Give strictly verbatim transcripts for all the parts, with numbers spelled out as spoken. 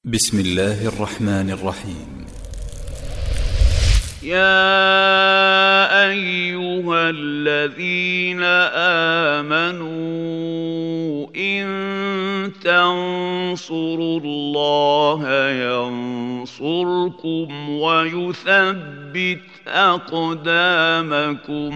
بسم الله الرحمن الرحيم. يا أيها الذين آمنوا إن تنصروا الله ينصركم ويثبت أقدامكم.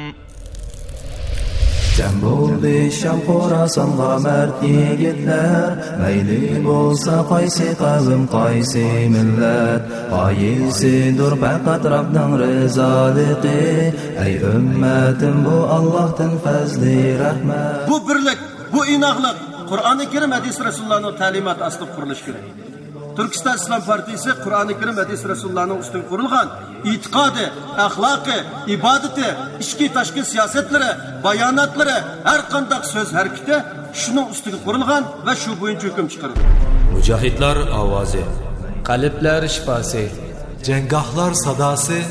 جەم بولدى شام خوراسانغا مەرد يىگىتلەر، مەيلى بولسا قايسى قەۋم، قايسى مىللەت، غايىسىدۇر پەقەت رەبنىڭ رىزالىقى. ئەي ئۈممەتىم، بۇ ئاللاھتىن پەزلى رەھمەت. بۇ بىرلىك، بۇ ئىناقلىق قۇرئانى كەرىم، ھەدىس رەسۇلۇللانىڭ تەلىماتى ئاستىدا قۇرۇلۇشى كېرەك. تۈركىستان ئىسلام پارتىيىسى قۇرئانى كەرىم، ھەدىس رەسۇلۇللانىڭ ئۈستىگە قۇرۇلغان ئېتىقادى، ئەخلاقى، ئىبادىتى، ئىچكى تاشقى سىياسەتلىرى، باياناتلىرى، ھەر قانداق سۆز ھەرىكىتى شۇنىڭ ئۈستىگە قۇرۇلغان ۋە شۇ بويىچە ھۆكۈم چىقىرىدۇ. مۇجاھىدلار ئاۋازى. قەلبلەر شىپاسى. جەڭگاھلار ساداسى.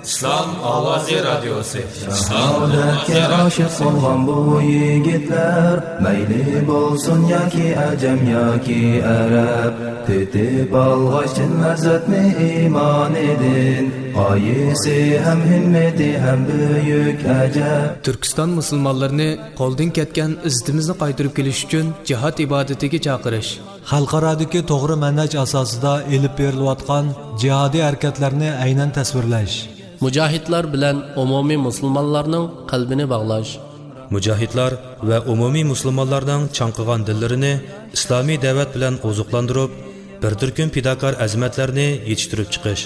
ئىسلام ئاۋازى رادىيوسى. شاھادەتكە ئاشىق بولغان بۇ يىگىتلەر، مەيلى بولسۇن ياكى ئەجەم ياكى ئەرەب، تېتىپ ئالغاچ چىن لەززەتنى ئىمانىدىن، غايىسى ھەم ھىممىتى ھەم بۈيۈك ئەجەب. تۈركىستان مۇسۇلمانلىرىنى قولدىن كەتكەن ئىززىتىمىزنى قايتۇرۇپ كېلىش ئۈچۈن جىھاد ئىبادىتىگە چاقىرىش. خەلقئارادىكى توغرا مەنھەج ئاساسىدا ئېلىپ بېرىلىۋاتقان جىھادىي ھەرىكەتلەرنى ئەينەن تەسۋىرلەش. مۇجاھىدلار بىلەن ئومۇمىي مۇسۇلمانلارنىڭ قەلبىنى باغلاش. مۇجاھىدلار ۋە ئومۇمىي مۇسۇلمانلارنىڭ چاڭقىغان دىللىرىنى ئىسلامىي دەۋەت بىلەن ئوزۇقلاندۇرۇپ، بىر تۈركۈم پىداكار ئەزىمەتلەرنى يېتىشتۈرۈپ چىقىش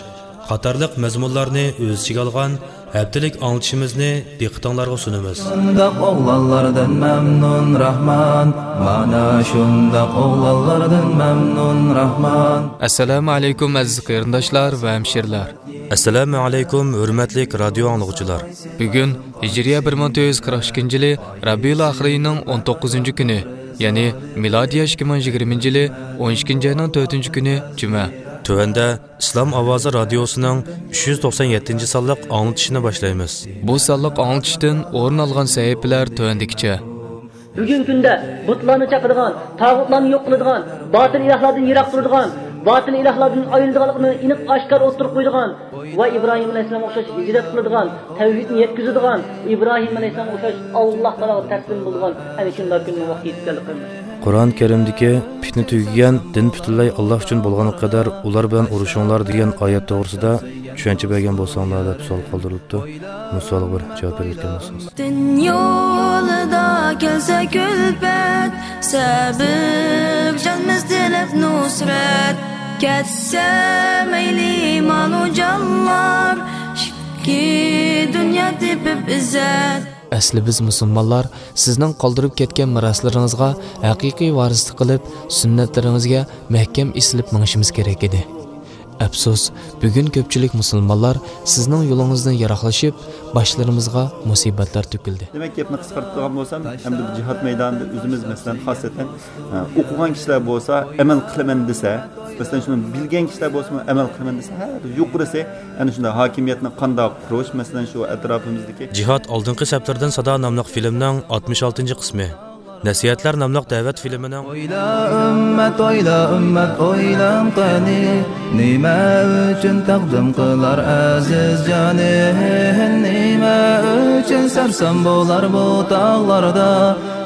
قاتارلىق مەزمۇنلارنى ئۆز ئىچىگە ئالغان ھەپتىلىك ئاڭلىتىشىمىزنى دىققىتىڭلارغا سۇنىمىز. شۇنداق ئوغلانلاردىن مەمنۇن راھمان، مانا شۇنداق ئوغلانلاردىن مەمنۇن راھمان. ئەسسالامۇ ئەلەيكۇم، ئەزىز قېرىنداشلار ۋە ھەمشىرىلەر. ئەسسالامۇ ئەلەيكۇم، ھۆرمەتلىك رادىيو ئاڭلىغۇچىلار. بۈگۈن ھىجرىيە بىر مىڭ تۆت يۈز قىرىق ئىككىنچى يىلى رەبىئۇل ئاخىر ئېيىنىڭ ئون توققۇزىنچى كۈنى، يەنى مىلادىيە ئىككى مىڭ يىگىرمىنچى يىلى ئون ئىككىنچى ئاينىڭ تۆتىنچى كۈنى، جۈمە. تۆۋەندە ئىسلام ئاۋازى رادىيوسىنىڭ ئۈچ يۈز توقسان يەتتىنچى سانلىق ئاڭلىتىشىنى باشلايمىز. بۇ سانلىق ئاڭلىتىشتىن ئورۇن ئالغان سەھىپىلەر تۆۋەندىكىچە. بۈگۈنكى كۈندە بۇتلارنى چاقىدىغان، تاغۇتلارنى يوق قىلىدىغان، باتىل ئىلاھلاردىن يىراق تۇرىدىغان، باتىل ئىلاھلاردىن ئايرىلىدىغانلىقىنى ئېنىق ئاشكارا ئوتتۇرىغا قويىدىغان ۋە ئىبراھىم ئەلەيھىسسالامغا ئوخشاش ھىجرەت قىلىدىغان، تەۋھىدنى يەتكۈزىدىغان، ئىبراھىم ئەلەيھىسسالامغا ئوخشاش ئاللاھ تائالاغا تەسلىم بولىدىغان ئەنە شۇنداق كۈننىڭ ۋاقتى يېتىپ كەلدى، قېرىنداشلار. قۇرئان كەرىمدىكى پىتنە تۈگىگەن، دىن پۈتۈنلەي ئاللاھ ئۈچۈن بولغانغا قەدەر ئۇلار بىلەن ئۇرۇشۇڭلار دېگەن ئايەت توغرىسىدا چۈشەنچە بەرگەن بولساڭلار دەپ سوئال قالدۇرۇلۇپتۇ. بۇ سوئالغا بىر جاۋاب بېرىدىكەن بولسىڭىز. دىن يولىدا كەلسە كۈلپەت، سەۋەب جانمىز تىلەپ نۇسرەت. كەتسە مەيلى مالۇ جانلار، ئىككى دۇنيا تېپىپ ئىززەت. ئەسلى بىز مۇسۇلمانلار سىزنىڭ قالدۇرۇپ كەتكەن مىراسلىرىڭىزغا ھەقىقىي ۋارىسلىق قىلىپ، سۈننەتلىرىڭىزگە مەھكەم ئېسىلىپ مېڭىشىمىز كېرەك ئىدى. ئەپسۇس، بۈگۈن كۆپچىلىك مۇسۇلمانلار سىزنىڭ يولىڭىزدىن يىراقلىشىپ، باشلىرىمىزغا مۇسىبەتلەر تۆكۈلدى. دېمەك، گەپنى قىسقارتىدىغان بولسام، ئەمدى بۇ جىھاد مەيدانىدا ئۆزىمىز، مەسىلەن، خاسسەتەن، ئە، ئوقۇغان كىشىلەر بولسا، ئەمەل قىلىمەن دېسە، مەسىلەن، شۇنى بىلگەن كىشىلەر بولسىمۇ، ئەمەل قىلىمەن دېسە، ھە، يۇقىرىسى، ئەنە شۇنداق ھاكىمىيەتنى قانداق قۇرۇش، مەسىلەن، شۇ ئەتراپىمىزدىكى. جىھاد ئالدىنقى سەپلىرىدىن سادا ناملىق فىلىمنىڭ ئاتمىش ئالتىنچى قىسمى. نەسىھەتلەر ناملىق دەۋەت فىلىمىنىڭ. ئويلا ئۈممەت، ئويلا ئۈممەت، ئويلاڭ قېنى، نېمە ئۈچۈن تەقدىم قىلار ئەزىز جانىن؟ نېمە ئۈچۈن سەرسان بولار بۇ تاغلاردا؟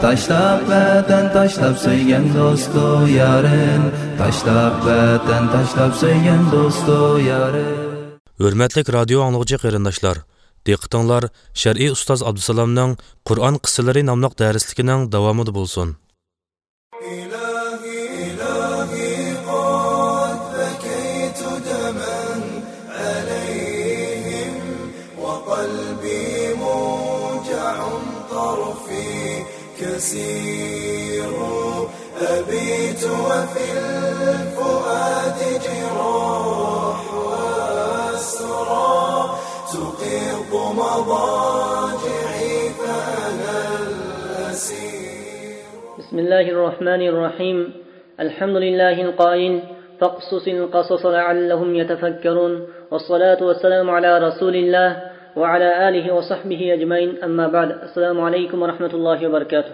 تاشلاپ ۋەتەن، تاشلاپ سۆيگەن دوستۇ يارىن، تاشلاپ ۋەتەن، تاشلاپ سۆيگەن دوستۇ يارىن. ھۆرمەتلىك رادىيو ئاڭلىغۇچى قېرىنداشلار، دىققىتىڭلار شەرئىي ئۇستاز ئابدۇسالامنىڭ قۇرئان قىسسىلىرى ناملىق دەرسلىكىنىڭ داۋامىدا بولسۇن. إلهي، إلهي، قد بكيت دما عليهم، وقلبي موجع طرفي كسير. أبيت وفي الفؤاد جراح وأسرى، تقيض مضاجعي فأنا الأسير. بسم الله الرحمن الرحيم. الحمد لله القائل: فاقصص القصص لعلهم يتفكرون. والصلاة والسلام على رسول الله وعلى آله وصحبه أجمعين. أما بعد. السلام عليكم ورحمة الله وبركاته.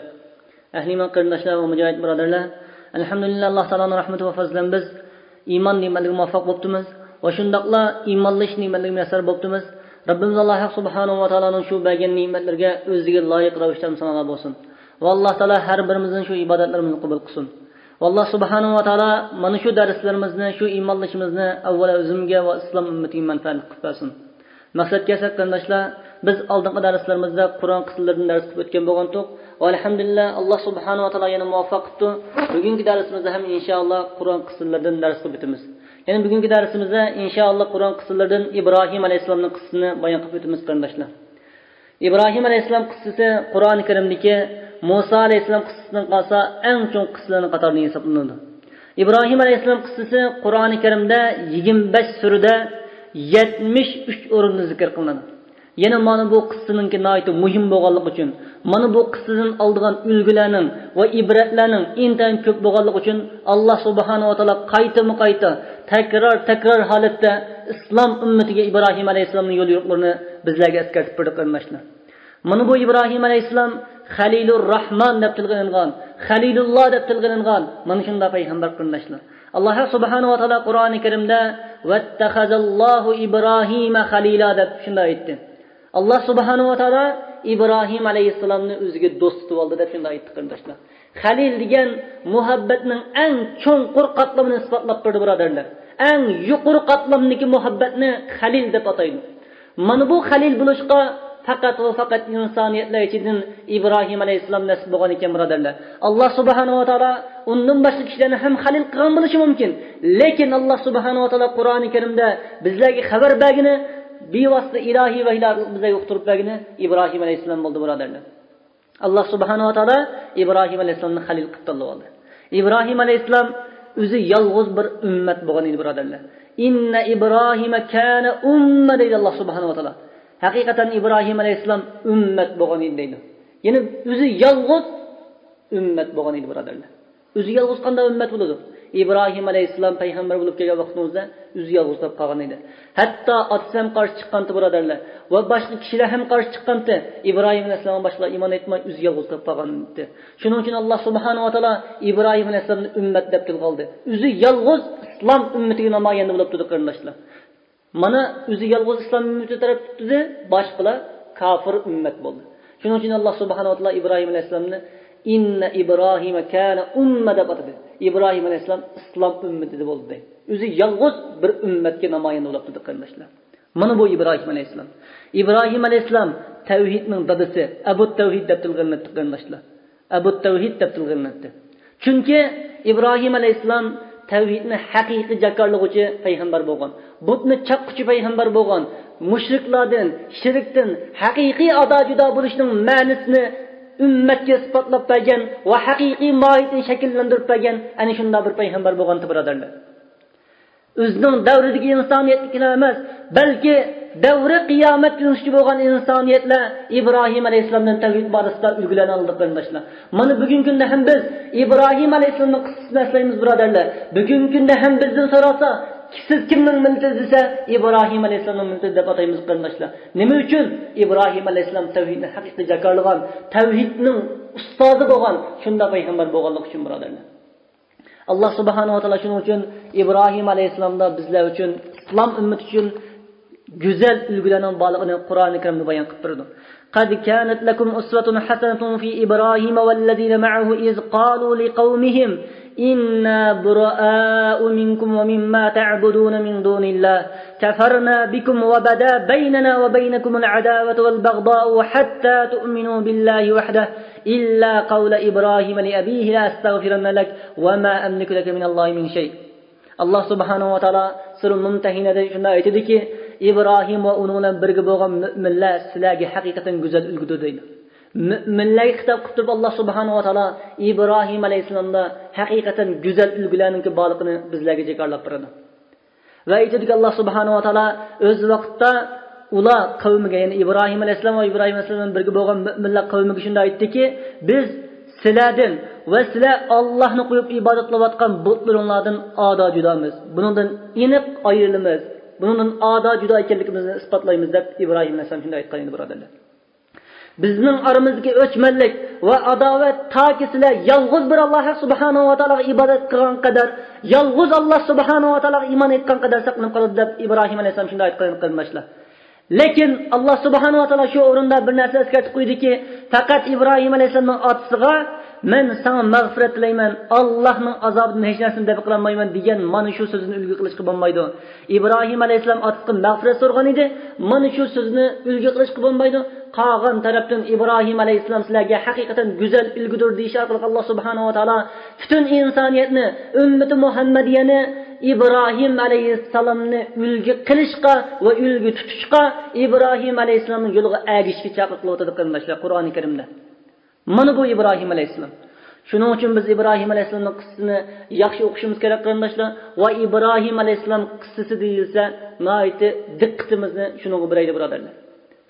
ئەھلى ئىمان قېرىنداشلار ۋە مۇجاھىد بۇرادەرلەر، ئەلھەمدۇلىللا، ئاللا تائالانىڭ رەھمىتى ۋە پەزلى بىلەن بىز ئىمان نېمەتلىرىگە مۇۋەپپەق بوپتىمىز ۋە شۇنداقلا ئىمانلىشىش نېمەتلىرىگە مۇيەسسەر بوپتىمىز. رەببىمىز ئاللا ھەق سۇبھانەھۇ ۋە تائالانىڭ شۇ بەرگەن نېمەتلىرىگە ئۆزىگە لايىق رەۋىشتە ھەمدۇ سانالار بولسۇن. ۋە ئاللا تائالا ھەر بىرىمىزنىڭ شۇ ئىبادەتلىرىمىزنى قوبۇل قىلسۇن. ۋە ئاللا سۇبھانەھۇ ۋە تائالا مانا شۇ دەرسلىرىمىزنى، شۇ ئىمانلىشىشىمىزنى ئەۋۋەل ئۆزۈمگە ۋە ئىسلام ئۈممىتىگە مەنپەئەتلىك قىلىپ بەرسۇن. مەقسەتكە كەلسەك قېرىنداشلار، بىز ئالدىنقى دەرسلىرىمىزدە قۇرئان قىسسىلىرىدىن دەرس قىلىپ ئۆتكەن بولغانتۇق. ۋە ئەلھەمدۇلىللا، ئاللا سۇبھانەھۇ ۋە تائالا يەنە مۇۋەپپەق قىپتۇ. بۈگۈنكى دەرسىمىزدە ھەم ئىنشائاللا قۇرئان قىسسىلىرىدىن دەرس قىلىپ ئۆتىمىز. يەنى بۈگۈنكى دەرسىمىزدە ئىنشائاللا قۇرئان قىسسىلىرىدىن ئىبراھىم ئەلەيھىسسالامنىڭ قىسسىسىنى بايان قىلىپ ئۆتىمىز قېرىنداشلار. ئىبراھىم ئەلەيھىسسالام قىسسىسى قۇرئانى كەرىمدىكى مۇسا ئەلەيھىسسالام قىسسىسىدىن قالسا ئەڭ چوڭ قىسسىلارنىڭ قاتارىدىن ھېسابلىنىدۇ. ئىبراھىم ئەلەيھىسسالام قىسسىسى قۇرئانى كەرىمدە يىگىرمە بەش سۈرىدە يەتمىش ئۈچ ئورۇندا زىكىر قىلىنىدۇ. يەنە مانا بۇ قىسسىنىڭكى ناھايىتى مۇھىم بولغانلىقى ئۈچۈن، مانا بۇ قىسسىدىن ئالىدىغان ئۈلگىلەرنىڭ ۋە ئىبرەتلەرنىڭ ئىنتايىن كۆپ بولغانلىقى ئۈچۈن، ئاللا سۇبھانەھۇ ۋە تائالا قايتىمۇ قايتا، تەكرار تەكرار ھالەتتە ئىسلام ئۈممىتىگە ئىبراھىم ئەلەيھىسسالامنىڭ يول يورۇقلىرىنى بىزلەرگە ئەسكەرتىپ بېرىدۇ قېرىنداشلار. مانا بۇ ئىبراھىم ئەلەيھىسسالام خەلىلۇر راھمان دەپ تىلغا ئېلىنغان، خەلىلۇللا دەپ تىلغا ئېلىنغان مانا شۇنداق پەيغەمبەر قېرىنداشلار. ئاللا سۇبھانەھۇ ۋە تائالا قۇرئانى كەرىمدە «ۋەتتەخەزەللاھۇ ئىبراھىمە خەلىلا» دەپ شۇنداق ئېيتتى. ئاللا سۇبھانەھۇ ۋە تائالا ئىبراھىم ئەلەيھىسسالامنى ئۆزىگە دوست تۇتۇۋالدى دەپ شۇنداق ئېيتتى قېرىنداشلار. خەلىل دېگەن مۇھەببەتنىڭ ئەڭ چوڭقۇر قاتلىمىنى ئىسپاتلاپ بەردى بۇرادەرلەر. ئەڭ يۇقىرى قاتلامدىكى مۇھەببەتنى خەلىل دەپ ئاتايدۇ. مانا بۇ خەلىل بولۇشقا پەقەت ۋە پەقەت ئىنسانىيەتلەر ئىچىدىن ئىبراھىم ئەلەيھىسسالام نەسىب بولغان ئىكەن بۇرادەرلەر. ئاللا سۇبھانەھۇ ۋە تائالا ئۇندىن باشقا كىشىلەرنى ھەم خەلىل قىلغان بولۇشى مۇمكىن. لېكىن ئاللا سۇبھانەھۇ ۋە تائالا قۇرئانى كەرىمدە بىزلەرگە خەۋەر بەرگىنى، بىۋاسىتە ئىلاھىي ۋەھىيلەر ئارقىلىق بىزلەرگە ئۇقتۇرۇپ بەرگىنى ئىبراھىم ئەلەيھىسسالام بولدى بۇرادەرلەر. ئاللا سۇبھانەھۇ ۋە تائالا ئىبراھىم ئەلەيھىسسالامنى خەلىل قىلىپ تاللىۋالدى. ئىبراھىم ئەلەيھىسسالام ئۆزى يالغۇز بىر ئۈممەت بولغان ئىدى بۇرادەرلەر. «ئىننە ئىبراھىمە كانە ئۇممە» دەيدۇ ئاللا سۇبھانەھۇ ۋە تائالا. ھەقىقەتەن ئىبراھىم ئەلەيھىسسالام ئۈممەت بولغان ئىدى دەيدۇ. يەنى ئۆزى يالغۇز ئۈممەت بولغان ئىدى بۇرادەرلەر. ئۆزى يالغۇز قانداق ئۈممەت بولىدۇ؟ ئىبراھىم ئەلەيھىسسالام پەيغەمبەر بولۇپ كەلگەن ۋاقتىمىزدا ئۆزى يالغۇز بولۇپ قالغان ئىدى. ھەتتا ئاتىسى ھەم قارشى چىققانتى بۇرادەرلەر. ۋە باشقا كىشىلەر ھەم قارشى چىققانتى. ئىبراھىم ئەلەيھىسسالامغا باشقىلار ئىمان ئېيتماي ئۆزى يالغۇز قېلىپ قالغان ئىدى. شۇنىڭ ئۈچۈن ئاللا سۇبھانەھۇ ۋە تائالا ئىبراھىم ئەلەيھىسسالامنى ئۈممەت دەپ تىلغا ئالدى. ئۆزى يالغۇز ئىسلام ئۈممىتىگە نامايەندە بولۇپ تۇردى قېرىنداشلار. مانا ئۆزى يالغۇز ئىسلام ئۈممىتى تەرەپ تۇتتى، باشقىلار كاپىر ئۈممەت بولدى. شۇنىڭ ئۈچۈن ئاللا سۇبھانەھۇ ۋە تائالا ئىبراھىم ئەلەيھىسسالامنى «ئىننە ئىبراھىمە كانە ئۇممە» دەپ ئاتىدى. ئىبراھىم ئەلەيھىسسالام ئىسلام ئۈممىتىدە بولدى. ئۆزى يالغۇز بىر ئۈممەتكە نامايەندە بولۇپ تۇردى قېرىنداشلار. مانا بۇ ئىبراھىم ئەلەيھىسسالام. ئىبراھىم ئەلەيھىسسالام تەۋھىدنىڭ دادىسى، ئەبۇ تەۋھىد دەپ تىلغا ئېلىنىپتۇ قېرىنداشلار. ئەبۇ تەۋھىد دەپ تىلغا ئېلىنىپتۇ. چۈنكى ئىبراھىم ئەلەيھىسسالام تەۋھىدنى ھەقىقىي جاكارلىغۇچى پەيغەمبەر بولغان. بۇتنى چاققۇچى پەيغەمبەر بولغان. مۇشرىكلاردىن، شىركتىن ھەقىقىي ئادا جۇدا بولۇشنىڭ مەنىسىنى ئۈممەتكە ئىسپاتلاپ بەرگەن ۋە ھەقىقىي ماھىيىتىنى شەكىللەندۈرۈپ بەرگەن ئەنە شۇنداق بىر پەيغەمبەر بولغانتى بۇرادەرلەر. ئۆزىنىڭ دەۋرىدىكى ئىنسانىيەتكىلا ئەمەس، بەلكى دەۋرى قىيامەتكە يېتىشكە بولغان ئىنسانىيەتلەر ئىبراھىم ئەلەيھىسسالامدىن تەۋھىد بارىسىدا ئۈلگىلەرنى ئالدى قېرىنداشلار. مانا بۈگۈنكى كۈندە ھەم بىز ئىبراھىم ئەلەيھىسسالامنىڭ قىسسىسىنى ئەسلەيمىز بۇرادەرلەر. بۈگۈنكى كۈندە ھەم بىزدىن سورالسا، سىز كىمنىڭ مىللىتى دېسە، ئىبراھىم ئەلەيھىسسالامنىڭ مىللىتى دەپ ئاتايمىز قېرىنداشلار. نېمە ئۈچۈن؟ ئىبراھىم ئەلەيھىسسالام تەۋھىدنى ھەقىقىي جاكارلىغان، تەۋھىدنىڭ ئۇستازى بولغان شۇنداق پەيغەمبەر بولغانلىقى ئۈچۈن بۇرادەرلەر. ئاللا سۇبھانەھۇ ۋە تائالا شۇنىڭ ئۈچۈن ئىبراھىم ئەلەيھىسسالامدا بىزلەر ئۈچۈن، ئىسلام ئۈممىتى ئۈچۈن گۈزەل ئۈلگىلەرنىڭ بارلىقىنى قۇرئانى كەرىمدە بايان قىلىپ بېرىدۇ. قد كانت لكم أسوة حسنة في إبراهيم والذين معه إذ قالوا لقومهم إنا براء منكم ومما تعبدون من دون الله كفرنا بكم وبدا بيننا وبينكم العداوة والبغضاء حتى تؤمنوا بالله وحده إلا قول إبراهيم لأبيه لأستغفرن لك وما أملك لك من الله من شيء. ئاللا سۇبھانەھۇ ۋە تائالا سۈرە مۇمتەھىنەدە شۇنداق ئېيتىدۇكى، ئىبراھىم ۋە ئۇنىڭ بىلەن بىرگە بولغان مۆمىنلەر سىلەرگە ھەقىقەتەن گۈزەل ئۈلگىدۇر دەيدۇ. مۆمىنلەرگە خىتاب قىلىپ تۇرۇپ ئاللا سۇبھانەھۇ ۋە تائالا ئىبراھىم ئەلەيھىسسالامدا ھەقىقەتەن گۈزەل ئۈلگىلەرنىڭكى بارلىقىنى بىزلەرگە جاكارلاپ بېرىدۇ. ۋە ئېيتىدۇكى، ئاللا سۇبھانەھۇ ۋە تائالا ئۆز ۋاقتىدا ئۇلار قەۋمىگە، يەنى ئىبراھىم ئەلەيھىسسالام ۋە ئىبراھىم ئەلەيھىسسالام بىلەن بىرگە بولغان مۆمىنلەر قەۋمىگە شۇنداق ئېيتتىكى، بىز سىلەردىن ۋە سىلەر ئاللاھنى قويۇپ ئىبادەت قىلىۋاتقان بۇتلىرىڭلاردىن ئادا جۇدامىز. بۇنىڭدىن ئېنىق ئايرىلىمىز. بۇنىڭدىن ئادا جۇدا ئىكەنلىكىمىزنى ئىسپاتلايمىز دەپ ئىبراھىم ئەلەيھىسسالام شۇنداق ئېيتقان ئىدى بۇرادەرلەر. بىزنىڭ ئارىمىزدىكى ئۆچمەنلىك ۋە ئاداۋەت تاكى سىلەر يالغۇز بىر ئاللاھ سۇبھانەھۇ ۋە تائالاغا ئىبادەت قىلغان قەدەر، يالغۇز ئاللاھ سۇبھانەھۇ ۋە تائالاغا ئىمان ئېيتقان قەدەر ساقلىنىپ قالىدۇ، دەپ ئىبراھىم ئەلەيھىسسالام شۇنداق ئېيتقان، قېرىنداشلار. لېكىن ئاللاھ سۇبھانەھۇ ۋە تائالا شۇ ئورۇندا بىر نەرسە ئەسكەرتىپ قويدىكى، پەقەت ئىبراھىم ئەلەيھىسسالامنىڭ ئاتىسىغا، «مەن ساڭا مەغپىرەت تىلەيمەن، ئاللاھنىڭ ئازابىدىن ھېچ نەرسىنى دەپ قىلالمايمەن» دېگەن مانا شۇ سۆزنى ئۈلگە قىلىشقا بولمايدۇ. ئىبراھىم ئەلەيھىسسالام ئاتىسىغا مەغپىرەت سورىغان ئىدى، مانا شۇ سۆزنى ئۈلگە قىلىشقا بولمايدۇ. قالغان تەرەپتىن ئىبراھىم ئەلەيھىسسالام سىلەرگە ھەقىقەتەن گۈزەل ئۈلگىدۇر دېيىش ئارقىلىق ئاللاھ سۇبھانەھۇ ۋە تائالا پۈتۈن ئىنسانىيەتنى، ئۈممىتى مۇھەممەدىيەنى ئىبراھىم ئەلەيھىسسالامنى ئۈلگە قىلىشقا ۋە ئۈلگە تۇتۇشقا، ئىبراھىم ئەلەيھىسسالامنىڭ يولىغا ئەگىشىشكە چاقىرىقلاۋاتىدۇ، قېرىنداشلار، قۇرئانى كەرىمدە. مانا بۇ ئىبراھىم ئەلەيھىسسالام. شۇنىڭ ئۈچۈن بىز ئىبراھىم ئەلەيھىسسالامنىڭ قىسسىسىنى ياخشى ئوقۇشىمىز كېرەك، قېرىنداشلار. ۋە ئىبراھىم ئەلەيھىسسالام قىسسىسى دېيىلسە، ناھايىتى دىققىتىمىزنى شۇنىڭغا بېرەيلى، بۇرادەرلەر.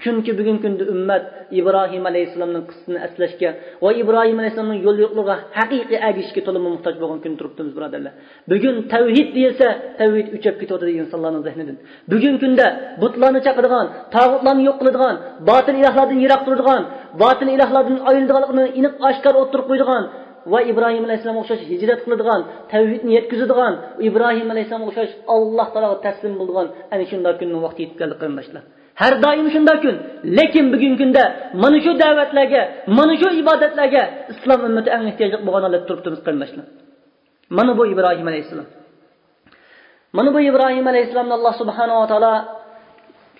چۈنكى بۈگۈنكى كۈندە ئۈممەت ئىبراھىم ئەلەيھىسسالامنىڭ قىسسىسىنى ئەسلەشكە ۋە ئىبراھىم ئەلەيھىسسالامنىڭ يول يورۇقلىرىغا ھەقىقىي ئەگىشىشكە تولىمۇ موھتاج بولغان كۈندە تۇرۇپتىمىز، بۇرادەرلەر. بۈگۈن تەۋھىد دېيىلسە، تەۋھىد ئۆچۈپ كېتىۋاتىدۇ ئىنسانلارنىڭ زېھنىدىن. بۈگۈنكى كۈندە بۇتلارنى چاقىدىغان، تاغۇتلارنى يوق قىلىدىغان، باتىل ئىلاھلاردىن يىراق تۇرىدىغان، باتىل ئىلاھلاردىن ئايرىلىدىغانلىقىنى ئېنىق ئاشكارا ئوتتۇرىغا قويىدىغان ۋە ئىبراھىم ئەلەيھىسسالامغا ئوخشاش ھىجرەت قىلىدىغان، تەۋھىدنى يەتكۈزىدىغان، ئىبراھىم ئەلەيھىسسالامغا ئوخشاش ئاللاھ تائالاغا تەسلىم بولىدىغان ئەنە شۇنداق كۈننىڭ ۋاقتى يېتىپ كەلدى، قېرىنداشلار. ھەر دائىم شۇنداق كۈن. لېكىن بۈگۈنكى كۈندە مانا شۇ دەۋەتلەرگە، مانا شۇ ئىبادەتلەرگە ئىسلام ئۈممىتى ئەڭ ئېھتىياجلىق بولغان ھالەتتە تۇرۇپتىمىز، قېرىنداشلار. مانا بۇ ئىبراھىم ئەلەيھىسسالام. مانا بۇ ئىبراھىم ئەلەيھىسسالامنى ئاللاھ سۇبھانەھۇ ۋە تائالا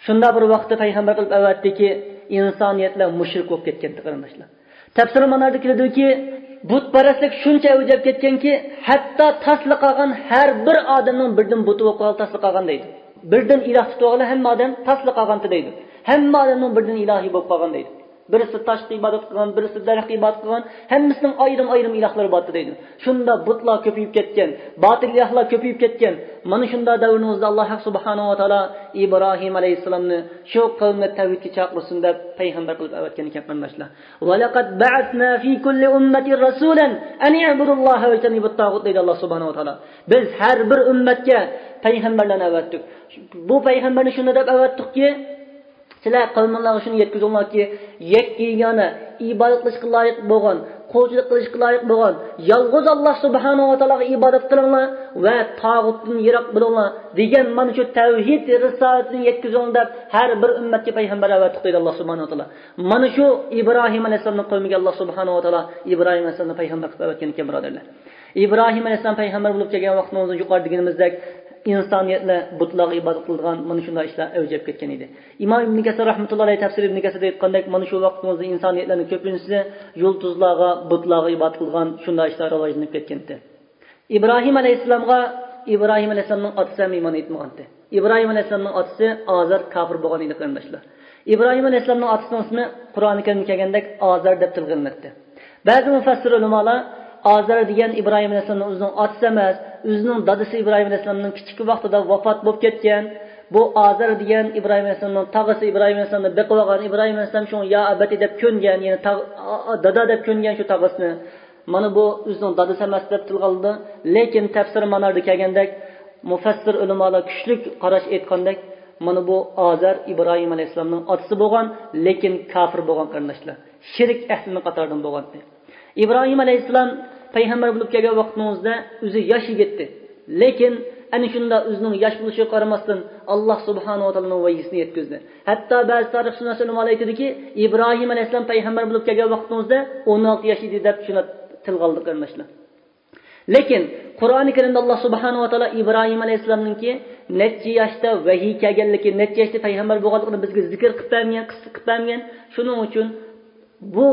شۇنداق بىر ۋاقىتتا پەيغەمبەر قىلىپ ئەۋەتتىكى، ئىنسانىيەتلەر مۇشرىك بولۇپ كەتكەنتى، قېرىنداشلار. تەپسىر ماناردا كېلىدۇكى، بۇتپەرەسلىك شۇنچە ئەۋجىگە كەتكەنكى، ھەتتا تاسلا قالغان ھەر بىر ئادەمنىڭ بىردىن بۇتى بولۇپ قالغان، تاسلا قالغان دەيدۇ. بىردىن ئىلاھ تۇتۇۋالغان ھەممە ئادەم تاسلا قالغانتى دەيدۇ. ھەممە ئادەمنىڭ بىردىن ئىلاھى بولۇپ قالغان دەيدۇ. بىرسى تاشقا ئىبادەت قىلغان، بىرسى دەرەخكە ئىبادەت قىلغان، ھەممىسىنىڭ ئايرىم-ئايرىم ئىلاھلىرى بارتى دەيدۇ. شۇنداق بۇتلار كۆپىيىپ كەتكەن، باتىل ئىلاھلار كۆپىيىپ كەتكەن. مانا شۇنداق دەۋرىڭىزدە ئاللاھ ھەق سۇبھانەھۇ ۋە تائالا ئىبراھىم ئەلەيھىسسالامنى شۇ قەۋمنى تەۋھىدكە چاقىرسۇن دەپ پەيغەمبەر قىلىپ ئەۋەتكەن ئىكەن، قېرىنداشلار. «ولقد بعثنا في كل أمة رسولا أن اعبدوا الله واجتنبوا الطاغوت» دەيدۇ ئاللاھ سۇبھانەھۇ ۋە تائالا. بىز ھەر بىر ئۈممەتكە پەيغەمبەرلەرنى ئەۋەتتۇق. بۇ پەيغەمبەرنى شۇنداق دەپ ئەۋەتتۇقكى، سىلەر قەۋمىڭلارغا شۇنى يەتكۈزۈڭلاركى، يەككە يېگانە، ئىبادەت قىلىشقا لايىق بولغان، قۇلچىلىق قىلىشقا لايىق بولغان يالغۇز ئاللاھ سۇبھانەھۇ ۋە تائالاغا ئىبادەت قىلىڭلار ۋە تاغۇتتىن يىراق بولۇڭلار دېگەن مانا شۇ تەۋھىد رىسالىتىنى يەتكۈزۈڭ دەپ ھەر بىر ئۈممەتكە پەيغەمبەر ئەۋەتتۇق دەيدۇ ئاللاھ سۇبھانەھۇ ۋە تائالا. مانا شۇ ئىبراھىم ئەلەيھىسسالامنىڭ قەۋمىگە ئاللاھ سۇبھانەھۇ ۋە تائالا ئىبراھىم ئەلەيھىسسالامنى پەيغەمبەر قىلىپ ئەۋەتكەن ئىكەن، بۇرادەرلەر. ئىبراھىم ئەلەيھىسسالام پەيغەمبەر بولۇپ كەلگەن ۋاقتىڭىزدا يۇقىرىدا دېگىنىمىزدەك ئىنسانىيەتلەر بۇتلارغا ئىبادەت قىلىدىغان مانا شۇنداق ئىشلار ئەۋج ئېلىپ كەتكەن ئىدى. ئىمام ئىبن كەسىر رەھمەتۇللاھى ئەلەيھى تەپسىرى ئىبن كەسىردە ئېيتقاندەك، مانا شۇ ۋاقتىمىزدا ئىنسانىيەتلەرنىڭ كۆپىنچىسى يۇلتۇزلارغا، بۇتلارغا ئىبادەت قىلىدىغان شۇنداق ئىشلار راۋاجلىنىپ كەتكەنتى. ئىبراھىم ئەلەيھىسسالامغا ئىبراھىم ئەلەيھىسسالامنىڭ ئاتىسى ھەم ئىمان ئېيتمىغانتى. ئىبراھىم ئەلەيھىسسالامنىڭ ئاتىسى ئازەر كاپىر بولغان ئىدى، قېرىنداشلار. ئىبراھىم ئەلەيھىسسالامنىڭ ئاتىسىنىڭ ئىسمى قۇرئانى كەرىمدە كەلگەندەك ئازەر دەپ تىلغا ئېلىناتتى. بەزى مۇفەسسىر ئۆلىمالار ئازەر دېگەن ئىبراھىم ئەلەيھىسسالامنىڭ ئۆزىنىڭ ئاتىسى ئەمەس، ئۆزىنىڭ دادىسى ئىبراھىم ئەلەيھىسسالامنىڭ كىچىك ۋاقتىدا ۋاپات بولۇپ كەتكەن. بۇ ئازەر دېگەن ئىبراھىم ئەلەيھىسسالامنىڭ تاغىسى، ئىبراھىم ئەلەيھىسسالامنى بېقىۋالغان. ئىبراھىم ئەلەيھىسسالام شۇڭا يا ئەبەتى دەپ كۆنگەن، يەنى تاغ-، ئا-، ئا-، دادا دەپ كۆنگەن شۇ تاغىسىنى. مانا بۇ ئۆزىنىڭ دادىسى ئەمەس دەپ تىلغا ئالىدۇ. لېكىن تەپسىر ماناردا كەلگەندەك، مۇفەسسىر ئۆلىمالار كۈچلۈك قاراش ئېيتقاندەك، مانا بۇ ئازەر ئىبراھىم ئەلەيھىسسالامنىڭ ئاتىسى بولغان، لېكىن كاپىر بولغان، قېرىنداشلار. شىرك ئەھلىنىڭ قاتارىدىن بولغانتى. ئىبراھىم ئەلەيھىسسالام پەيغەمبەر بولۇپ كەلگەن ۋاقتىڭىزدا ئۆزى ياش يىگىتتى. لېكىن ئەنە شۇنداق ئۆزىنىڭ ياش بولۇشىغا قارىماستىن، ئاللاھ سۇبھانەھۇ ۋە تائالانىڭ ۋەھىيسىنى يەتكۈزدى. ھەتتا بەزى تارىخشۇناس ئۆلىمالار ئېيتىدۇكى، ئىبراھىم ئەلەيھىسسالام پەيغەمبەر بولۇپ كەلگەن ۋاقتىڭىزدا ئون ئالتە ياش ئىدى دەپ شۇنداق تىلغا ئالدى، قېرىنداشلار. لېكىن قۇرئانى كەرىمدە ئاللاھ سۇبھانەھۇ ۋە تائالا ئىبراھىم ئەلەيھىسسالامنىڭكى نەچچە ياشتا ۋەھىي كەلگەنلىكى، نەچچە ياشتا پەيغەمبەر بولغانلىقىنى بىزگە زىكىر قىلىپ بەرمىگەن، قىسسە قىلىپ بەرمىگەن. شۇنىڭ ئۈچۈن بۇ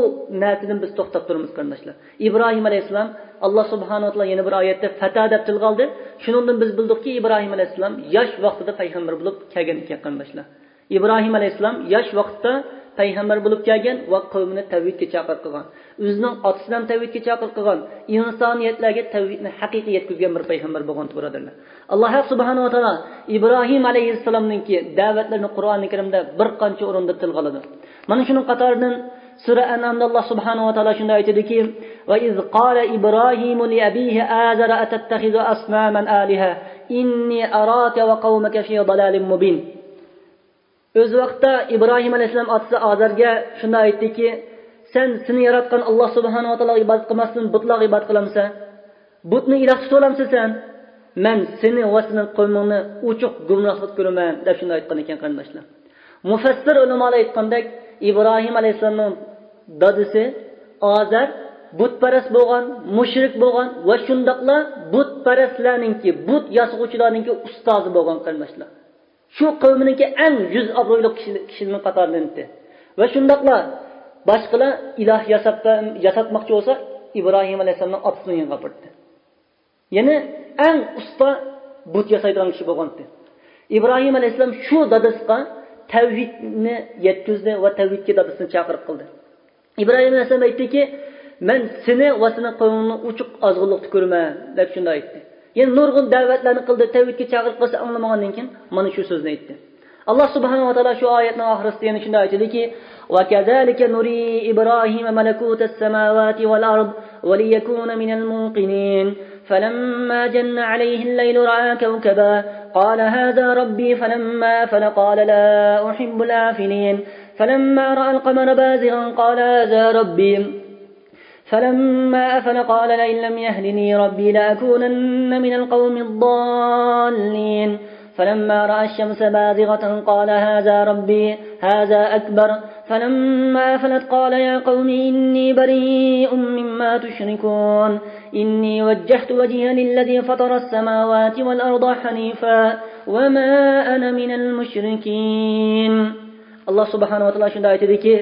نەرسىدىن بىز توختاپ تۇرىمىز، قېرىنداشلار. ئىبراھىم ئەلەيھىسسالام، ئاللاھ سۇبھانەھۇ ۋە تائالا يەنە بىر ئايەتتە فەتا دەپ تىلغا ئالدى. شۇنىڭدىن بىز بىلدۇقكى، ئىبراھىم ئەلەيھىسسالام ياش ۋاقتىدا پەيغەمبەر بولۇپ كەلگەن ئىكەن، قېرىنداشلار. ئىبراھىم ئەلەيھىسسالام ياش ۋاقىتتا پەيغەمبەر بولۇپ كەلگەن ۋە قەۋمىنى تەۋھىدكە چاقىرىپ قىلغان. ئۆزىنىڭ ئاتىسىنى ھەم تەۋھىدكە چاقىرىپ قىلغان. ئىنسانىيەتلەرگە تەۋھىدنى ھەقىقىي يەتكۈزگەن بىر پەيغەمبەر بولغان، بۇرادەرلەر. ئاللاھ ھەق سۇبھانەھۇ ۋە تائالا ئىبراھىم ئەلەيھىسسالامنىڭكى دەۋەتلىرىنى قۇرئانى كەرىمدە بىر قانچە ئورۇندا تىلغا ئالىدۇ. مانا شۇنىڭ قاتارىدىن سۈرە ئەنئامدا ئاللاھ سۇبھانەھۇ ۋە تائالا شۇنداق ئېيتىدۇكى، وإذ قال إبراهيم لأبيه آزر أتتخذ أصناما آلهة إني أراك وقومك في ضلال مبين. ئۆز ۋاقتىدا ئىبراھىم ئەلەيھىسسالام ئاتىسى ئازەرگە شۇنداق ئېيتتىكى، سەن سېنى ياراتقان ئاللا سۇبھانەھۇ ۋە تائالاغا ئىبادەت قىلماستىن بۇتلارغا ئىبادەت قىلامسەن؟ بۇتنى ئىلاھ تۇتۇۋالامسەن سەن؟ مەن سېنى ۋە سېنىڭ قەۋمىڭنى ئوچۇق گۇمراھلىقتا كۆرىمەن، دەپ شۇنداق ئېيتقان ئىكەن، قېرىنداشلار. مۇفەسسىر ئۆلىمالار ئېيتقاندەك، ئىبراھىم ئەلەيھىسسالامنىڭ دادىسى ئازەر بۇتپەرەس بولغان، مۇشرىك بولغان ۋە شۇنداقلا بۇتپەرەسلەرنىڭكى، بۇت ياسىغۇچىلارنىڭكى ئۇستازى بولغان، قېرىنداشلار. شۇ قەۋمىنىڭكى ئەڭ يۈز ئابرۇيلۇق كىشى-، كىشىلىرىنىڭ قاتارىدىن ئىدى. ۋە شۇنداقلا باشقىلار ئىلاھ ياساپ، ياساتماقچى بولسا، ئىبراھىم ئەلەيھىسسالامنىڭ ئاتىسىنىڭ يېنىغا ئاپىرىدۇ. يەنى ئەڭ ئۇستا بۇت ياسايدىغان كىشى بولغانتى. ئىبراھىم ئەلەيھىسسالام شۇ دادىسىغا تەۋھىدنى يەتكۈزدى ۋە تەۋھىدكە دادىسىنى چاقىرىق قىلدى. ئىبراھىم ئەلەيھىسسالام ئېيتتىكى، مەن سېنى ۋە سېنىڭ قەۋمىڭنى ئوچۇق ئازغۇنلۇقتا كۆرىمەن، دەپ شۇنداق ئېيتتى. يەنە نۇرغۇن دەۋەتلەرنى قىلدى، تەۋھىدكە چاقىرىق قىلسا ئاڭلىمىغاندىن كېيىن مانا شۇ سۆزنى ئېيتتى. ئاللا سۇبھانەھۇ ۋە تائالا شۇ ئايەتنىڭ ئاخىرىسىدا يەنە شۇنداق ئېيتىدىكى، وكذلك نري إبراهيم ملكوت السماوات والأرض وليكون من الموقنين. فلما جن عليه الليل رأى كوكبا قال هذا ربي فلما أفل قال لا أحب الآفلين. فلما رأى القمر بازغا قال هذا ربي فلما أفل قال لئن لم يهدني ربي لأكونن من القوم الضالين. فلما رأى الشمس بازغة قال هذا ربي هذا أكبر. فلما أفلت قال يا قوم إني بريء مما تشركون. إني وجهت وجهي للذي فطر السماوات والأرض حنيفا وما أنا من المشركين. ئاللا سۇبھانەھۇ ۋە تائالا شۇنداق ئېيتىدىكى،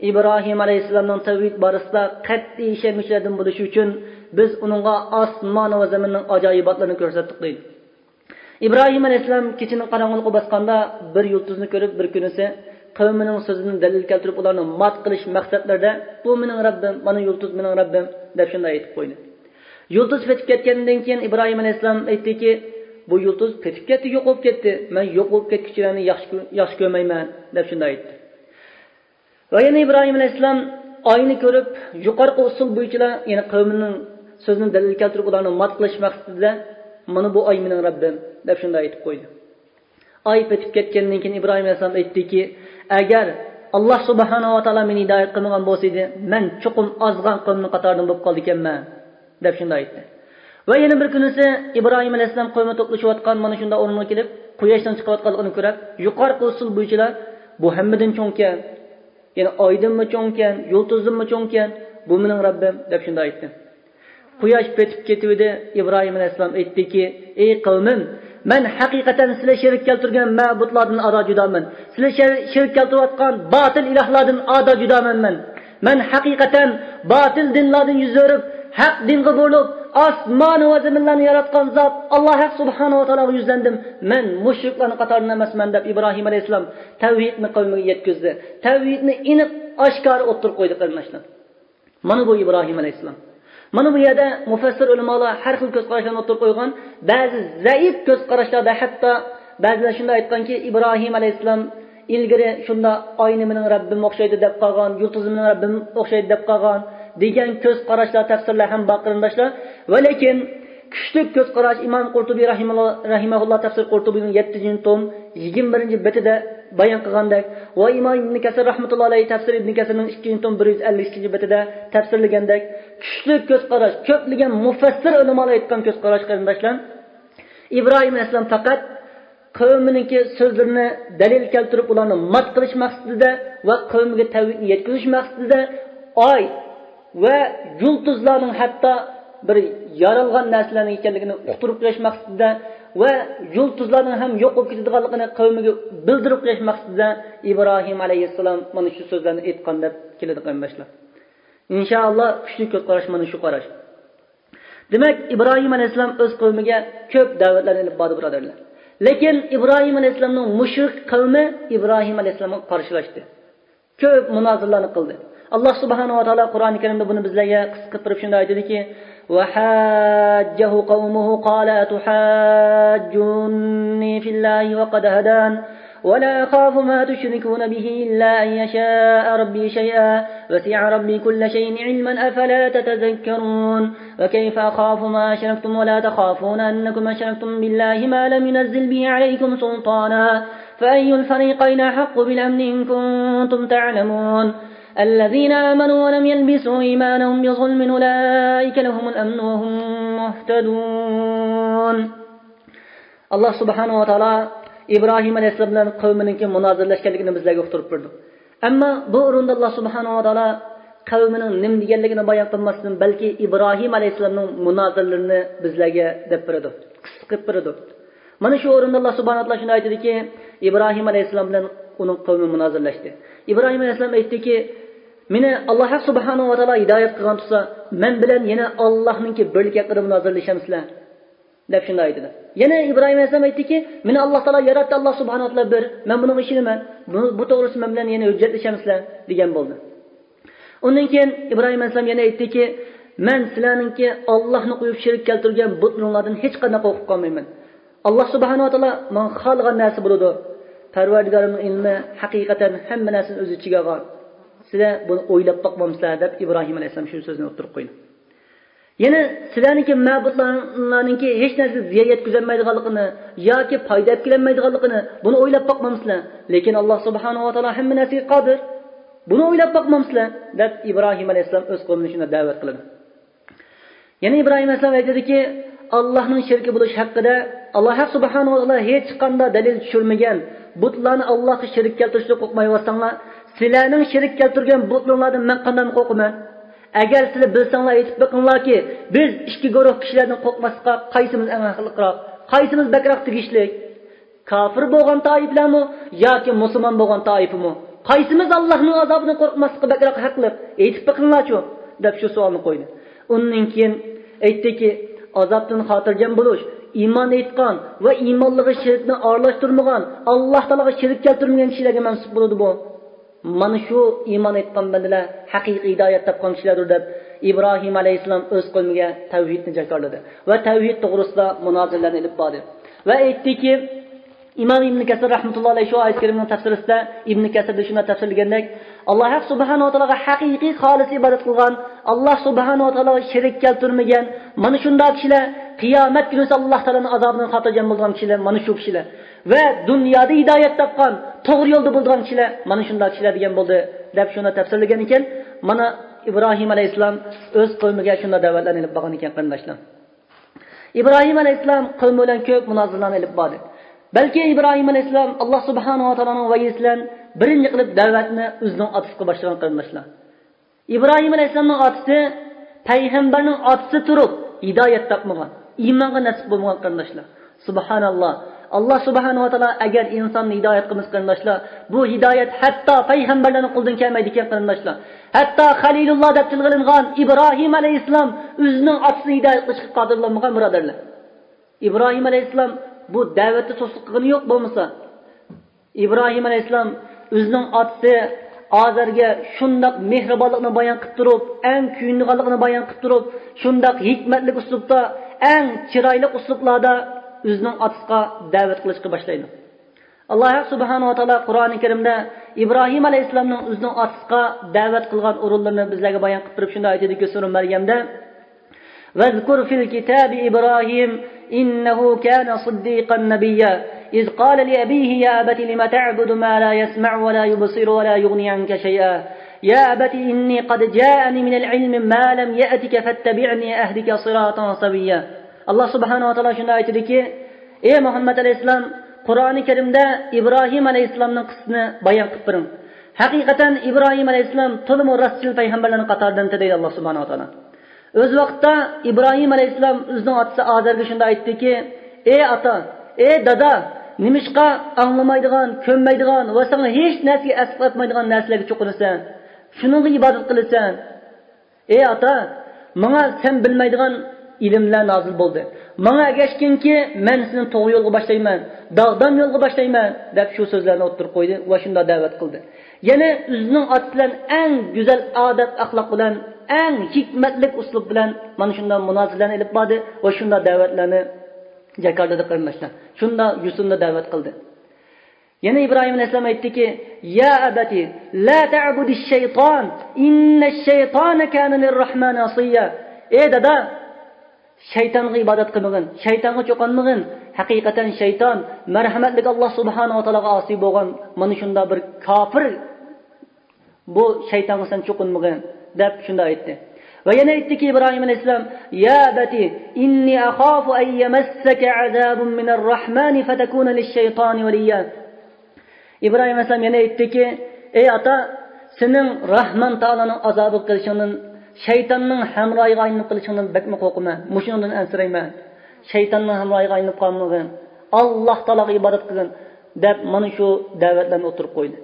ئىبراھىم ئەلەيھىسسالامنىڭ تەۋھىد بارىسىدا قەتئىي ئىشەنگۈچىلەردىن بولۇشى ئۈچۈن، بىز ئۇنىڭغا ئاسمان ۋە زېمىننىڭ ئاجايىباتلىرىنى كۆرسەتتۇق، دەيدۇ. ئىبراھىم ئەلەيھىسسالام كېچىنىڭ قاراڭغۇلۇقى باسقاندا بىر يۇلتۇزنى كۆرۈپ، بىر كۈنىسى قەۋمىنىڭ سۆزىدىن دەلىل كەلتۈرۈپ، ئۇلارنى مات قىلىش مەقسەتلىرىدە، بۇ مېنىڭ رەببىم، مانا يۇلتۇز مېنىڭ رەببىم، دەپ شۇنداق ئېيتىپ قويدى. يۇلتۇز پېتىپ كەتكەندىن كېيىن ئىبراھىم ئەلەيھىسسالام ئېيتتىكى، بۇ يۇلتۇز پېتىپ كەتتى، يوقىلىپ كەتتى، مەن يوقىلىپ كەتكۈچىلەرنى ياخشى كۆ-، ياخشى كۆرمەيمەن، دەپ شۇنداق ئېيتتى. ۋە يەنە ئىبراھىم ئەلەيھىسسالام ئاينى كۆرۈپ، يۇقىرىقى ئۇسۇل بويىچىلا، يەنى قەۋمىنىڭ سۆزىنى دەلىل كەلتۈرۈپ، ئۇلارنى مات قىلىش مەقسىتىدە، مانا بۇ ئاي مېنىڭ رەببىم، دەپ شۇنداق ئېيتىپ قويدى. ئاي پېتىپ كەتكەندىن كېيىن ئىبراھىم ئەلەيھىسسالام ئېيتتىكى، ئەگەر ئاللا سۇبھانەھۇ ۋە تائالا مېنى ھىدايەت قىلمىغان بولسىدى، مەن چوقۇم ئازغان قەۋمنىڭ قاتارىدىن بولۇپ قالىدىكەنمەن، دەپ شۇنداق ئېيتتى. ۋە يەنە بىر كۈنىسى ئىبراھىم ئەلەيھىسسالام قەۋمى توپلىشىۋاتقان مانا شۇنداق ئورۇنغا كېلىپ، قۇياشنىڭ چىقىۋاتقانلىقىنى كۆرۈپ، يۇقىرىقى ئۇسۇل بويىچىلا، بۇ ھەممىدىن چوڭكەن، يەنى ئايدىنمۇ چوڭكەن، يۇلتۇزدىنمۇ چوڭكەن، بۇ مېنىڭ رەببىم، دەپ شۇنداق ئېيتتى. قۇياش پېتىپ كېتىۋىدى. ئىبراھىم ئەلەيھىسسالام ئېيتتىكى، ئەي قەۋمىم، مەن ھەقىقەتەن سىلەر شېرىك كەلتۈرگەن مەبۇدلاردىن ئادا جۇدامەن. سىلەر شېر-، شېرىك كەلتۈرۈۋاتقان باتىل ئىلاھلاردىن ئادا جۇدامەن مەن. مەن ھەقىقەتەن باتىل دىنلاردىن يۈز ئۆرۈپ، ھەق دىنغا بۇرۇلۇپ، ئاسمان ۋە زېمىنلارنى ياراتقان زات ئاللا ھەق سۇبھانەھۇ ۋە تائالاغا يۈزلەندىم. مەن مۇشرىكلارنىڭ قاتارىدىن ئەمەسمەن، دەپ ئىبراھىم ئەلەيھىسسالام تەۋھىدنى قەۋمىگە يەتكۈزدى. تەۋھىدنى ئېنىق ئاشكارا ئوتتۇرىغا قويدى، قېرىنداشلار. مانا بۇ ئىبراھىم ئەلەيھىسسالام. مانا بۇ يەردە مۇفەسسىر ئۆلىمالار ھەر خىل كۆز قاراشلارنى ئوتتۇرىغا قويغان. بەزى زەئىپ كۆز قاراشلاردا ھەتتا بەزىلەر شۇنداق ئېيتقانكى، ئىبراھىم ئەلەيھىسسالام ئىلگىرى شۇنداق ئاينى مېنىڭ رەببىم ئوخشايدۇ دەپ قالغان، يۇلتۇزنى مېنىڭ رەببىم ئوخشايدۇ دەپ قالغان دېگەن كۆز قاراشلار، تەپسىرلەر ھەم بار، قېرىنداشلار. ۋە لېكىن كۈچلۈك كۆز قاراش، ئىمام قۇرتۇبى رەھىمەھۇللا، رەھىمەھۇللا تەپسىر قۇرتۇبىنىڭ يەتتىنچى توم يىگىرمە بىرىنچى بېتىدە بايان قىلغاندەك، ۋە ئىمام ئىبن كەسىر رەھمەتۇللا ئەلەيھى تەپسىر ئىبن كەسىرنىڭ ئىككىنچى توم بىر يۈز ئەللىك ئىككىنچى بېتىدە تەپسىرلىگەندەك، كۈچلۈك كۆز قاراش، كۆپلىگەن مۇفەسسىر ئۆلىمالار ئېيتقان كۆز قاراش، قېرىنداشلار، ئىبراھىم ئەلەيھىسسالام پەقەت قەۋمىنىڭكى سۆزلىرىنى دەلىل كەلتۈرۈپ، ئۇلارنى مات قىلىش مەقسىتىدە ۋە قەۋمىگە تەۋھىدنى يەتكۈزۈش مەقسىتىدە ئاي ۋە يۇلتۇزلارنىڭ ھەتتا بىر يارالغان نەرسىلەرنىڭ ئىكەنلىكىنى ئۇقتۇرۇپ قويۇش مەقسىتىدە ۋە يۇلتۇزلارنىڭ ھەم يوق بولۇپ كېتىدىغانلىقىنى قەۋمىگە بىلدۈرۈپ قويۇش مەقسىتىدە ئىبراھىم ئەلەيھىسسالام مانا شۇ سۆزلەرنى ئېيتقان دەپ كېلىدۇ، قېرىنداشلار. ئىنشائاللا، كۈچلۈك كۆز قاراش مانا شۇ قاراش. دېمەك، ئىبراھىم ئەلەيھىسسالام ئۆز قەۋمىگە كۆپ دەۋەتلەرنى ئېلىپ باردى، بۇرادەرلەر. لېكىن ئىبراھىم ئەلەيھىسسالامنىڭ مۇشرىك قەۋمى ئىبراھىم ئەلەيھىسسالامغا قارشىلاشتى. كۆپ مۇنازىرىلەرنى قىلدى. ئاللا سۇبھانەھۇ ۋە تائالا قۇرئانى كەرىمدە بۇنى بىزلەرگە قىسقىرتىپ شۇنداق ئېيتىدىكى، وحاجه قومه قال أتحاجوني في الله وقد هدان ولا أخاف ما تشركون به إلا أن يشاء ربي شيئا وسع ربي كل شيء علما أفلا تتذكرون وكيف أخاف ما أشركتم ولا تخافون أنكم أشركتم بالله ما لم ينزل به عليكم سلطانا فأي الفريقين أحق بالأمن إن كنتم تعلمون. الذين آمنوا ولم يلبسوا إيمانهم بظلم أولئك لهم الأمن وهم مهتدون. ئاللا سۇبھانەھۇ ۋە تائالا ئىبراھىم ئەلەيھىسسالام بىلەن قەۋمىنىڭكى مۇنازىرىلەشكەنلىكىنى بىزلەرگە ئۇقتۇرۇپ بېرىدۇ. ئەمما بۇ ئورۇندا ئاللا سۇبھانەھۇ ۋە تائالا قەۋمىنىڭ نېمە دېگەنلىكىنى بايان قىلماستىن، بەلكى ئىبراھىم ئەلەيھىسسالامنىڭ مۇنازىرىلىرىنى بىزلەرگە دەپ بېرىدۇ، قىسقا قىلىپ بېرىدۇ. مانا شۇ ئورۇندا ئاللا سۇبھانەھۇ ۋە تائالا شۇنداق ئېيتىدۇكى، ئىبراھىم ئەلەيھىسسالام بىلەن ئۇنىڭ قەۋمى مۇنازىرىلەشتى. ئىبراھىم ئەلەيھىسسالام ئېيتتىكى، مېنى ئاللا ھەق سۇبھانەھۇ ۋە تائالا ھىدايەت قىلغان تۇرسا، مەن بىلەن يەنە ئاللانىڭكى بىرلىكى ھەققىدە مۇنازىرىلىشەمسىلەر؟ دەپ شۇنداق ئېيتىدۇ. يەنە ئىبراھىم ئەلەيھىسسالام ئېيتتىكى، مېنى ئاللا تائالا ياراتتى، ئاللا سۇبھانەھۇ ۋە تائالا بىر، مەن بۇنىڭغا ئىشىنىمەن، بۇ، بۇ توغرىسىدا مەن بىلەن يەنە ھۆججەتلىشەمسىلەر؟ دېگەن بولدى. ئۇندىن كېيىن ئىبراھىم ئەلەيھىسسالام يەنە ئېيتتىكى، مەن سىلەرنىڭكى ئاللاھنى قويۇپ شېرىك كەلتۈرگەن بۇتلىرىڭلاردىن ھېچقانداق قورقۇپ قالمايمەن. ئاللا سۇبھانەھۇ ۋە تائالا ماڭا خالىغان نەرسە بولىدۇ. پەرۋەردىگارىمنىڭ ئىلمى ھەقىقەتەن ھەممە نەرسىنى ئۆز ئىچىگە ئالغان. سىلەر بۇنى ئويلاپ باقمامسىلەر؟ دەپ ئىبراھىم ئەلەيھىسسالام شۇ سۆزنى ئوتتۇرىغا قويدى. يەنە سىلەرنىڭكى مەبۇدلارنىڭكى ھېچ نەرسىگە زىيان يەتكۈزەلمەيدىغانلىقىنى ياكى پايدا ئەپ كېلەلمەيدىغانلىقىنى بۇنى ئويلاپ باقمامسىلەر؟ لېكىن ئاللا سۇبھانەھۇ ۋە تائالا ھەممە نەرسىگە قادىر. بۇنى ئويلاپ باقمامسىلەر؟ دەپ ئىبراھىم ئەلەيھىسسالام ئۆز قەۋمىنى شۇنداق دەۋەت قىلىدۇ. يەنە ئىبراھىم ئەلەيھىسسالام ئېيتىدۇكى، ئاللاھنىڭ شېرىكى بولۇش ھەققىدە، ئاللا ھەق سۇبھانەھۇ ۋە تائالا ھېچقانداق دەلىل چۈشۈرمىگەن بۇتلارنى ئاللاھقا شېرىك كەلتۈرۈشتىن قورقمايۋاتساڭلار، سىلەرنىڭ شېرىك كەلتۈرگەن بۇتلىرىڭلاردىن مەن قانداقمۇ قورقىمەن؟ ئەگەر سىلەر بىلسەڭلار ئېيتىپ بېقىڭلاركى، بىز ئىككى گۇرۇھ كىشىلەردىن قورقماسلىققا قايسىمىز ئەڭ ھەقلىقراق؟ قايسىمىز بەكرەك تېگىشلىك؟ كاپىر بولغان تائىپىلەرمۇ ياكى مۇسۇلمان بولغان تائىپىمۇ؟ قايسىمىز ئاللاھنىڭ ئازابىدىن قورقماسلىققا بەكرەك ھەقلىق؟ ئېيتىپ بېقىڭلارچۇ؟ دەپ شۇ سوئالنى قويدى. ئۇندىن كېيىن ئېيتتىكى، ئازابتىن خاتىرجەم بولۇش ئىمان ئېيتقان ۋە ئىمانلىقىغا شىركنى ئارىلاشتۇرمىغان، ئاللا تائالاغا شېرىك كەلتۈرمىگەن كىشىلەرگە مەنسۇپ بولىدۇ بۇ. مانا شۇ ئىمان ئېيتقان بەندىلەر ھەقىقىي ھىدايەت تاپقان كىشىلەردۇر، دەپ ئىبراھىم ئەلەيھىسسالام ئۆز قەۋمىگە تەۋھىدنى جاكارلىدى ۋە تەۋھىد توغرىسىدا مۇنازىرىلەرنى ئېلىپ باردى ۋە ئېيتتىكى، ئىمام ئىبن كەسىر رەھمەتۇللا ئەلەيھ شۇ ئايەت كەرىمىنىڭ تەپسىرىسىدە، ئىبن كەسىردە شۇنداق تەپسىرلىگەندەك، ئاللا ھەق سۇبھانەھۇ ۋە تائالاغا ھەقىقىي خالىس ئىبادەت قىلغان، ئاللا سۇبھانەھۇ ۋە تائالاغا شېرىك كەلتۈرمىگەن، مانا شۇنداق كىشىلەر قىيامەت كۈنىسى ئاللا تائالانىڭ ئازابىدىن خاتىرجەم بولىدىغان كىشىلەر مانا شۇ كىشىلەر. ۋە دۇنيادا ھىدايەت تاپقان، توغرا يولدا بولىدىغان كىشىلەر مانا شۇنداق كىشىلەر دېگەن بولدى، دەپ شۇنداق تەپسىرلىگەن ئىكەن. مانا ئىبراھىم ئەلەيھىسسالام ئۆز قەۋمىگە شۇنداق دەۋەتلەرنى ئېلىپ بارغان ئىكەن، قېرىنداشلار. ئىبراھىم ئەلەيھىسسالام قەۋمى بىلەن كۆپ مۇنازىرىلەرنى ئېلىپ باردى. بەلكى ئىبراھىم ئەلەيھىسسالام ئاللا سۇبھانەھۇ ۋە تائالانىڭ ۋەھيىسى بىلەن بىرىنچى قىلىپ دەۋەتنى ئۆزىنىڭ ئاتىسىغا باشلىغان، قېرىنداشلار. ئىبراھىم ئەلەيھىسسالامنىڭ ئاتىسى پەيغەمبەرنىڭ ئاتىسى تۇرۇپ ھىدايەت تاپمىغان، ئىمانغا نەسىپ بولمىغان، قېرىنداشلار. سۇبھاناللا. ئاللا سۇبھانەھۇ ۋە تائالا ئەگەر ئىنساننى ھىدايەت قىلمىسا، قېرىنداشلار، بۇ ھىدايەت ھەتتا پەيغەمبەرلەرنىڭ قولىدىن كەلمەيدىكەن، قېرىنداشلار. ھەتتا خەلىلۇللا دەپ تىلغا ئېلىنغان ئىبراھىم ئەلەيھىسسالام ئۆزىنىڭ ئاتىسىنى ھىدايەت قىلىشقا قادىر بولالمىغان، بۇرادەرلەر. ئىبراھىم ئەلەيھىسسالام بۇ دەۋەتتە سۇسلۇق قىلغىنى يوق بولمىسا. ئىبراھىم ئەلەيھىسسالام ئۆزىنىڭ ئاتىسى ئازەرگە شۇنداق مېھرىبانلىقنى بايان قىلىپ تۇرۇپ، ئەڭ كۆيۈنىدىغانلىقىنى بايان قىلىپ تۇرۇپ، شۇنداق ھېكمەتلىك ئۇسلۇبتا، ئەڭ چىرايلىق ئۇسلۇبلاردا ئۆزىنىڭ ئاتىسىغا دەۋەت قىلىشقا باشلايدۇ. ئاللا سۇبھانەھۇ ۋە تائالا قۇرئانى كەرىمدە ئىبراھىم ئەلەيھىسسالامنىڭ ئۆزىنىڭ ئاتىسىغا دەۋەت قىلغان ئورۇنلىرىنى بىزلەرگە بايان قىلىپ تۇرۇپ شۇنداق ئېيتىدۇكى، سۈرە مەريەمدە، واذكر في الكتاب إبراهيم إنه كان صديقا نبيا إذ قال لأبيه يا أبت لم تعبد ما لا يسمع ولا يبصر ولا يغني عنك شيئا يا أبت إني قد جاءني من العلم ما لم يأتك فاتبعني أهدك صراطا سويا. ئاللا سۇبھانەھۇ ۋە تائالا شۇنداق ئېيتىدۇكى، ئەي مۇھەممەد ئەلەيھىسسالام، قۇرئانى كەرىمدە ئىبراھىم ئەلەيھىسسالامنىڭ قىسسىسىنى بايان قىلىپ بېرىڭ. ھەقىقەتەن ئىبراھىم ئەلەيھىسسالام تولىمۇ راستچىل پەيغەمبەرلەرنىڭ قاتارىدىن، دەيدۇ ئاللا سۇبھانەھۇ ۋە تائالا. ئۆز ۋاقتىدا ئىبراھىم ئەلەيھىسسالام ئۆزىنىڭ ئاتىسى ئازەرگە شۇنداق ئېيتتىكى، ئەي ئاتا، ئەي دادا، نېمىشقا ئاڭلىمايدىغان، كۆنمەيدىغان ۋە ساڭا ھېچ نەرسىگە ئەسقاتمايدىغان نەرسىلەرگە چوقۇنىسەن؟ شۇنىڭغا ئىبادەت قىلىسەن؟ ئەي ئاتا، ماڭا سەن بىلمەيدىغان ئىلىملەر نازىل بولدى. ماڭا ئەگەشكىنكى، مەن سېنى توغرا يولغا باشلايمەن، داغدام يولغا باشلايمەن، دەپ شۇ سۆزلەرنى ئوتتۇرىغا قويدى ۋە شۇنداق دەۋەت قىلدى. يەنە ئۆزىنىڭ ئاتىسى بىلەن ئەڭ گۈزەل ئادەت-ئەخلاق بىلەن، ئەڭ ھېكمەتلىك ئۇسلۇب بىلەن مانا شۇنداق مۇنازىرىلەرنى ئېلىپ باردى ۋە شۇنداق دەۋەتلەرنى جاكارلىدى، قېرىنداشلار. شۇنداق يوسۇندا دەۋەت قىلدى. يەنە ئىبراھىم ئەلەيھىسسالام ئېيتتىكى، يا أبت لا تعبد الشيطان إن الشيطان كان للرحمن عصيا. ئەي دادا، شەيتانغا ئىبادەت قىلمىغىن، شەيتانغا چوقۇنمىغىن. ھەقىقەتەن شەيتان مەرھەمەتلىك ئاللا سۇبھانەھۇ ۋە تائالاغا ئاسىي بولغان مانا شۇنداق بىر كاپىر، بۇ شەيتانغا سەن چوقۇنمىغىن، دەپ شۇنداق ئېيتتى. ۋە يەنە ئېيتتىكى ئىبراھىم ئەلەيھىسسالام، يا أبت إني أخاف أن يمسك عذاب من الرحمن فتكون للشيطان وليا. ئىبراھىم ئەلەيھىسسالام يەنە ئېيتتىكى، ئەي ئاتا، سېنىڭ راھمان تائالانىڭ ئازابىغا قېلىشىڭدىن، شەيتاننىڭ ھەمراھىغا ئايلىنىپ قېلىشىڭدىن بەكمۇ قورقىمەن، مۇشۇنىڭدىن ئەنسىرەيمەن. شەيتاننىڭ ھەمراھىغا ئايلىنىپ قالمىغىن، ئاللا تائالاغا ئىبادەت قىلغىن، دەپ مانا شۇ دەۋەتلەرنى ئوتتۇرىغا قويدى.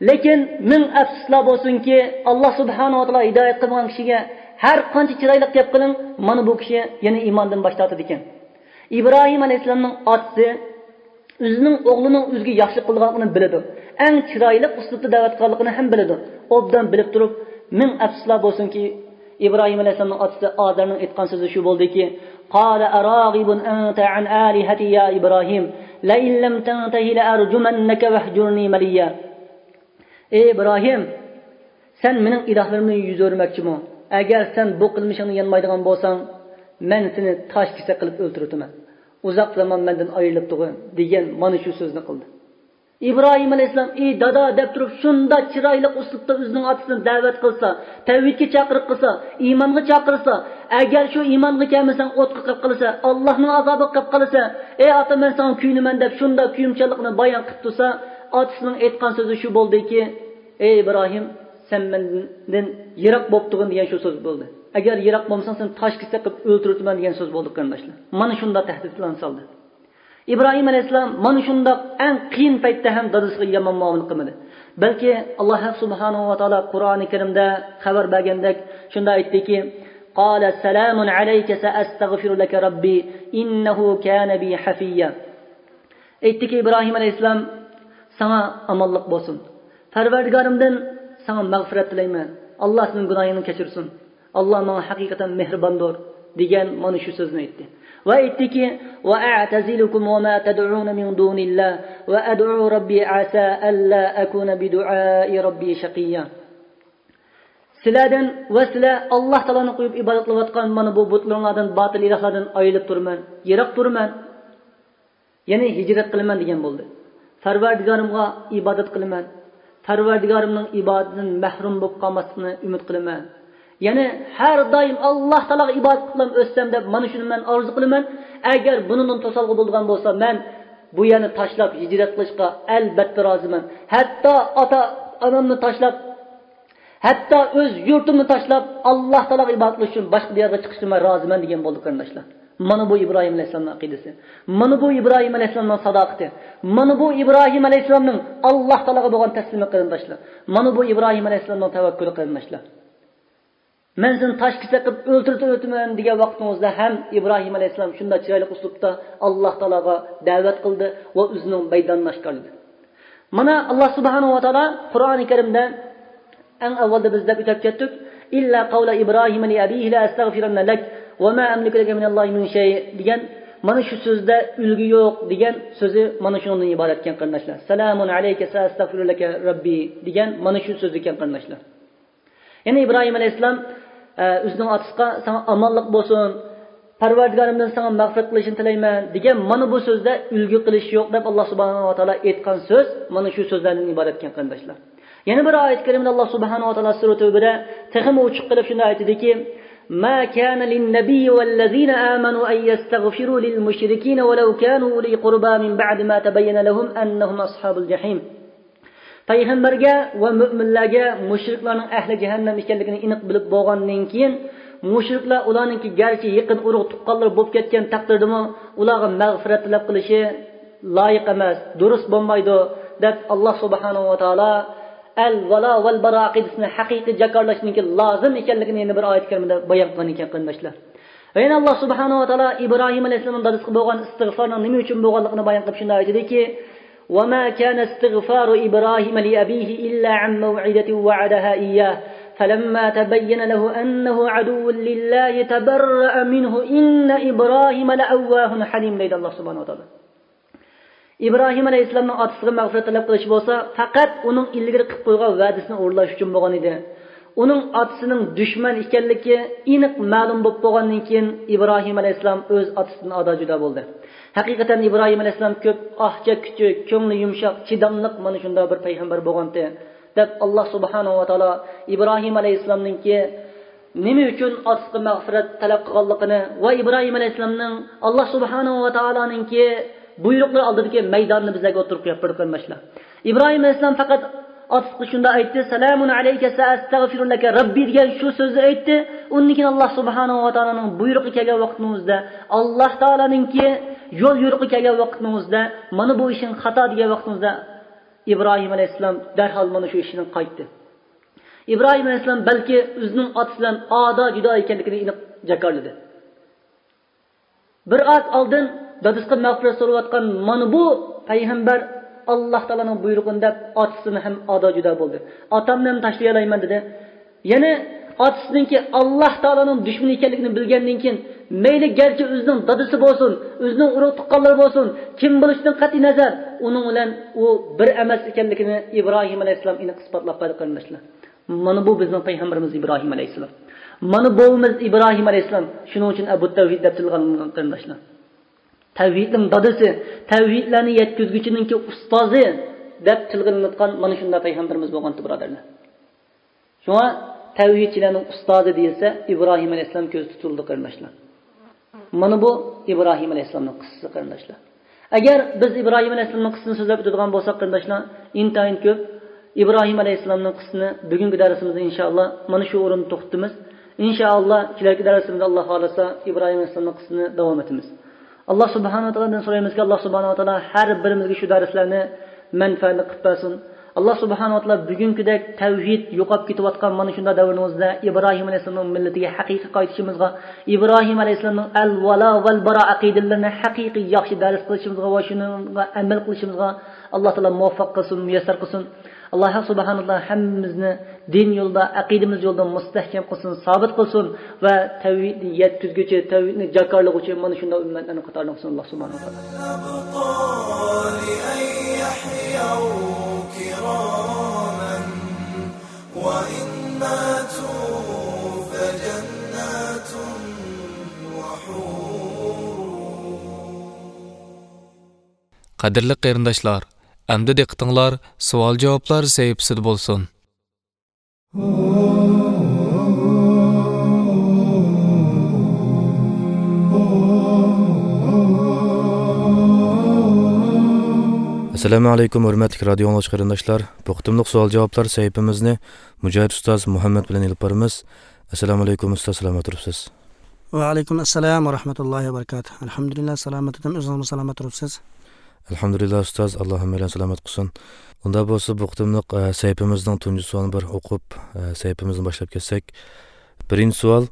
لېكىن مىڭ ئەپسۇسلار بولسۇنكى، ئاللا سۇبھانەھۇ ۋە تائالا ھىدايەت قىلمىغان كىشىگە ھەر قانچە چىرايلىق گەپ قىلىڭ، مانا بۇ كىشى يەنە ئىماندىن باش تارتىدىكەن. ئىبراھىم ئەلەيھىسسالامنىڭ ئاتىسى ئۆزىنىڭ ئوغلىنىڭ ئۆزىگە ياخشىلىق قىلىدىغانلىقىنى بىلىدۇ. ئەڭ چىرايلىق ئۇسلۇبتا دەۋەت قىلغانلىقىنى ھەم بىلىدۇ. ئوبدان بىلىپ تۇرۇپ، مىڭ ئەپسۇسلار بولسۇنكى، ئىبراھىم ئەلەيھىسسالامنىڭ ئاتىسى ئازەرنىڭ ئېيتقان سۆزى شۇ بولدىكى، قال أراغب أنت عن آلهتي يا إبراهيم لئن لم تنته لأرجمنك واهجرني مليا. ئەي ئىبراھىم، سەن مېنىڭ ئىلاھلىرىمدىن يۈز ئۆرۈمەكچىمۇ؟ ئەگەر سەن بۇ قىلمىشىڭدىن يانمايدىغان بولساڭ، مەن سېنى تاش كېسەك قىلىپ ئۆلتۈرۈۋېتىمەن. ئۇزاق زامان مەندىن ئايرىلىپ تۇرغىن، دېگەن مانا شۇ سۆزنى قىلدى. ئىبراھىم ئەلەيھىسسالام، ئى دادا دەپ تۇرۇپ، شۇنداق چىرايلىق ئۇسلۇبتا ئۆزىنىڭ ئاتىسىنى دەۋەت قىلسا، تەۋھىدكە چاقىرىق قىلسا، ئىمانغا چاقىرسا، ئەگەر شۇ ئىمانغا كەلمىسەڭ ئوتقا قېلىپ قالىسەن، ئاللانىڭ ئازابىغا قېلىپ قالىسەن، ئەي ئاتا، مەن ساڭا كۆيۈنىمەن دەپ شۇنداق كۆيۈمچانلىقىنى بايان قىلىپ تۇرسا، ئاتىسىنىڭ ئېيتقان سۆزى شۇ بولدىكى، ئەي ئىبراھىم، سەن مەندىن يىراق بولۇپ تۇرغىن دېگەن شۇ سۆز بولدى. ئەگەر يىراق بولمىساڭ سېنى تاش كېسەك قىلىپ ئۆلتۈرۈۋېتىمەن دېگەن سۆز بولدى قېرىنداشلار. مانا شۇنداق تەھدىتلەرنى سالدى. ئىبراھىم ئەلەيھىسسالام مانا شۇنداق ئەڭ قىيىن پەيتتە ھەم دادىسىغا يامان مۇئامىلە قىلمىدى. بەلكى ئاللا سۇبھانەھۇ ۋە تائالا قۇرئانى كەرىمدە خەۋەر بەرگەندەك شۇنداق ئېيتتىكى، قال سلام عليك سأستغفر لك ربي إنه كان بي حفيا. ئېيتتىكى، ئىبراھىم ئەلەيھىسسالام، ساڭا ئامانلىق بولسۇن. پەرۋەردىگارىمدىن ساڭا مەغپىرەت تىلەيمەن. ئاللا سېنىڭ گۇناھىڭنى كەچۈرسۇن. ئاللا ماڭا ھەقىقەتەن مېھرىباندۇر، دېگەن مانا شۇ سۆزنى ئېيتتى. ۋە ئېيتتىكى، وأعتزلكم وما تدعون من دون الله وأدعو ربي عسى ألا أكون بدعاء ربي شقيا. سىلەردىن ۋە سىلەر ئاللا تائالانى قويۇپ ئىبادەت قىلىۋاتقان مانا بۇ بۇتلىرىڭلاردىن، باتىل ئىلاھلاردىن ئايرىلىپ تۇرىمەن، يىراق تۇرىمەن. يەنى ھىجرەت قىلىمەن دېگەن بولدى. پەرۋەردىگارىمغا ئىبادەت قىلىمەن. پەرۋەردىگارىمنىڭ ئىبادىتىدىن مەھرۇم بولۇپ قالماسلىقنى ئۈمىد قىلىمەن. يەنى ھەر دائىم ئاللا تائالاغا ئىبادەت قىلىپ ئۆتسەم دەپ مانا شۇنى مەن ئارزۇ قىلىمەن. ئەگەر بۇنىڭدىن توسالغۇ بولىدىغان بولسا، مەن بۇ يەرنى تاشلاپ ھىجرەت قىلىشقا ئەلبەتتە رازىمەن. ھەتتا ئاتا ئانامنى تاشلاپ، ھەتتا ئۆز يۇرتۇمنى تاشلاپ، ئاللا تائالاغا ئىبادەت قىلىش ئۈچۈن باشقا بىر يەرگە چىقىشقا مەن رازىمەن دېگەن بولدى قېرىنداشلار. مانا بۇ ئىبراھىم ئەلەيھىسسالامنىڭ ئەقىدىسى. مانا بۇ ئىبراھىم ئەلەيھىسسالامنىڭ ساداقىتى. مانا بۇ ئىبراھىم ئەلەيھىسسالامنىڭ ئاللا تائالاغا بولغان تەسلىمى قېرىنداشلار. مانا بۇ ئىبراھىم ئەلەيھىسسالامنىڭ تەۋەككۈلى قېرىنداشلار. مەن سېنى تاش كېسەك قىلىپ ئۆلتۈرۈپ ئۆتىمەن دېگەن ۋاقتىڭىزدا ھەم ئىبراھىم ئەلەيھىسسالام شۇنداق چىرايلىق ئۇسلۇبتا ئاللا تائالاغا دەۋەت قىلدى ۋە ئۆزىنىڭ مەيدانىنى ئاشكارىلىدى. مانا، ئاللا سۇبھانەھۇ ۋە تائالا قۇرئانى كەرىمدە ئەڭ ئاۋۋالدا بىز دەپ ئۆتۈپ كەتتۇق، إلا قول إبراهيم لأبيه لأستغفرن لك وما أملك لك من الله من شيء دېگەن مانا شۇ سۆزدە ئۈلگە يوق دېگەن سۆزى مانا شۇنىڭدىن ئىبارەتكەن قېرىنداشلار. سلام عليك سأستغفر لك ربي دېگەن مانا شۇ سۆز ئىكەن قېرىنداشلار. يەنى ئىبراھىم ئەلەيھىسسالام، ئە، ئۆزىنىڭ ئاتىسىغا، ساڭا ئامانلىق بولسۇن، پەرۋەردىگارىمدىن ساڭا مەغپىرەت قىلىشىنى تىلەيمەن دېگەن مانا بۇ سۆزدە ئۈلگە قىلىش يوق دەپ ئاللا سۇبھانەھۇ ۋە تائالا ئېيتقان سۆز مانا شۇ سۆزلەردىن ئىبارەتكەن قېرىنداشلار. يەنە بىر ئايەت كەرىمىدە ئاللا سۇبھانەھۇ ۋە تائالا سۈرە تەۋبىدە تېخىمۇ ئوچۇق قىلىپ شۇنداق ئېيتىدىكى، ما كان للنبي والذين آمنوا أن يستغفروا للمشركين ولو كانوا أولي قربى من بعد ما تبين لهم أنهم أصحاب الجحيم. پەيغەمبەرگە ۋە مۆمىنلەرگە مۇشرىكلارنىڭ ئەھلى جەھەننەم ئىكەنلىكىنى ئېنىق بىلىپ بولغاندىن كېيىن، مۇشرىكلار ئۇلارنىڭكى گەرچە يېقىن ئۇرۇق تۇغقانلىرى بولۇپ كەتكەن تەقدىردىمۇ، ئۇلارغا مەغپىرەت تەلەپ قىلىشى لايىق ئەمەس، دۇرۇس بولمايدۇ، دەپ، ئاللا سۇبھانەھۇ ۋە تائالا ئەل ۋالا ۋەل باراء ئەقىدىسىنى ھەقىقىي جاكارلاشنىڭكى لازىم ئىكەنلىكىنى يەنە بىر ئايەت كەرىمىدە بايان قىلغان ئىكەن، قېرىنداشلار. ۋە يەنە ئاللا سۇبھانەھۇ ۋە تائالا ئىبراھىم ئەلەيھىسسالامنىڭ دادىسىغا بولغان ئىستىغفارنىڭ نېمە ئۈچۈن بولغانلىقىنى بايان قىلىپ شۇنداق ئېيتىدىكى، وما كان استغفار إبراهيم لأبيه إلا عن موعدة وعدها إياه فلما تبين له أنه عدو لله تبرأ منه إن إبراهيم لأواه حليم دەيدۇ ئاللا سۇبھانەھۇ ۋە تائالا. ئىبراھىم ئەلەيھىسسالامنىڭ ئاتىسىغا مەغپىرەت تەلەپ قىلىشى بولسا، پەقەت ئۇنىڭ ئىلگىرى قىلىپ قويغان ۋەدىسىنى ئورۇنلاش ئۈچۈن بولغان ئىدى. ئۇنىڭ ئاتىسىنىڭ دۈشمەن ئىكەنلىكى ئېنىق مەلۇم بولۇپ بولغاندىن كېيىن، ئىبراھىم ئەلەيھىسسالام ئۆز ئاتىسىدىن ئادا جۇدا بولدى. ھەقىقەتەن ئىبراھىم ئەلەيھىسسالام كۆپ ئاھ چەككۈچى، كۆڭلى يۇمشاق، چىداملىق مانا شۇنداق بىر پەيغەمبەر بولغانتى، دەپ، ئاللا سۇبھانەھۇ ۋە تائالا ئىبراھىم ئەلەيھىسسالامنىڭكى نېمە ئۈچۈن ئاتىسىغا مەغپىرەت تەلەپ قىلغانلىقىنى ۋە ئىبراھىم ئەلەيھىسسالامنىڭ ئاللا سۇبھانەھۇ ۋە تائالانىڭكى بۇيرۇقلىرى ئالدىدىكى مەيدانىنى بىزلەرگە ئوتتۇرىغا قويۇپ بەردى، قېرىنداشلار. ئىبراھىم ئەلەيھىسسالام پەقەت ئاتىسىغا شۇنداق ئېيتتى، سالامۇن ئەلەيكە سەئەستەغفىرۇ لەكە رەببى دېگەن شۇ سۆزنى ئېيتتى. ئۇندىن كېيىن ئاللا سۇبھانەھۇ ۋە تائالانىڭ بۇيرۇقى كەلگەن ۋاقتىنىڭ ئۆزىدە، ئاللا تائالانىڭكى يول يورۇقى كەلگەن ۋاقتىنىڭ ئۆزىدە، مانا بۇ ئىشىڭ خاتا دېگەن ۋاقتىنىڭ ئۆزىدە، ئىبراھىم ئەلەيھىسسالام دەرھال مانا شۇ ئىشىدىن قايتتى. ئىبراھىم ئەلەيھىسسالام بەلكى ئۆزىنىڭ ئاتىسى بىلەن ئادا جۇدا ئىكەنلىكىنى ئېنىق جاكارلىدى. بىر ئاز ئالدىن دادىسىغا مەغپىرەت سورىۋاتقان مانا بۇ پەيغەمبەر، ئاللا تائالانىڭ بۇيرۇقىنى دەپ، ئاتىسىدىن ھەم ئادا جۇدا بولدى. ئاتامنى ھەم تاشلىيالايمەن دېدى. يەنى ئاتىسىنىڭكى ئاللا تائالانىڭ دۈشمىنى ئىكەنلىكىنى بىلگەندىن كېيىن، مەيلى گەرچە ئۆزىنىڭ دادىسى بولسۇن، ئۆزىنىڭ ئۇرۇق تۇغقانلىرى بولسۇن، كىم بولۇشىدىن قەتئىي نەزەر، ئۇنىڭ بىلەن ئۇ بىر ئەمەس ئىكەنلىكىنى ئىبراھىم ئەلەيھىسسالام ئېنىق ئىسپاتلاپ بەردى، قېرىنداشلار. مانا بۇ بىزنىڭ پەيغەمبىرىمىز ئىبراھىم ئەلەيھىسسالام. مانا بوۋىمىز ئىبراھىم ئەلەيھىسسالام. شۇنىڭ ئۈچۈن ئەبۇ تەۋھىد دەپ تىلغا ئېلىنغان، قېرىنداشلار. تەۋھىدنىڭ دادىسى، تەۋھىدلەرنى يەتكۈزگۈچىنىڭكى ئۇستازى دەپ تىلغا ئېلىنىۋاتقان مانا شۇنداق پەيغەمبىرىمىز بولغانتى، بۇرادەرلەر. شۇڭا تەۋھىدچىلەرنىڭ ئۇستازى دېيىلسە، ئىبراھىم ئەلەيھىسسالام كۆزدە تۇتۇلىدۇ، قېرىنداشلار. مانا بۇ ئىبراھىم ئەلەيھىسسالامنىڭ قىسسىسى، قېرىنداشلار. ئەگەر بىز ئىبراھىم ئەلەيھىسسالامنىڭ قىسسىسىنى سۆزلەپ ئۆتىدىغان بولساق، قېرىنداشلار، ئىنتايىن كۆپ. ئىبراھىم ئەلەيھىسسالامنىڭ قىسسىسىنى بۈگۈنكى دەرسىمىزدە ئىنشائاللا مانا شۇ ئورۇندا توختىتىمىز. ئىنشائاللا كېلەركى دەرسىمىزدە، ئاللا خالىسا، ئىبراھىم ئەلەيھىسسالامنىڭ قىسسىسىنى داۋام ئېتىمىز. ئاللا سۇبھانەھۇ ۋە تائالادىن سورايمىزكى، ئاللا سۇبھانەھۇ ۋە تائالا ھەر بىرىمىزگە شۇ دەرسلەرنى مەنپەئەتلىك قىلىپ بەرسۇن. ئاللا سۇبھانەھۇ ۋە تائالا بۈگۈنكىدەك تەۋھىد يوقاپ كېتىۋاتقان مانا شۇنداق دەۋرىمىزدە ئىبراھىم ئەلەيھىسسالامنىڭ مىللىتىگە ھەقىقىي قايتىشىمىزغا، ئىبراھىم ئەلەيھىسسالامنىڭ ئەل ۋالا ۋەل باراء ئەقىدىلىرىنى ھەقىقىي ياخشى دەرس قىلىشىمىزغا ۋە شۇنىڭغا ئەمەل قىلىشىمىزغا ئاللا تائالا مۇۋەپپەق قىلسۇن، مۇيەسسەر قىلسۇن. ئاللا ھەق سۇبھانەھۇ ۋە تائالا ھەممىمىزنى دىن يولىدا، ئەقىدىمىز يولىدا مۇستەھكەم قىلسۇن، سابىت قىلسۇن ۋە تەۋھىدنى يەتكۈزگۈچى، تەۋھىدنى جاكارلىغۇچى مانا شۇنداق ئۈممەتلەرنىڭ قاتارىدا قىلسۇن، ئاللا سۇبھانەھۇ ۋە تائالا. الأبطال أن يحيوا كراما، وإن ماتوا فجنات وحور. قەدىرلىك قېرىنداشلار، ئەمدى دىققىتىڭلار سوئال-جاۋابلار سەھىپىسىدە بولسۇن. ئەسسالامۇ ئەلەيكۇم، ھۆرمەتلىك رادىيو ئاڭلىغۇچى قېرىنداشلار. بۇ قېتىملىق سوئال-جاۋابلار سەھىپىمىزنى مۇجاھىد ئۇستاز مۇھەممەد بىلەن ئېلىپ بارىمىز. ئەسسالامۇ ئەلەيكۇم ئۇستاز، سالامەت تۇرۇپسىز؟ ۋەئەلەيكۇم ئەسسالام ۋە رەھمەتۇللاھى ۋە بەرىكاتۇھ. ئەلھەمدۇلىللا، سالامەت ئىدىم، ئۆزىڭىزمۇ سالامەت تۇرۇپسىز؟ ئەلھەمدۇلىللا ئۇستاز، ئاللا ھەممەيلەننى سالامەت قىلسۇن. ئۇنداق بولسا، بۇ قېتىملىق، ئە، سەھىپىمىزنىڭ تۇنجى سوئالىنى بىر ئوقۇپ، ئە، سەھىپىمىزنى باشلاپ كەتسەك. بىرىنچى سوئال،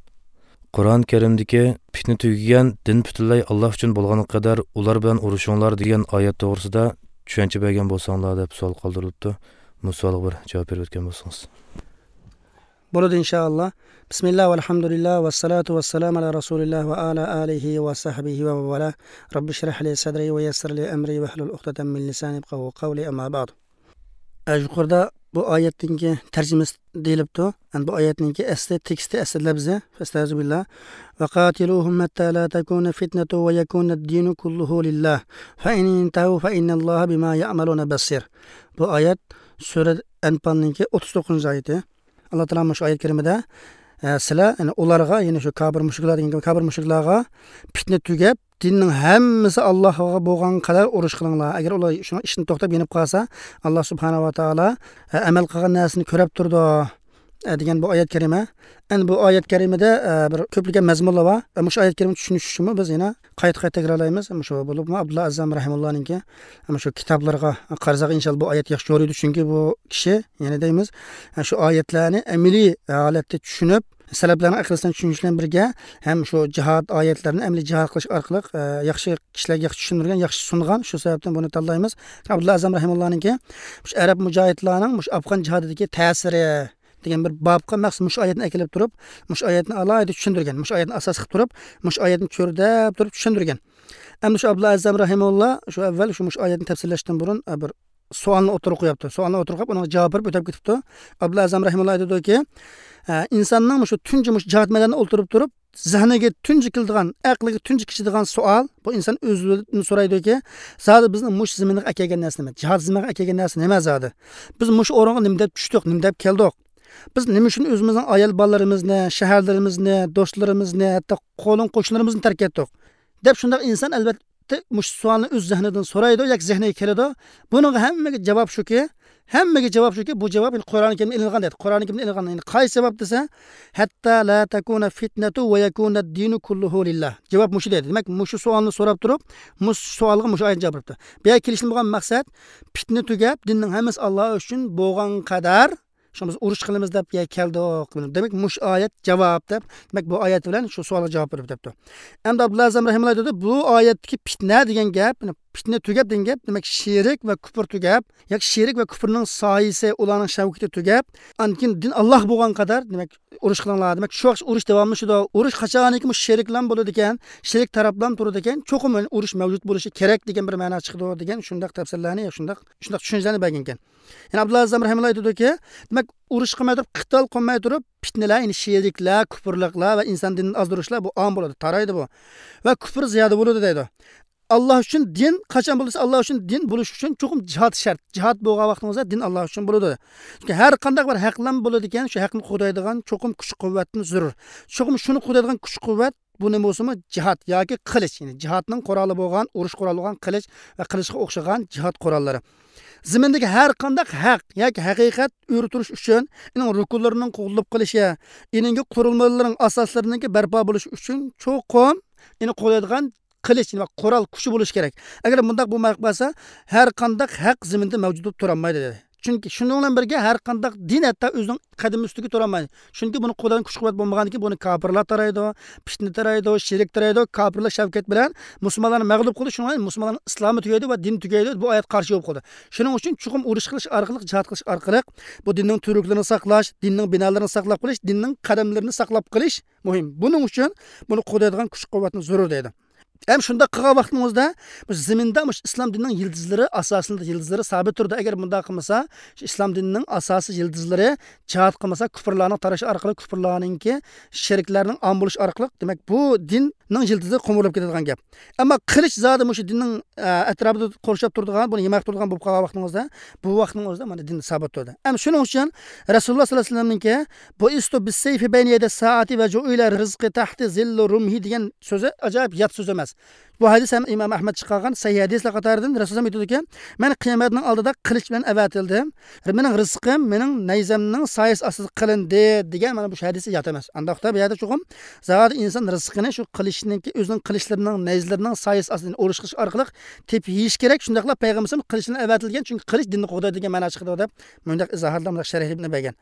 قۇرئان كەرىمدىكى پىتنە تۈگىگەن، دىن پۈتۈنلەي ئاللا ئۈچۈن بولغانغا قەدەر ئۇلار بىلەن ئۇرۇشۇڭلار دېگەن ئايەت توغرىسىدا چۈشەنچە بەرگەن بولساڭلار دەپ سوئال قالدۇرۇلۇپتۇ. بۇ سوئالغا بىر جاۋاب بېرىپ ئۆتكەن بولسىڭىز. بولىدۇ، ئىنشائاللا. بىسمىللا، ۋەلھەمدۇلىللا، ۋەسسالاتۇ ۋەسسالامۇ ئالا رەسۇلىللا ۋە ئالا ئالىھى ۋە سەھبىھى ۋە مەن ۋالا. رەببىشرەھ لى سەدرى ۋە يەسسىر لى ئەمرى ۋەھلۇل ئۇقدەتەم مىن لىسانى يەپقەھۇ قەۋلى، ئەمما بەئد. ئە، يۇقىرىدا بۇ ئايەتنىڭكى تەرجىمىسى دېيىلىپتۇ. يەنى بۇ ئايەتنىڭكى ئەسلى تېكىستى، ئەسلى لەپزى، فەستەئىزۇبىللا. ۋەقاتىلۇھۇم ھەتتا لا تەكۇنە فىتنەتۇ ۋە يەكۇنەد دىنۇ كۇللۇھۇ لىللا. فەئىن ئىنتەھەۋ فەئىننەللاھە بىما يەئمەلۇنە بەسىر. بۇ ئايەت سۈرە ئەنپالنىڭكى ئوتتۇز توققۇزىنچى ئايىتى. ئاللا تائالا مۇشۇ ئايەت كەرىمىدە، ئە، سىلەر، يەنى ئۇلارغا، يەنى شۇ كاپىر مۇشرىكلار دېگەن گەپ، كاپىر مۇشرىكلارغا پىتنە تۈگەپ، دىننىڭ ھەممىسى ئاللاغا بولغان قەدەر ئۇرۇش قىلىڭلار. ئەگەر ئۇلار شۇنىڭ ئىشىدىن توختاپ يېنىپ قالسا، ئاللا سۇبھانەھۇ ۋە تائالا، ئە، ئەمەل قىلغان نەرسىنى كۆرۈپ تۇرىدۇ، ئە، دېگەن بۇ ئايەت كەرىمە. ئەمدى بۇ ئايەت كەرىمىدە، ئە، بىر كۆپلىگەن مەزمۇنلار بار. ئە، مۇشۇ ئايەت كەرىمىنى چۈشىنىش ئۈچۈنمۇ بىز يەنە قايتا-قايتا تەكرارلايمىز. مۇشۇ بولۇپمۇ ئابدۇللا ئەزەم رەھىمۇللانىڭكى مۇشۇ كىتابلىرىغا قارىساق، ئىنشاللا بۇ ئايەت ياخشى يورۇيدۇ. چۈنكى بۇ كىشى، يەنە دەيمىز، شۇ ئايەتلەرنى ئەمەلىي ھالەتتە چۈشىنىپ، سەلەپلەرنىڭ ئەقىدىسىدىن چۈشىنىش بىلەن بىرگە، ھەم شۇ جىھاد ئايەتلىرىنى ئەمەلىي جىھاد قىلىش ئارقىلىق، ئە، ياخشى كىشىلەرگە ياخشى چۈشەندۈرگەن، ياخشى سۇنغان. شۇ سەۋەبتىن بۇنى تاللايمىز. ئابدۇللا ئەزەم رەھىمۇللانىڭكى مۇشۇ ئەرەب مۇجاھىدلارنىڭ مۇشۇ ئافغان جىھادىدىكى تەسىرى دېگەن بىر بابقا مەخسۇس مۇشۇ ئايەتنى ئەكېلىپ تۇرۇپ، مۇشۇ ئايەتنى ئالاھىدە چۈشەندۈرگەن، مۇشۇ ئايەتنى ئاساس قىلىپ تۇرۇپ، مۇشۇ ئايەتنى چۆرىدەپ تۇرۇپ چۈشەندۈرگەن. ئەمدى شۇ ئابدۇللا ئەزەم رەھىمۇللا شۇ ئەۋۋەل شۇ مۇشۇ ئايەتنى تەپسىرلەشتىن بۇرۇن، ئە، بىر سوئالنى ئوتتۇرىغا قويۇپتۇ. سوئالنى ئوتتۇرىغا قويۇپ، ئۇنىڭغا جاۋاب بېرىپ ئۆتۈپ كېتىپتۇ. ئابدۇللا ئەزەم رەھىمۇللا ئېيتىدۇكى، ئە، ئىنساننىڭ مۇشۇ تۇنجى مۇشۇ جىھاد مەيدانىدا ئولتۇرۇپ تۇرۇپ، زېھنىگە تۇنجى كېلىدىغان، ئەقلىگە تۇنجى كېلىدىغان سوئال، بۇ ئىنسان ئۆزىدىن سورايدۇكى، زادى بىزنى مۇشۇ زېمىنغا ئەكەلگەن نەرسە نېمە؟ جىھاد زېمىنىغا ئەكەلگەن نەرسە نېمە زادى؟ بىز مۇشۇ ئورۇنغا نېمە دەپ چۈشتۇق، نېمە دەپ كەلدۇق؟ بىز نېمە ئۈچۈن ئۆزىمىزنىڭ ئايال بالىلىرىمىزنى، شەھەرلىرىمىزنى، دوستلىرىمىزنى، ھەتتا قولۇڭ قوشنىلىرىمىزنى تەرك ئەتتۇق؟ دەپ شۇنداق ئىنسان ئەلۋەتتە مۇشۇ سوئالنى ئۆز زېھنىدىن سورايدۇ ياكى زېھنىگە كېلىدۇ. بۇنىڭغا ھەممىگە جاۋاب شۇكى، ھەممىگە جاۋاب شۇكى، بۇ جاۋاب يەنە قۇرئانى كەرىمدىن ئېلىنغان دەيدۇ. قۇرئانى كەرىمدىن ئېلىنغان. يەنى قايسى جاۋاب دېسە، «ھەتتا لا تەكۇنە فىتنەتۇ ۋە يەكۇنە دىنۇ كۇللۇھۇ لىللا.» جاۋاب مۇشۇ دەيدۇ. دېمەك، مۇشۇ سوئالنى سوراپ تۇرۇپ، مۇشۇ سوئالغا مۇشۇ ئايەت جاۋاب بېرىپتۇ. بۇ يەرگە كېلىشتىن بولغان مەقسەت، پىتنە تۈگەپ، دىننىڭ ھەممىسى ئاللا ئۈچۈن بولغان قەدەر، شۇڭا بىز ئۇرۇش قىلىمىز دەپ يە كەلدۇق. دېمەك، مۇشۇ ئايەت جاۋاب دەپ، دېمەك، بۇ ئايەت بىلەن شۇ سوئالغا جاۋاب بېرىپ دەپتۇ. ئەمدى ئابدۇللا ئەزەم رەھىمۇللا دەيدۇ، بۇ ئايەتتىكى پىتنە دېگەن گەپ، يەنى پىتنە تۈگەپ دېگەن گەپ، دېمەك، شېرىك ۋە كۇپۇر تۈگەپ، ياكى شېرىك ۋە كۇپۇرنىڭ سايىسى، ئۇلارنىڭ شەۋكىتى تۈگەپ، ئاندىن كېيىن دىن ئاللا بولغان قەدەر، دېمەك، ئۇرۇش قىلىڭلار، دېمەك، شۇ ۋاقىت ئۇرۇش داۋاملىشىدۇ. ئۇرۇش قاچانكى مۇشۇ شېرىكلام بولىدىكەن، شېرىك تەرەپلام تۇرىدىكەن، چوقۇم ئۇرۇش مەۋجۇت بولۇشى كېرەك دېگەن بىر مەنا چىقىدۇ دېگەن شۇنداق تەپسىرلەرنى، شۇنداق، شۇنداق چۈشەنچىلەرنى بەرگەنكەن. يەنە ئابدۇللا ئەزەم رەھىمۇللا ئېيتىدۇكى، دېمەك، ئۇرۇش قىلماي تۇرۇپ، قىتال قىلماي تۇرۇپ، پىتنىلەر، يەنى شېرىكلەر، كۇپۇرلۇقلار ۋە ئىنسان دىنىدىن ئازدۇرۇشلار بۇ ئام بولىدۇ، تارايدۇ بۇ. ۋە كۇپۇر زىيادە بولىدۇ دەيدۇ. ئاللا ئۈچۈن دىن، قاچان بولسا ئاللا ئۈچۈن دىن بولۇش ئۈچۈن چوقۇم جىھاد شەرت. جىھاد بولغان ۋاقتىڭىزدا دىن ئاللا ئۈچۈن بولىدۇ. چۈنكى ھەر قانداق بىر ھەقلەم بولىدىكەن، شۇ ھەقنى قوغدايدىغان چوقۇم كۈچ قۇۋۋەتتىن زۆرۈر. چوقۇم شۇنى قوغدايدىغان كۈچ قۇۋۋەت بۇ نېمە بولسىمۇ جىھاد ياكى قىلىچ، يەنى جىھادنىڭ قورالى بولغان، ئۇرۇش قورالى بولغان قىلىچ ۋە قىلىچقا ئوخشىغان جىھاد قوراللىرى. زېمىندىكى ھەر قانداق ھەق ياكى ھەقىقەت ئۆرە تۇرۇش ئۈچۈن ئۇنىڭ رۇكۇنلىرىنىڭ قوغدىلىپ قېلىشى، ئۇنىڭ قۇرۇلمىلىرىنىڭ ئاساسلىرىنىڭكى بەرپا بولۇشى ئۈچۈن چوقۇم ئۇنى قوغدايدىغان قىلىچ، يەنى قورال كۈچى بولۇشى كېرەك. ئەگەر مۇنداق بولماي قالسا، ھەر قانداق ھەق زېمىندا مەۋجۇت بولۇپ تۇرالمايدۇ دېدى. چۈنكى شۇنىڭ بىلەن بىرگە ھەر قانداق دىن ھەتتا ئۆزىنىڭ قەدىمى ئۈستىگە تۇرالمايدۇ. چۈنكى بۇنى قوغدايدىغان كۈچ قۇۋۋەت بولمىغاندىكىن بۇنى كاپىرلار تارايدۇ، پىتنە تارايدۇ، شېرىك تارايدۇ، كاپىرلار شەۋكەت بىلەن مۇسۇلمانلارنى مەغلۇپ قىلىدۇ، شۇنىڭ بىلەن مۇسۇلمانلارنىڭ ئىسلامى تۈگەيدۇ ۋە دىنى تۈگەيدۇ، بۇ ئايەت قارشى بولۇپ قالىدۇ. شۇنىڭ ئۈچۈن چوقۇم ئۇرۇش قىلىش ئارقىلىق، جىھاد قىلىش ئارقىلىق بۇ دىننىڭ تۈۋرۈكلىرىنى ساقلاش، دىننىڭ بىنالىرىنى ساقلاپ قېلىش، دىننىڭ قەدەملىرىنى ساقلاپ قېلىش مۇھىم. بۇنىڭ ئۈچۈن بۇنى قوغدايدىغان كۈچ قۇۋۋەتنى زۆرۈر دەيدۇ. ھەم شۇنداق قىلغان ۋاقتىمىزدا بۇ زېمىندا مۇشۇ ئىسلام دىنىنىڭ يىلتىزلىرى، ئاساسىي يىلتىزلىرى سابىت تۇرىدۇ. ئەگەر بۇنداق قىلمىسا، شۇ ئىسلام دىنىنىڭ ئاساسىي يىلتىزلىرى جىھاد قىلمىسا، كۇپۇرلارنىڭ تارىشى ئارقىلىق كۇپۇرلارنىڭكى، شېرىكلەرنىڭ ئام بولۇشى ئارقىلىق، دېمەك، بۇ دىننىڭ يىلتىزى قومۇرۇلۇپ كېتىدىغان گەپ. ئەمما قىلىچ زادى مۇشۇ دىننىڭ، ئە، ئەتراپىدا قورشاپ تۇرىدىغان، بۇنى ھىمايە قىلىپ تۇرىدىغان بولۇپ قالغان ۋاقتىڭىزدا، بۇ ۋاقىتنىڭ ئۆزىدە مانا دىن سابىت تۇرىدۇ. ھەم شۇنىڭ ئۈچۈن رەسۇلۇللا سەللەللاھۇ ئەلەيھى ۋەسەللەمنىڭكى، «بۇئىستۇ بىسسەيفى بەينە يەدەي سائەتى ۋە جۇئىلە رىزقى تەھتە زىللى رۇمھى» دېگەن سۆزى ئاجايىپ يات سۆز ئەمەس. بۇ ھەدىس ھەم ئىمام ئەھمەد چىقارغان سەھىھ ھەدىسلەر قاتارىدىن رەسۇلۇللا ئېيتىدۇكى، «مەن قىيامەتنىڭ ئالدىدا قىلىچ بىلەن ئەۋەتىلدىم. مېنىڭ رىزقىم مېنىڭ نەيزەمنىڭ سايىسى ئاستىدا قىلىندى» دېگەن مانا بۇ ھەدىسى يات ئەمەس. ئانداقتا بۇ يەردە چوقۇم زادى ئىنسان رىزقىنى شۇ قىلىچنىڭكى، ئۆزىنىڭ قىلىچلىرىنىڭ، نەيزىلىرىنىڭ سايىسى ئاستىدا ئۇرۇش قىلىش ئارقىلىق تېپىپ يېيىش كېرەك. شۇنداقلا پەيغەمبىرىمىز قىلىچ بىلەن ئەۋەتىلگەن، چۈنكى قىلىچ دىننى قوغدايدۇ دېگەن مەنا چىقىدۇ دەپ مۇنداق ئىزاھاتلار، مۇنداق شەرھلەرنى بەرگەن.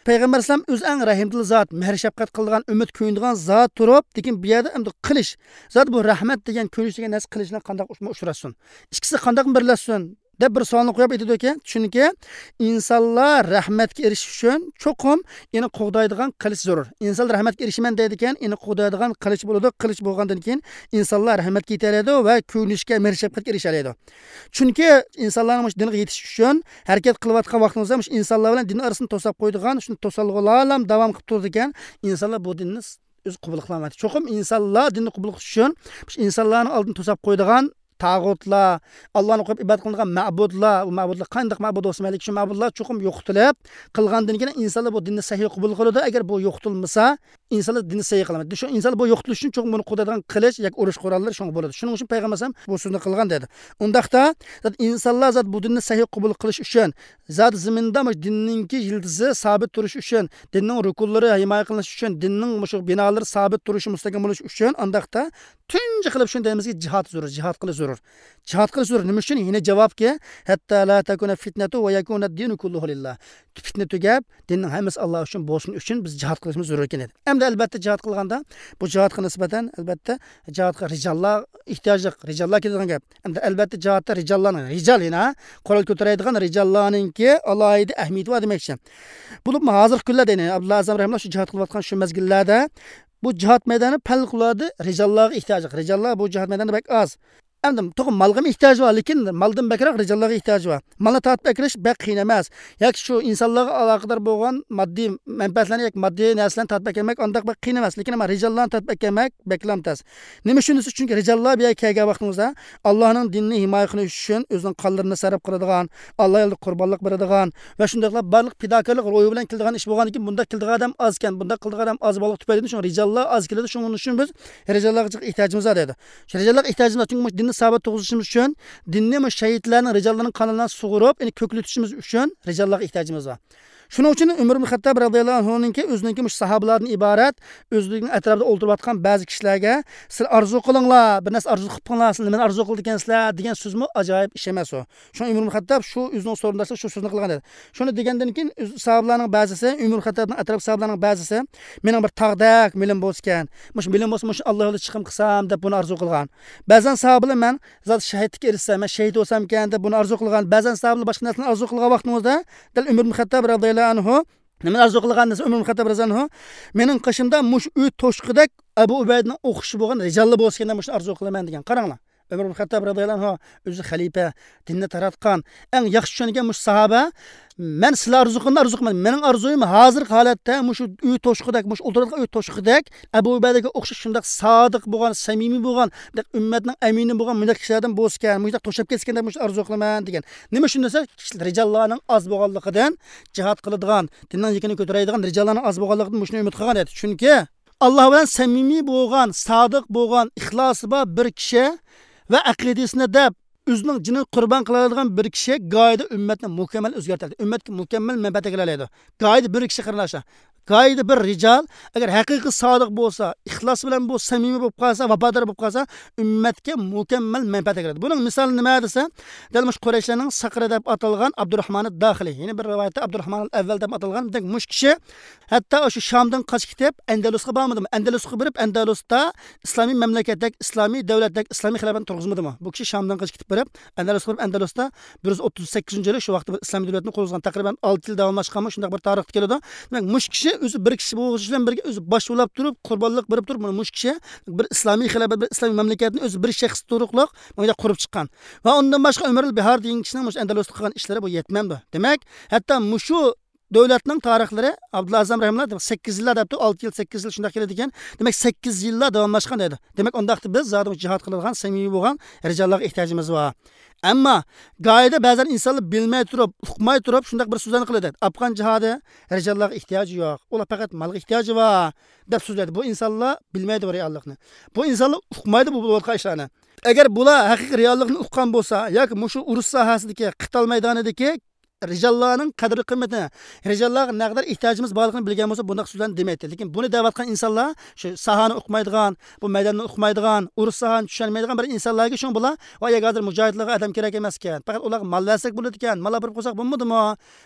پەيغەمبەر ئەلەيھىسسالام ئۆزى ئەڭ رەھىمدىل زات، مېھىر شەپقەت قىلىدىغان، ئۈمىد كۆيۈنىدىغان زات تۇرۇپ، لېكىن بۇ يەردە ئەمدى قىلىچ، زادى بۇ رەھمەت دېگەن، كۆيۈنۈش دېگەن نەرسە قىلىچ بىلەن قانداق ئۇچ-، ئۇچراشسۇن؟ ئىككىسى قانداق بىرلەشسۇن؟ دەپ بىر سوئالنى قويۇپ ئېيتىدۇكەن، چۈنكى ئىنسانلار رەھمەتكە ئېرىشىش ئۈچۈن چوقۇم ئېنى قوغدايدىغان قىلىچ زۆرۈر. ئىنسانلار رەھمەتكە ئېرىشىمەن دەيدىكەن، ئېنى قوغدايدىغان قىلىچ بولىدۇ. قىلىچ بولغاندىن كېيىن ئىنسانلار رەھمەتكە يېتەلەيدۇ ۋە كۆيۈنۈشكە، مېھىر شەپقەتكە ئېرىشەلەيدۇ. چۈنكى ئىنسانلارنىڭ مۇشۇ دىنغا يېتىش ئۈچۈن ھەرىكەت قىلىۋاتقان ۋاقتىڭىزدا، مۇشۇ ئىنسانلار بىلەن دىن ئارىسىنى توساپ قويىدىغان شۇ توسالغۇلارلا داۋام قىلىپ تۇرىدىكەن، ئىنسانلار بۇ دىننى ئۆزى قوبۇل قىلالمايدۇ. چوقۇم ئىنسانلار دىننى قوبۇل قىلىش ئۈچۈن مۇشۇ ئىنسانلارنىڭ ئالدىنى توساپ قويىدىغان تاغۇتلار، ئاللانى قويۇپ ئىبادەت قىلىنغان مەبۇدلار، ئۇ مەبۇدلار قانداق مەبۇد بولسا مەيلى، شۇ مەبۇدلار چوقۇم يوقىتىلىپ قىلغاندىن كېيىن ئىنسانلار بۇ دىننى سەھىھ قوبۇل قىلىدۇ. ئەگەر بۇ يوقىتىلمىسا، ئىنسانلار دىننى سەھىھ قىلالمايدۇ. شۇ ئىنسانلار بۇ يوقىتىلىش ئۈچۈن چوقۇم بۇنى قوغدايدىغان قىلىچ ياكى ئۇرۇش قوراللىرى شۇڭا بولىدۇ. شۇنىڭ ئۈچۈن پەيغەمبەر ئەلەيھىسسالام بۇ سۆزنى قىلغان دەيدۇ. ئۇنداقتا، زادى ئىنسانلار زادى بۇ دىننى سەھىھ قوبۇل قىلىش ئۈچۈن، زادى زېمىندا مۇشۇ دىننىڭكى يىلتىزى سابىت تۇرۇش ئۈچۈن، دىننىڭ رۇكۇنلىرى ھىمايە قىلىنىش ئۈچۈن، دىننىڭ مۇشۇ بىنالىرى سابىت تۇرۇشى، مۇستەھكەم بولۇش ئۈچۈن، ئانداقتا تۇنجى قىلىپ شۇنى دەيمىزكى، جىھاد زۆرۈر، جىھاد قىلىش زۆرۈر. جىھاد قىلىش زۆرۈر. نېمە ئۈچۈن؟ يەنە جاۋابكى، «ھەتتا لا تەكۇنە فىتنەتۇ ۋە يەكۇنە دىنۇ كۇللۇھۇ لىللا.» پىتنە تۈگەپ، دىننىڭ ھەممىسى ئاللا ئۈچۈن بولسۇن ئۈچۈن بىز جىھاد قىلىشىمىز زۆرۈر ئىكەن دېدى. ئەمدى ئەلبەتتە جىھاد قىلغاندا، بۇ جىھادقا نىسبەتەن ئەلبەتتە جىھادقا رىجاللار ئېھتىياجلىق، رىجاللار كېتىدىغان گەپ. ئەمدى ئەلبەتتە جىھادتا رىجاللارنىڭ، رىجال يەنە قورال كۆتۈرەيدىغان رىجاللارنىڭكى ئالاھىدە ئەھمىيىتى بار دېمەكچى. بولۇپمۇ ھازىرقى كۈنلەردە يەنە ئابدۇللا ئەزەم رەھىمۇللا شۇ جىھاد قىلىۋاتقان شۇ مەزگىللەردە بۇ جىھاد مەيدانى پەۋقۇلئاددە رىجاللارغا ئېھتىياجلىق. رىجاللار بۇ جىھاد مەيدانىدا بەك ئاز. ئەمدى توغرا مالغىمۇ ئېھتىياجى بار، لېكىن مالدىن بەكرەك رىجاللارغا ئېھتىياجى بار. مالنى تارتىپ ئەكىرىش بەك قىيىن ئەمەس. ياكى شۇ ئىنسانلارغا ئالاقىدار بولغان ماددىي مەنپەئەتلەرنى ياكى ماددىي نەرسىلەرنى تارتىپ ئەكەلمەك ئانداق بەك قىيىن ئەمەس. لېكىن ئەمما رىجاللارنى تارتىپ ئەكەلمەك بەكلا تەس. نېمە ئۈچۈن دېسە، چۈنكى رىجاللار بۇ يەرگە كەلگەن ۋاقتىمىزدا ئاللانىڭ دىنىنى ھىمايە قىلىش ئۈچۈن ئۆزىنىڭ قانلىرىنى سەرپ قىلىدىغان، ئاللا يولىدا قۇربانلىق بېرىدىغان ۋە شۇنداقلا بارلىق پىداكارلىق روھى بىلەن كېلىدىغان ئىش بولغاندىكىن، بۇنداق كېلىدىغان ئادەم ئازكەن، بۇنداق قىلىدىغان ئادەم ئاز بولغانلىقى تۈپەيلىدىن شۇڭا رىجاللار ئاز كېلىدۇ، شۇنىڭ ئۈچۈن بىز رىجاللارغا جىق ئېھتىياجىمىز بار دەيدۇ. شۇ رىجاللارغا ئېھتىياجىمىز بار، چۈنكى مۇشۇ دىننى ساۋات تۇرغۇزۇشىمىز ئۈچۈن، دىننى مۇشۇ شەھىدلەرنىڭ، رىجاللارنىڭ قانلىرىنى سۇغۇرۇپ، يەنى كۆكلىتىشىمىز ئۈچۈن رىجاللارغا ئېھتىياجىمىز بار. شۇنىڭ ئۈچۈن ئۆمەر ئىبن خەتتاب رەزىياللاھۇ ئەنھۇنىڭكى ئۆزىنىڭكى مۇشۇ ساھابىلاردىن ئىبارەت، ئۆزىنىڭ ئەتراپىدا ئولتۇرۇۋاتقان بەزى كىشىلەرگە، سىلەر ئارزۇ قىلىڭلار، بىر نەرسە ئارزۇ قىلىپ بېقىڭلار، سىلەر نېمىنى ئارزۇ قىلىدىكەنسىلەر دېگەن سۆزمۇ ئاجايىپ ئىش ئەمەس ئۇ. شۇڭا ئۆمەر ئىبن خەتتاب شۇ ئۆزىنىڭ سورداشلىرىغا شۇ سۆزنى قىلغان ئىدى. شۇنى دېگەندىن كېيىن ئۆز ساھابىلارنىڭ بەزىسى، ئۆمەر ئىبن خەتتابنىڭ ئەتراپ ساھابىلارنىڭ بەزىسى، مېنىڭ بىر تاغدەك مېلىم بولسىكەن، مۇشۇ مېلىم بولسا، مۇشۇ ئاللا يولىدا چىقىم قىلسام دەپ بۇنى ئارزۇ قىلغان. بەزەن ساھابىلار مەن زادى شەھىدلىككە ئېرىشسەم، مەن شەھىد بولسامكەن دەپ بۇنى ئارزۇ قىلغان. بەزەن ساھابىلار باشقا نەرسىلەرنى ئارزۇ قىلغان ۋاقتىمىزدا، دەل ئۆمەر ئىبن خەتتاب رەزىياللاھۇ ئەنھۇ نېمىنى ئارزۇ قىلغان دېسە، ئۆمەر ئىبن خەتتاب رەزىياللاھۇ ئەنھۇ، مېنىڭ قېشىمدا مۇشۇ ئۆي توشۇقىدەك ئەبۇ ئۇبەيدىنىڭ ئوخشىشى بولغان رىجاللار بولسىكەن دەپ مۇشۇنى ئارزۇ قىلىمەن دېگەن. قاراڭلار. ئۆمەر ئىبن خەتتاب رەزىياللاھۇ ئەنھۇ ئۆزى خەلىپە، دىننى تاراتقان، ئەڭ ياخشى چۈشەنگەن مۇشۇ ساھابە، مەن سىلەر ئارزۇ قىلغىنىنى ئارزۇ قىلمىدىم. مېنىڭ ئارزۇيۇم ھازىرقى ھالەتتە مۇشۇ ئۆي توشۇقىدەك، مۇشۇ ئولتۇرىدىغان ئۆي توشۇقىدەك ئەبۇ ئۇبەيدەگە ئوخشاش شۇنداق سادىق بولغان، سەمىمىي بولغان، ئۈممەتنىڭ ئەمىنى بولغان مۇنداق كىشىلەردىن بولسىكەن، مۇشۇنداق توشاپ كەتسىكەن دەپ مۇشۇنى ئارزۇ قىلىمەن دېگەن. نېمە ئۈچۈن دېسە، رىجاللارنىڭ ئاز بولغانلىقىدىن، جىھاد قىلىدىغان، دىننىڭ يېكىنى كۆتۈرەيدىغان رىجاللارنىڭ ئاز بولغانلىقىدىن مۇشۇنى ئۈمىد قىلغان ئىدى. چۈنكى ئاللا بىلەن سەمىمىي بولغان، سادىق بولغان، ئىخلاسى بار بىر كىشى ۋە ئەقىدىسىنى دەپ ئۆزىنىڭ جېنىنى قۇربان قىلالايدىغان بىر كىشى گاھىدا ئۈممەتنى مۇكەممەل ئۆزگەرتەلەيدۇ، ئۈممەتكە مۇكەممەل مەنپەئەت ئەكىلەلەيدۇ. گاھىدا بىر كىشى، قېرىنداشلار، گاھىدا بىر رىجال ئەگەر ھەقىقىي سادىق بولسا، ئىخلاس بىلەن بۇ سەمىمىي بولۇپ قالسا، ۋاپادار بولۇپ قالسا، ئۈممەتكە مۇكەممەل مەنپەئەت ئەكىلەيدۇ. بۇنىڭ مىسالى نېمە دېسە، دەل مۇشۇ قۇرەيشلەرنىڭ سەقرى دەپ ئاتالغان ئابدۇرراھمان داخىلى، يەنە بىر رىۋايەتتە ئابدۇرراھمان ئەۋۋەل دەپ ئاتالغان، دېمەك، مۇشۇ كىشى ھەتتا شۇ شامدىن قاچىپ كېتىپ، ئەندەلۇسقا بارمىدىمۇ؟ ئەندەلۇسقا بېرىپ، ئەندەلۇستا ئىسلامىي مەملىكەتتەك، ئىسلامىي دۆلەتتەك، ئىسلامىي خىلاپەتنى تۇرغۇزمىدىمۇ؟ بۇ كىشى شامدىن قېچىپ كېتىپ بېرىپ، ئەندەلۇسقا بېرىپ، ئەندەلۇستا بىر يۈز ئوتتۇز سەككىزىنچى يىلى شۇ ۋاقىتتا بىر ئىسلامىي دۆلەتنى قۇرغۇزغان، تەقرىبەن ئالتە يىل داۋاملاشقانمۇ، شۇنداق بىر تارىختا كېلىدۇ. دېمەك، مۇشۇ كىشى ئۆزى بىر كىشى بولۇشى بىلەن بىرگە ئۆزى باش بولاپ تۇرۇپ، قۇربانلىق بېرىپ تۇرۇپ، مانا مۇشۇ كىشى بىر ئىسلامىي خىلاپەت، بىر ئىسلامىي مەملىكەتنى ئۆزى بىر شەخس تۇرۇقلۇق مانا قۇرۇپ چىققان. ۋە ئۇندىن باشقا ئۆمەرۇل بىھار دېگەن كىشىنىڭ مۇشۇ ئەندەلۇستا قىلغان ئىشلىرى بۇ يەتمەمدۇ. دېمەك، ھەتتا مۇشۇ دۆلەتنىڭ تارىخلىرى ئابدۇللا ئەزەم رەھىمۇللا سەككىز يىللار دەپتۇ، ئالتە يىل، سەككىز يىل شۇنداق كېلىدىكەن. دېمەك، سەككىز يىللار داۋاملاشقان دەيدۇ. دېمەك، ئۇنداقتا بىز زادى جىھاد قىلىدىغان سەمىمىي بولغان رىجاللارغا ئېھتىياجىمىز بار. ئەمما گاھىدا بەزەن ئىنسانلار بىلمەي تۇرۇپ، ئۇقماي تۇرۇپ شۇنداق بىر سۆزلەرنى قىلىدۇ. ئافغان جىھادى رىجاللارغا ئېھتىياجى يوق، ئۇلار پەقەت مالغا ئېھتىياجى بار دەپ سۆزلەيدۇ. بۇ ئىنسانلار بىلمەيدۇ بۇ رېئاللىقنى. بۇ ئىنسانلار ئۇقمايدۇ بۇ بولۇۋاتقان ئىشلارنى. ئەگەر بۇلار ھەقىقىي رېئاللىقنى ئۇققان بولسا ياكى مۇشۇ ئۇرۇش ساھەسىدىكى، قىتال مەيدانىدىكى رىجاللارنىڭ قەدىر-قىممىتىنى، رىجاللارغا نەقەدەر ئېھتىياجىمىز بارلىقىنى بىلگەن بولسا، بۇنداق سۆزلەرنى دېمەيتتى. لېكىن بۇنى دەۋاتقان ئىنسانلار شۇ ساھەنى ئۇقمايدىغان، بۇ مەيداننى ئۇقمايدىغان، ئۇرۇش ساھەنى چۈشەنمەيدىغان بىر ئىنسانلاركەن. شۇڭا بۇلار، ۋاي، ھازىر مۇجاھىدلارغا ئادەم كېرەك ئەمەسكەن، پەقەت ئۇلارغا مال بەرسەك بولىدىكەن، مال ئاپىرىپ قويساق بولمىدىمۇ؟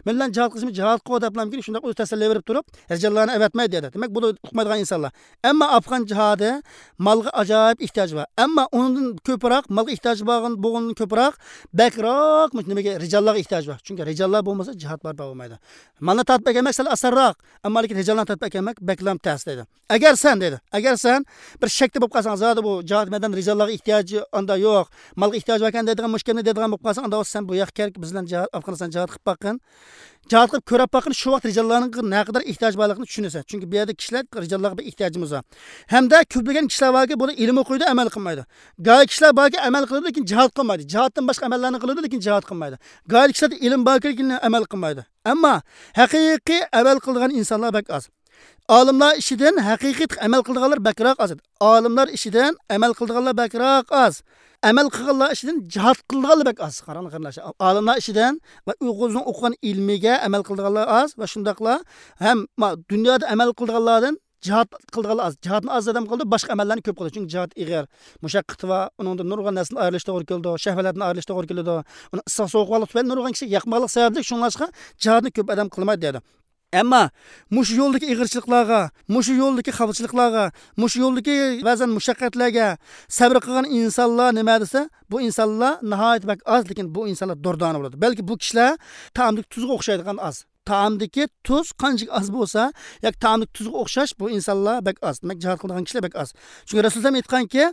مەن بىلەن جىھاد قىلسىمۇ جىھاد قىل دەپلا شۇنداق ئۆزى تەسەللى بېرىپ تۇرۇپ، رىجاللارنى ئەۋەتمەيدۇ دېدى. دېمەك، بۇ ئۇقمايدىغان ئىنسانلار. ئەمما ئافغان جىھادى مالغا ئاجايىپ ئېھتىياجى بار. ئەمما ئۇنىڭدىن كۆپرەك مالغا ئېھتىياجى بارغان، بولغىنىدىن كۆپرەك، بەكرەك مۇشۇ نېمىگە، رىجاللارغا ئېھتىياجى بار. چۈنكى رىجاللار بولمىسا جىھاد بارپا بولمايدۇ. مالنى تارتىپ ئەكەلمەك سەل ئاسانراق، ئەمما لېكىن رىجاللارنى تارتىپ ئەكەلمەك بەكلا تەس دەيدۇ. ئەگەر سەن دەيدۇ، ئەگەر سەن بىر شەكتە بولۇپ قالساڭ، زادى بۇ جىھاد مەيدانىدا رىجاللارغا ئېھتىياجى ئاندا يوق، مالغا ئېھتىياجى باركەن دەيدىغان مۇشۇ گەپنى دەيدىغان بولۇپ قالساڭ، ئاندا سەن بۇ ياققا كەل، بىز بىلەن جىھاد، ئافغانىستان جىھاد قىلىپ باققىن. جىھاد قىلىپ كۆرۈپ باققىن، شۇ ۋاقىت رىجاللارنىڭ نەقەدەر ئېھتىياجى بارلىقىنى چۈشىنىسەن. چۈنكى بۇ يەردە كىشىلەر رىجاللارغا بىر ئېھتىياجىمىز بار. ھەمدە كۆپلىگەن كىشىلەر باركى، بۇلار ئىلىم ئوقۇيدۇ، ئەمەل قىلمايدۇ. گاھى كىشىلەر باركى، ئەمەل قىلىدۇ، لېكىن جىھاد قىلمايدۇ. جىھادتىن باشقا ئەمەللەرنى قىلىدۇ، لېكىن جىھاد قىلمايدۇ. گاھى كىشىلەردە ئىلىم باركى، لېكىن ئەمەل قىلمايدۇ. ئەمما ھەقىقىي ئەمەل قىلىدىغان ئىنسانلار بەك ئاز. ئالىملار ئىچىدىن ھەقىقىي ئەمەل قىلىدىغانلار بەكرەك ئاز. ئالىملار ئىچىدىن ئەمەل قىلىدىغانلار بەكرەك ئاز. ئەمەل قىلغانلار ئىچىدىن جىھاد قىلىدىغانلار بەك ئاز. قاراڭلار، قېرىنداشلار. ئالىملار ئىچىدىن ۋە ئۆزىنىڭ ئوقۇغان ئىلمىگە ئەمەل قىلىدىغانلار ئاز ۋە شۇنداقلا ھەم ما-، دۇنيادا ئەمەل قىلىدىغانلاردىن جىھاد قىلىدىغانلار ئاز. جىھادنى ئاز ئادەم قىلىدۇ، باشقا ئەمەللەرنى كۆپ قىلىدۇ. چۈنكى جىھاد ئېغىر، مۇشەققىتى بار، ئۇنىڭدا نۇرغۇن نەرسىلەرنى ئايرىلىشى توغرا كېلىدۇ، شەھۋەتلەرنى ئايرىلىشى توغرا كېلىدۇ. ئۇنىڭ ئىسسىق سوغۇقلۇقى تۈپەيلى نۇرغۇن كىشىگە ياقمىغانلىق سەۋەبلىك، شۇڭلاشقا جىھادنى كۆپ ئادەم قىلمايدۇ دەيدۇ. ئەمما مۇشۇ يولدىكى ئېغىرچىلىقلارغا، مۇشۇ يولدىكى خاپىچىلىقلارغا، مۇشۇ يولدىكى بەزەن مۇشەققەتلەرگە سەۋر قىلغان ئىنسانلار نېمە دېسە، بۇ ئىنسانلار ناھايىتى بەك ئاز، لېكىن بۇ ئىنسانلار دۇردانە بولىدۇ. بەلكى بۇ كىشىلەر تائامدىكى تۇزغا ئوخشايدىغان ئاز. تائامدىكى تۇز قانچىلىك ئاز بولسا، ياكى تائامدىكى تۇزغا ئوخشاش، بۇ ئىنسانلار بەك ئاز. دېمەك، جىھاد قىلىدىغان كىشىلەر بەك ئاز. چۈنكى رەسۇل ئەلەيھىسسالام ئېيتقانكى،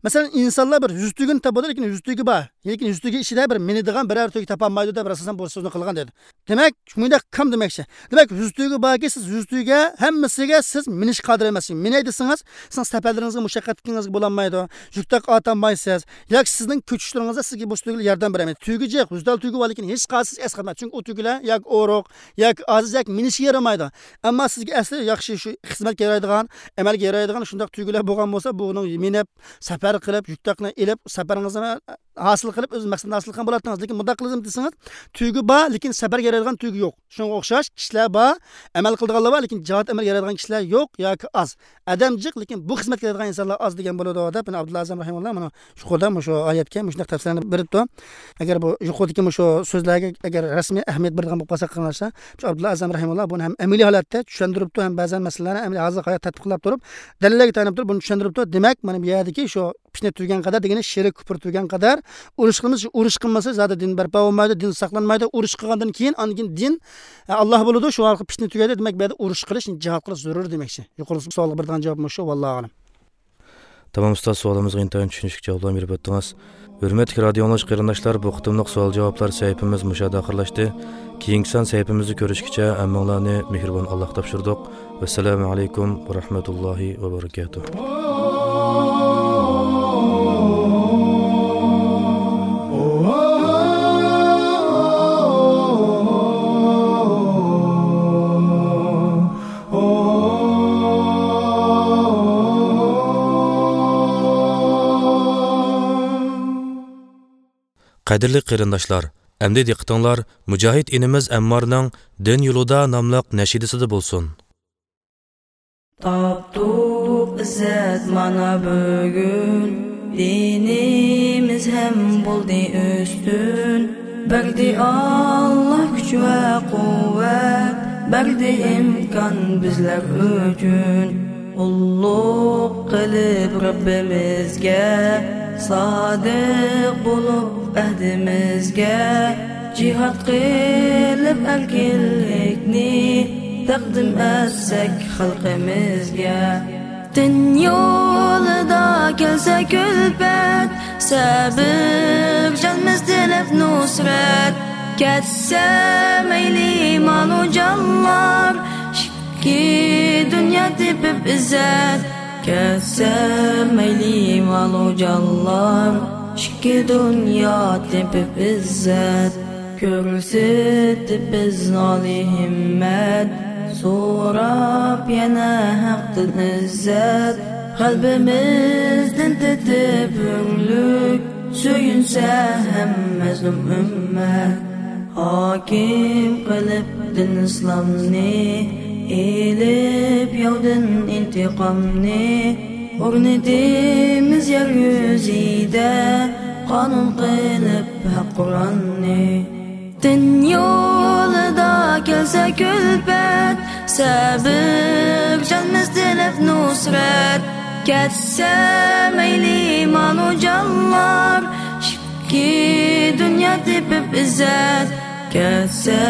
مەسىلەن، ئىنسانلار بىر يۈز تۈگىنى تاپىدۇ، لېكىن يۈز تۈگە بار، لېكىن يۈز تۈگە ئىچىدە بىر مىنىدىغان بىرەر تۈگە تاپالمايدۇ دەپ رەسۇل ئەلەيھىسسالام بۇ سۆزنى قىلغان دېدى. دېمەك، مۇنداق كام دېمەكچى. دېمەك، يۈز تۈگە باركى، سىز يۈز تۈگە ھەممىسىگە سىز مىنىشكە قادىر ئەمەسسىز. مىنەي دېسىڭىز، سىزنىڭ سەپەرلىرىڭىزگە مۇشەققەت ئەتكىنىڭىزگە بولالمايدۇ. يۈك تاقى ئارتالمايسىز. ياكى سىزنىڭ كۆچۈشلىرىڭىزدا سىزگە بۇ تۈگىلەر ياردەم بېرەلمەيدۇ. تۈگە جىق، يۈز دانە تۈگە بار، لېكىن ھېچقايسىسى ئەسقاتمايدۇ. چۈنكى ئۇ تۈگىلەر ياكى ئورۇق، ياكى ئاجىز، ياكى مىنىشكە يارىمايدۇ. ئەمما سىزگە ئەسلى ياخشى شۇ خىزمەتكە يارايدىغان، ئەمەلگە يارايدىغان شۇنداق تۈگىلەر بولغان بولسا، بۇنىڭ مىنىپ، سەپەر قىلىپ، يۈك تاقىنى ئېلىپ، سەپىرىڭىزنى ھاسىل قىلىپ، ئۆز مەقسىتىنى ھاسىل قىلغان بولاتتىڭىز. لېكىن مۇنداق قىلىسىز دېسىڭىز، تۈگە بار، لېكىن سەپەرگە يارايدىغان تۈگە يوق. شۇنىڭغا ئوخشاش كىشىلەر بار، ئەمەل قىلىدىغانلار بار، لېكىن جىھاد ئەمەلگە يارايدىغان كىشىلەر يوق ياكى ئاز. ئادەم جىق، لېكىن بۇ خىزمەتكە يارايدىغان ئىنسانلار ئاز دېگەن بولىدۇ، دەپ مانا ئابدۇللا ئەزەم رەھىمۇللا مانا يۇقىرىدا مۇشۇ ئايەتكە مۇشۇنداق تەپسىرلەرنى بېرىپتۇ. ئەگەر بۇ يۇقىرىدىكى مۇشۇ سۆزلەرگە ئەگەر رەسمىي ئەھمىيەت بېرىدىغان بولۇپ قالساق، قېرىنداشلار، شۇ ئابدۇللا ئەزەم رەھىمۇللا بۇنى ھەم ئەمەلىي ھالەتتە چۈشەندۈرۈپتۇ، ھەم بەزەن مەسىلىلەرنى ئەمەلىي ھازىرقى ھايات تەتبىق قىلىپ تۇرۇپ، دەلىللەرگە تايىنىپ تۇرۇپ بۇنى چۈشەندۈرۈپتۇ. دېمەك، مانا بۇ يەردىكى شۇ پىتنە تۈگىگەن قەدەر دېگىنى شىرك كۇپۇر تۈگىگەن قەدەر ئۇرۇش قىلمىسا، ئۇرۇش قىلمىسا زادى دىن بەرپا بولمايدۇ، دىن ساقلانمايدۇ. ئۇرۇش قىلغاندىن كېيىن، ئاندىن كېيىن دىن، ئە، ئاللا بولىدۇ. شۇ ئارقىلىق پىتنە تۈگەيدۇ. دېمەك، بۇ يەردە ئۇرۇش قىلىش، جىھاد قىلىش زۆرۈر دېمەكچى. يۇقىرىقى سوئالغا بېرىدىغان جاۋاب مۇشۇ. ۋاللاھۇ ئەلەم. تامام ئۇستاز، سوئالىمىزغا ئىنتايىن چۈشىنىشلىك جاۋابلارنى بېرىپ ئۆتتىڭىز. ھۆرمەتلىك رادىئو ئاڭلىغۇچى قېرىنداشلار، بۇ قېتىملىق سوئال-جاۋابلار سەھىپىمىز مۇشۇ يەردە ئاخىرلاشتى. كېيىنكى سان سەھىپىمىزدە كۆرۈشكىچە ھەممىڭلارنى مېھرىبان ئاللاغا تاپشۇردۇق. ۋەسسالامۇ ئەلەيكۇم ۋە رەھمەتۇللاھى ۋە بەرىكاتۇھ. قەدىرلىك قېرىنداشلار، ئەمدى دىققىتىڭلار مۇجاھىد ئىنىمىز ئەممارنىڭ دىن يولىدا ناملىق نەشىدىسىدە بولسۇن. تاپتۇق ئىززەت مانا بۈگۈن، دىنىمىز ھەم بولدى ئۈستۈن. بەردى ئاللا كۈچ ۋە قۇۋۋەت، بەردى ئىمكان بىزلەر ئۈچۈن. قۇللۇق قىلىپ رەببىمىزگە، سادىق بولۇپ ئەھدىمىزگە، جىھاد قىلىپ ئەركىنلىكنى تەقدىم ئەتسەك خەلقىمىزگە. دىن يولىدا كەلسە كۈلپەت، سەبرچانمىز تىلەپ نۇسرەت. كەتسە مەيلى مالۇ جانلار، ئىككى دۇنيا تېپىپ ئىززەت. كەتسە مەيلى مالۇ جانلار، ئىككى دۇنيا تېپىپ ئىززەت. كۆرسىتىپ بىز ئالىي ھىممەت، سوراپ يەنە ھەقتىن ئىززەت. قەلبىمىزدىن تېتىپ ھۆڭلۈك، سۆيۈنسە ھەم مەزلۇم ئۈممەت. ھاكىم قىلىپ دىن ئىسلامنى، ئېلىپ ياۋدىن ئىنتىقامنى، ئورنىتىمىز يەر يۈزىدە قانۇن قىلىپ ھەق قۇرئاننى. دىن يولىدا كەلسە كۈلپەت، سەبرچانمىز تىلەپ نۇسرەت. كەتسە مەيلى مالۇ جانلار، ئىككى دۇنيا تېپىپ ئىززەت. كەتسە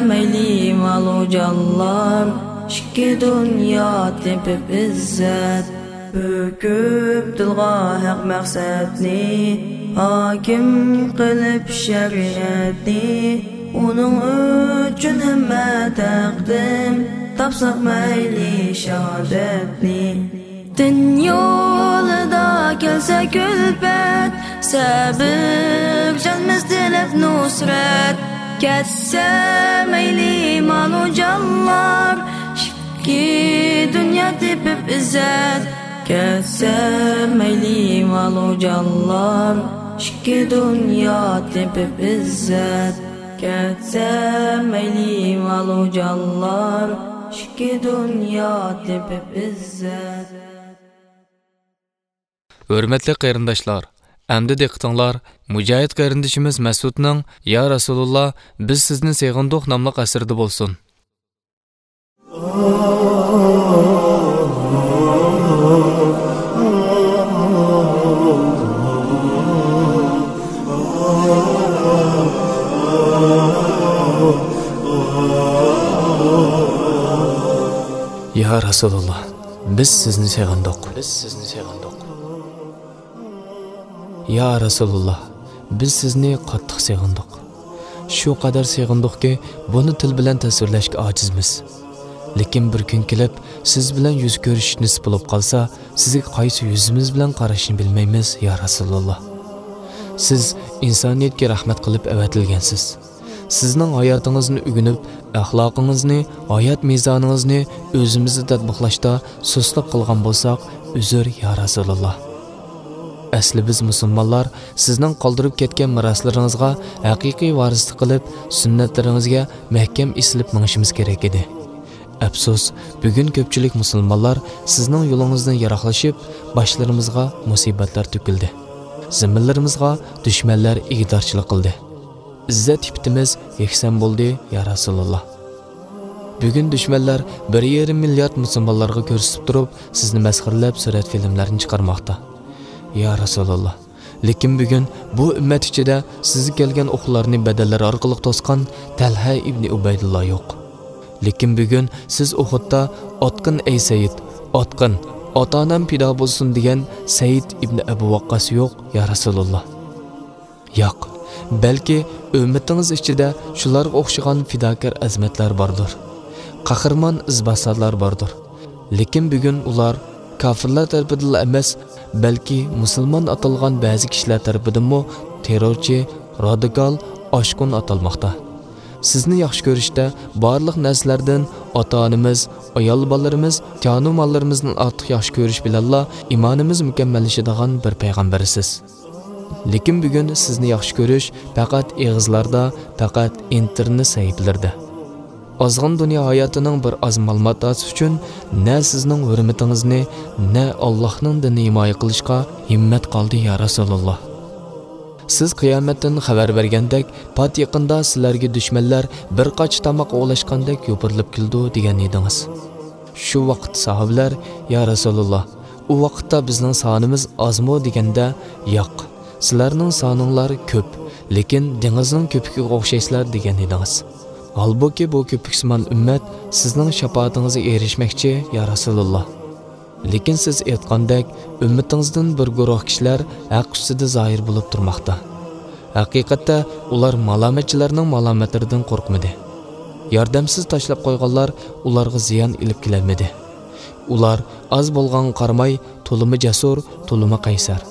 مەيلى مالۇ جانلار، ئىككى دۇنيا تېپىپ ئىززەت. پۈكۈپ تىلغا ھەق مەقسەتنى، ھاكىم قىلىپ شەرىئەتنى. ئۇنىڭ ئۈچۈن ھەممە تەقدىم، تاپساق مەيلى شاھادەتنى. دىن يولىدا كەلسە كۈلپەت، سەبرچانمىز تىلەپ نۇسرەت. كەتسە مەيلى مالۇ جانلار، ئىككى دۇنيا تېپىپ ئىززەت. كەتسە مەيلى مالۇ جانلار، ئىككى دۇنيا تېپىپ ئىززەت. كەتسە مەيلى مالۇ جانلار، ئىككى دۇنيا تېپىپ ئىززەت. ھۆرمەتلىك قېرىنداشلار، ئەمدى دىققىتىڭلار مۇجاھىد قېرىندىشىمىز مەسئۇدنىڭ يا رەسۇلۇللا، بىز سىزنى سېغىندۇق ناملىق ئەسىرىدە بولسۇن. يا رەسۇلۇللا، بىز سىزنى سېغىندۇق. بىز سىزنى سېغىندۇق. يا رەسۇلۇللا، بىز سىزنى قاتتىق سېغىندۇق. شۇ قەدەر سېغىندۇقكى، بۇنى تىل بىلەن تەسۋىرلەشكە ئاجىزمىز. لېكىن بىر كۈن كېلىپ، سىز بىلەن يۈز كۆرۈشۈش نېسىپ بولۇپ قالسا، سىزگە قايسى يۈزىمىز بىلەن قاراشنى بىلمەيمىز، يا رەسۇلۇللا. سىز ئىنسانىيەتكە رەھمەت قىلىپ ئەۋەتىلگەنسىز. سىزنىڭ ھاياتىڭىزنى ئۆگىنىپ، ئەخلاقىڭىزنى، ھايات مىزانىڭىزنى ئۆزىمىزدە تەتبىقلاشتا سۇسلۇق قىلغان بولساق، ئۆزۈر، يا رەسۇلۇللا. ئەسلى بىز مۇسۇلمانلار سىزنىڭ قالدۇرۇپ كەتكەن مىراسلىرىڭىزغا ھەقىقىي ۋارىسلىق قىلىپ، سۈننەتلىرىڭىزگە مەھكەم ئېسىلىپ مېڭىشىمىز كېرەك ئىدى. ئەپسۇس، بۈگۈن كۆپچىلىك مۇسۇلمانلار سىزنىڭ يولىڭىزدىن يىراقلىشىپ، باشلىرىمىزغا مۇسىبەتلەر تۆكۈلدى. زېمىنلىرىمىزغا دۈشمەنلەر ئىگىدارچىلىق قىلدى. ئىززەت ئىپپىتىمىز يەكسان بولدى، يا رەسۇلۇللا. بۈگۈن دۈشمەنلەر بىر يېرىم مىليارد مۇسۇلمانلارغا كۆرسىتىپ تۇرۇپ، سىزنى مەسخىرىلەپ سۈرەت فىلىملەرنى چىقارماقتا. يا رەسۇلۇللا، لېكىن بۈگۈن بۇ ئۈممەت ئىچىدە سىزگە كەلگەن ئوقلارنى بەدەنلىرى ئارقىلىق توسقان تەلھە ئىبنى ئۇبەيدۇللا يوق. لېكىن بۈگۈن سىز ئۇھۇدتا «ئاتقىن، ئەي سەيىد، ئاتقىن، ئاتا-ئانام پىدا بولسۇن» دېگەن سەيىد ئىبنى ئەبۇ ۋەققاس يوق، يا رەسۇلۇللا. ياق، بەلكى ئۈممىتىڭىز ئىچىدە شۇلارغا ئوخشىغان پىداكار ئەزىمەتلەر باردۇر. قەھرىمان ئىزباسارلار باردۇر. لېكىن بۈگۈن ئۇلار كاپىرلار تەرىپىدىنلا ئەمەس، بەلكى مۇسۇلمان ئاتالغان بەزى كىشىلەر تەرىپىدىنمۇ تېررورچى، رادىكال، ئاشقۇن ئاتالماقتا. سىزنى ياخشى كۆرۈشتە بارلىق نەرسىلەردىن ئاتا-ئانىمىز، ئايال بالىلىرىمىز، جانۇ ماللىرىمىزدىن ئارتۇق ياخشى كۆرۈش بىلەنلا ئىمانىمىز مۇكەممەللىشىدىغان بىر پەيغەمبەرسىز. لېكىن بۈگۈن سىزنى ياخشى كۆرۈش پەقەت ئېغىزلاردا، پەقەت ئىنتېرنېت سەھىپىلىرىدە. ئازغىنە دۇنيا ھاياتىنىڭ بىر ئاز مال-ماتاسى ئۈچۈن نە سىزنىڭ ھۆرمىتىڭىزنى، نە ئاللاھنىڭ دىنىنى ھىمايە قىلىشقا ھىممەت قالدى، يا رەسۇلۇللا. سىز قىيامەتتىن خەۋەر بەرگەندەك، پات يېقىندا سىلەرگە دۈشمەنلەر بىر قاچا تاماق ئوۋلاشقاندەك يوپۇرۇلۇپ كېلىدۇ، دېگەن ئىدىڭىز. شۇ ۋاقىت ساھابىلەر، يا رەسۇلۇللا، ئۇ ۋاقىتتا بىزنىڭ سانىمىز ئازمۇ؟ دېگەندە، ياق، سىلەرنىڭ سانىڭلار كۆپ، لېكىن دېڭىزنىڭ كۆپۈكىگە ئوخشايسىلەر، دېگەن ئىدىڭىز. ھالبۇكى، بۇ كۆپۈكسىمان ئۈممەت سىزنىڭ شاپائىتىڭىزگە ئېرىشمەكچى، يا رەسۇلۇللا. لېكىن سىز ئېيتقاندەك، ئۈممىتىڭىزدىن بىر گۇرۇھ كىشىلەر ھەق ئۈستىدە زاھىر بولۇپ تۇرماقتا. ھەقىقەتتە، ئۇلار مالامەتچىلەرنىڭ مالامەتلىرىدىن قورقمىدى. ياردەمسىز تاشلاپ قويغانلار ئۇلارغا زىيان ئېلىپ كېلەلمىدى. ئۇلار ئاز بولغانغا قارىماي، تولىمۇ جەسۇر، تولىمۇ قەيسەر.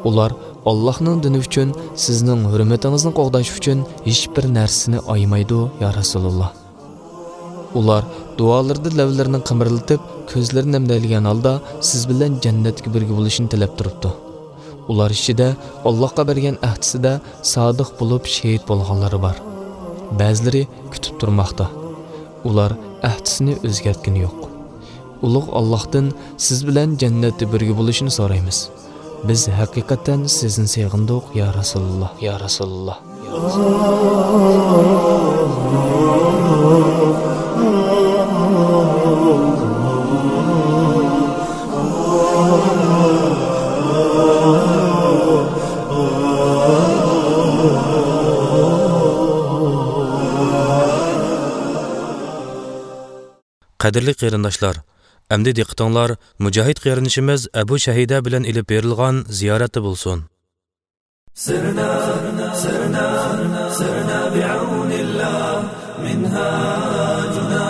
ئۇلار ئاللاھنىڭ دىنى ئۈچۈن، سىزنىڭ ھۆرمىتىڭىزنى قوغداش ئۈچۈن ھېچبىر نەرسىنى ئايىمايدۇ، يا رەسۇلۇللا. ئۇلار دۇئالىرىدا لەۋلىرىنى قىمىرلىتىپ، كۆزلىرىنى نەمدەيدىغان ھالدا سىز بىلەن جەننەتكە بىرگە بولۇشنى تىلەپ تۇرۇپتۇ. ئۇلار ئىچىدە ئاللاھقا بەرگەن ئەھدىسىدە سادىق بولۇپ شېھىت بولغانلىرى بار. بەزىلىرى كۈتۈپ تۇرماقتا. ئۇلار ئەھدىسىنى ئۆزگەرتكىنى يوق. ئۇلۇغ ئاللاھتىن سىز بىلەن جەننەتتە بىرگە بولۇشنى سورايمىز. بىز ھەقىقەتەن سىزنى سېغىندۇق، يا رەسۇلۇللا، يا رەسۇلۇللا. قەدىرلىك قېرىنداشلار، ئەمدى دىققىتىڭلار مۇجاھىد قېرىندىشىمىز ئەبۇ شەھىدە بىلەن ئېلىپ بېرىلغان زىيارەتتە بولسۇن. سرنا، سرنا، سرنا بعون الله. منهاجنا،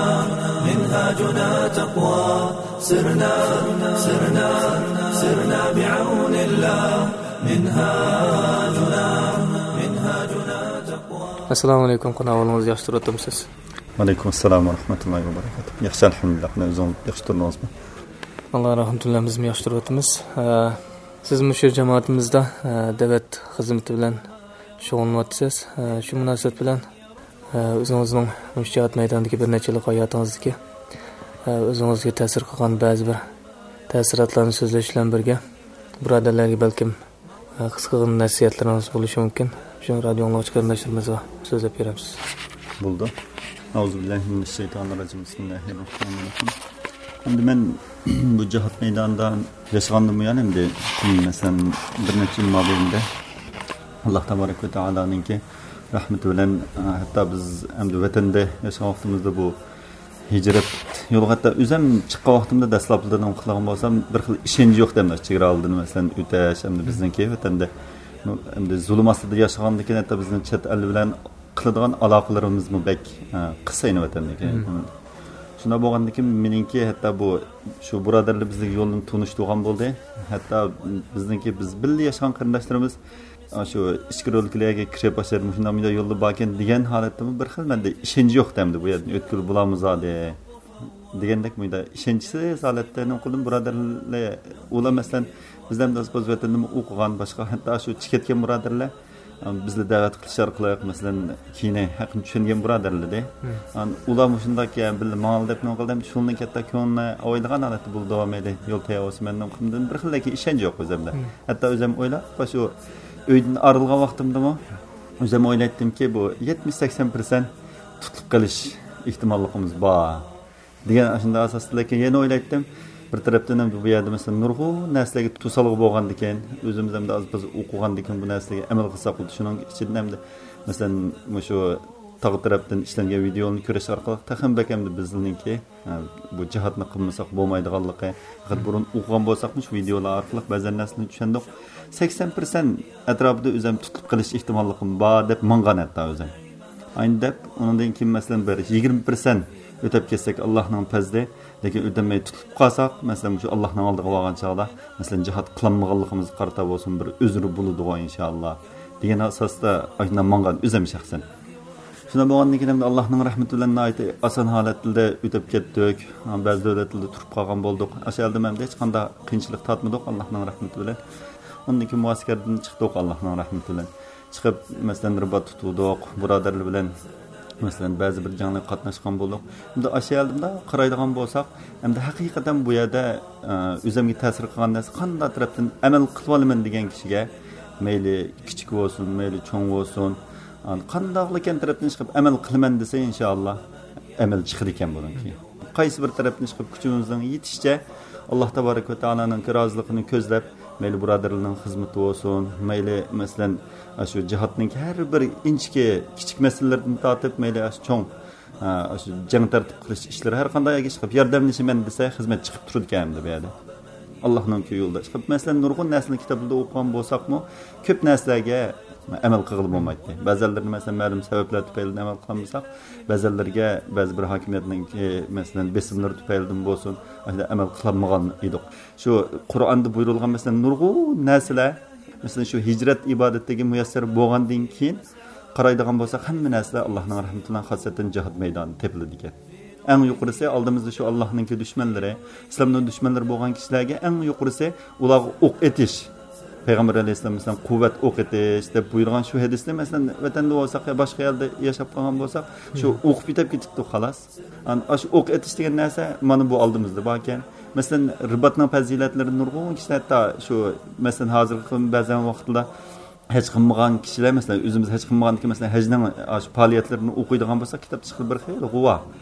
منهاجنا تقوى. سرنا، سرنا، سرنا بعون الله. منهاجنا، منهاجنا تقوى. ئەسسالامۇ ئەلەيكۇم، قانداق ئەھۋالىڭىز، ياخشى تۇرۇۋاتامسىز؟ ۋەئەلەيكۇم ئەسسالام ۋە رەھمەتۇللاھى ۋە بەرەكاتۇھ. ياخشى، ئەلھەمدۇلىللاھ. قېنى ئۆزىڭىز ياخشى تۇردىڭىزمۇ؟ ئاللا رەھمىتى بىلەن بىزمۇ ياخشى تۇرۇۋاتىمىز. ئە، سىزمۇ شۇ جامائىتىمىزدا، ئە، دەۋەت خىزمىتى بىلەن شۇغۇللىنىۋاتىسىز. ئە، شۇ مۇناسىۋەت بىلەن، ئە، ئۆزىڭىزنىڭ مۇشۇ جىھاد مەيدانىدىكى بىر نەچچە يىللىق ھاياتىڭىزدىكى، ئە، ئۆزىڭىزگە تەسىر قىلغان بەزى بىر تەسىراتلارنى سۆزلەش بىلەن بىرگە، بۇرادەرلەرگە بەلكىم ئە، قىسقىغىنە نەسىھەتلىرىڭىز بولۇشى مۇمكىن. شۇ رادىيو ئاڭلىغۇچى قېرىنداشلىرىمىزغا سۆزلەپ بېرەمسىز؟ بولىدۇ. ئەئۇزۇبىللاھىمىنەششەيتانىررەجىم. بىسمىللاھىررەھمانىررەھىم. ئەمدى مەن بۇ جىھاد مەيدانىدا ياشىغاندىن بۇيان، ئەمدى، مەسىلەن، بىر نەچچە يىل مابەينىدە ئاللا تابارەك ۋە تائالانىڭكى رەھمىتى بىلەن، ئە، ھەتتا بىز ئەمدى ۋەتەندە ياشىغان ۋاقتىمىزدا بۇ ھىجرەت يولىغا ھەتتا ئۆزۈم چىققان ۋاقتىمدا دەسلەپلىدىن قىلغان بولسام، بىر خىل ئىشەنچ يوق دەمدە، چېگرا ئالدىدىن مەسىلەن ئۆتەش، ئەمدى بىزنىڭكى ۋەتەندە ئەمدى زۇلۇم ئاستىدا ياشىغاندىكىن ھەتتا بىزنىڭ چەت ئەل بىلەن قىلىدىغان ئالاقىلىرىمىزمۇ بەك، ئە، قىس ئەينى ۋەتەندىكى. شۇنداق بولغاندىكىن مېنىڭكى ھەتتا بۇ شۇ بۇرادەرلەر بىزنىڭ يولدىن تونۇشتۇرغان بولدى. ھەتتا بىزنىڭكى بىز بىللە ياشىغان قېرىنداشلىرىمىز، ئا، شۇ ئىچكىرى ئۆلكىلەرگە كىرىپ ئاشۇ مۇشۇنداق مۇنداق يولدا باركەن دېگەن ھالەتتىمۇ بىر خىل مەندە ئىشەنچ يوق دەمدى، بۇ يەردىن ئۆتكىلى بولامۇ زادى دېگەندەك مۇنداق ئىشەنچسىز ھالەتتە نېمە قىلدىم، بۇرادەرلەر ئۇلار مەسىلەن بىزدە ئەمدى ئاز ۋەتەندىمۇ ئوقۇغان باشقا ھەتتا شۇ چىقىپ كەتكەن بۇرادەرلەر، ئا، بىزلەر دەۋەت قىلىش ئارقىلىق مەسىلەن كېيىن ھەققىنى چۈشەنگەن بۇرادەرلىرى. ئان ئۇلار مۇشۇنداك يا بىللە ماڭالا دەپ نېمە قىلدى، ئەمدى شۇنىڭ كەتتە كۆڭلىنى ئاۋايلىغان ھالەتتە بولىدۇ، مەيلى يول تەييار بولسا مەن نېمە قىلدىم، بىر خىل لېكىن ئىشەنچ يوق ئۆزۈمدە. ھەتتا ئۆزۈم ئويلاپ، شۇ ئۆيدىن ئايرىلغان ۋاقتىمدىمۇ ئۆزۈم ئويلايتتىمكى، بۇ يەتمىش سەكسەن پىرسەنت تۇتۇلۇپ قېلىش ئېھتىماللىقىمىز بار دېگەن ئاشۇنداق ئاساستا، لېكىن يەنە ئويلايتتىم، بىر تەرەپتىن ئەمدى بۇ يەردە مەسىلەن نۇرغۇن نەرسىلەرگە توسالغۇ بولغاندىكىن، ئۆزىمىز ئەمدى ئاز بىز ئوقۇغاندىكىن بۇ نەرسىلەرگە ئەمەل قىلساق بولدى. شۇنىڭ ئىچىدىن ئەمدى مەسىلەن مۇشۇ تاغ تەرەپتىن ئىشلەنگەن ۋىدېئونى كۆرۈش ئارقىلىق تېخىمۇ بەك ئەمدى بىزنىڭكى، ئە، بۇ جىھادنى قىلمىساق بولمايدىغانلىقى، پەقەت بۇرۇن ئوقۇغان بولساقمۇ شۇ ۋىدېئولار ئارقىلىق بەزەن نەرسىلەرنى چۈشەندۇق. سەكسەن پىرسەنت ئەتراپىدا ئۆزۈم تۇتۇلۇپ قېلىش ئېھتىماللىقىم بار دەپ ماڭغان ھەتتا ئۆزۈم. ئاينى دەپ، ئۇنىڭدىن كېيىن مەسىلەن بىر يىگىرمە پىرسەنت ئۆتەپ كەتسەك ئاللاھنىڭ پەزلى، لېكىن ئۆتەلمەي تۇتۇلۇپ قالساق، مەسىلەن مۇشۇ ئاللاھنىڭ ئالدىغا بارغان چاغدا، مەسىلەن جىھاد قىلالمىغانلىقىمىزغا قارىتا بولسۇن بىر ئۆزرى بولىدىغۇ ئىنشائاللا دېگەن ئاساستا ئاشۇنداق ماڭغان ئۆزۈم شەخسەن. شۇنداق بولغاندىن كېيىن ئەمدى ئاللاھنىڭ رەھمىتى بىلەن ناھايىتى ئاسان ھالەتلەردە ئۆتۈپ كەتتۇق. بەزى دۆلەتلەردە تۇرۇپ قالغان بولدۇق. ئاشۇ يەردىمۇ ئەمدى ھېچقانداق قىيىنچىلىق تارتمىدۇق ئاللاھنىڭ رەھمىتى بىلەن. ئۇندىن كېيىن مۇئەسكەردىن چىقتۇق ئاللاھنىڭ رەھمىتى بىلەن. چىقىپ مەسىلەن رىبات تۇتۇۋىدۇق، بۇرادەرلەر بىلەن مەسىلەن بەزى بىر جەڭلەرگە قاتناشقان بولدۇق. ئەمدى ئاشۇ يەردە مۇنداق قارايدىغان بولساق، ئەمدى ھەقىقەتەن بۇ يەردە، ئە، ئۆزۈمگە تەسىر قىلغان نەرسە قانداق تەرەپتىن ئەمەل قىلىۋالىمەن دېگەن كىشىگە، مەيلى كىچىك بولسۇن، مەيلى چوڭ بولسۇن، ئان-، قانداقلىكەن تەرەپتىن چىقىپ ئەمەل قىلىمەن دېسە، ئىنشائاللا ئەمەل چىقىدىكەن بۇنىڭكى. قايسى بىر تەرەپتىن چىقىپ كۈچىمىزنىڭ يېتىشىچە ئاللا تابارەك ۋە تائالانىڭكى رازىلىقىنى كۆزلەپ، مەيلى بۇرادەرلەرنىڭ خىزمىتى بولسۇن، مەيلى مەسىلەن ئاشۇ جىھادنىڭ ھەر بىر ئىنچىكە كىچىك مەسىلىلىرىدىن تارتىپ، مەيلى ئاشۇ چوڭ، ئا، ئاشۇ جەڭ تەرتىپ قىلىش ئىشلىرى ھەر قانداق يەرگە چىقىپ ياردەملىشىمەن دېسە، خىزمەت چىقىپ تۇرىدىكەن ئەمدى بۇ يەردە. ئاللاھنىڭكى يولىدا چىقىپ، مەسىلەن، نۇرغۇن نەرسىلەرنى كىتابلىرىدا ئوقۇغان بولساقمۇ، كۆپ نەرسىلەرگە ئەمەل قىلغىلى بولمايتتى. بەزەنلىرىنى، مەسىلەن، مەلۇم سەۋەبلەر تۈپەيلىدىن ئەمەل قىلالمىساق، بەزەنلىرىگە بەزى بىر ھاكىمىيەتنىڭ، ئى، مەسىلەن، بېسىملىرى تۈپەيلىدىن بولسۇن، ئەمەل قىلالمىغان ئىدۇق. شۇ قۇرئاندا بۇيرۇلغان، مەسىلەن، نۇرغۇن نەرسىلەر، مەسىلەن، شۇ ھىجرەت ئىبادەتلىكى مۇيەسسەر بولغاندىن كېيىن، قارايدىغان بولساق، ھەممە نەرسىلەر ئاللاھنىڭ رەھمىتى بىلەن خاسسەتەن جىھاد مەيدانىدا تېپىلىدىكەن. ئەڭ يۇقىرىسى ئالدىمىزدا شۇ ئاللاھنىڭكى دۈشمەنلىرى، ئىسلامنىڭ دۈشمەنلىرى بولغان كىشىلەرگە ئەڭ يۇقىرىسى ئۇلارغا ئوق ئېتىش. پەيغەمبەر ئەلەيھىسسالام، مەسىلەن، قۇۋۋەت ئوق ئېتىش دەپ بۇيرۇغان شۇ ھەدىسنى، مەسىلەن، ۋەتەندە بولساق يا باشقا يەردە ياشاپ قالغان بولساق، شۇ ئوقۇپ يېتىپ كېتىپتۇ، خالاس. ئاشۇ ئوق ئېتىش دېگەن نەرسە مانا بۇ ئالدىمىزدا باركەن. مەسىلەن، رىباتنىڭ پەزىلەتلىرى نۇرغۇن كىشىلەر ھەتتا شۇ، مەسىلەن، ھازىرقى بەزەن ۋاقىتلار ھەج قىلمىغان كىشىلەر، مەسىلەن، ئۆزىمىز ھەج قىلمىغاندىكىن، مەسىلەن، ھەجنىڭ ئاشۇ پائالىيەتلىرىنى ئوقۇيدىغان بولساق، كىتابتا چىقىدۇ بىر خېلى غۇۋا.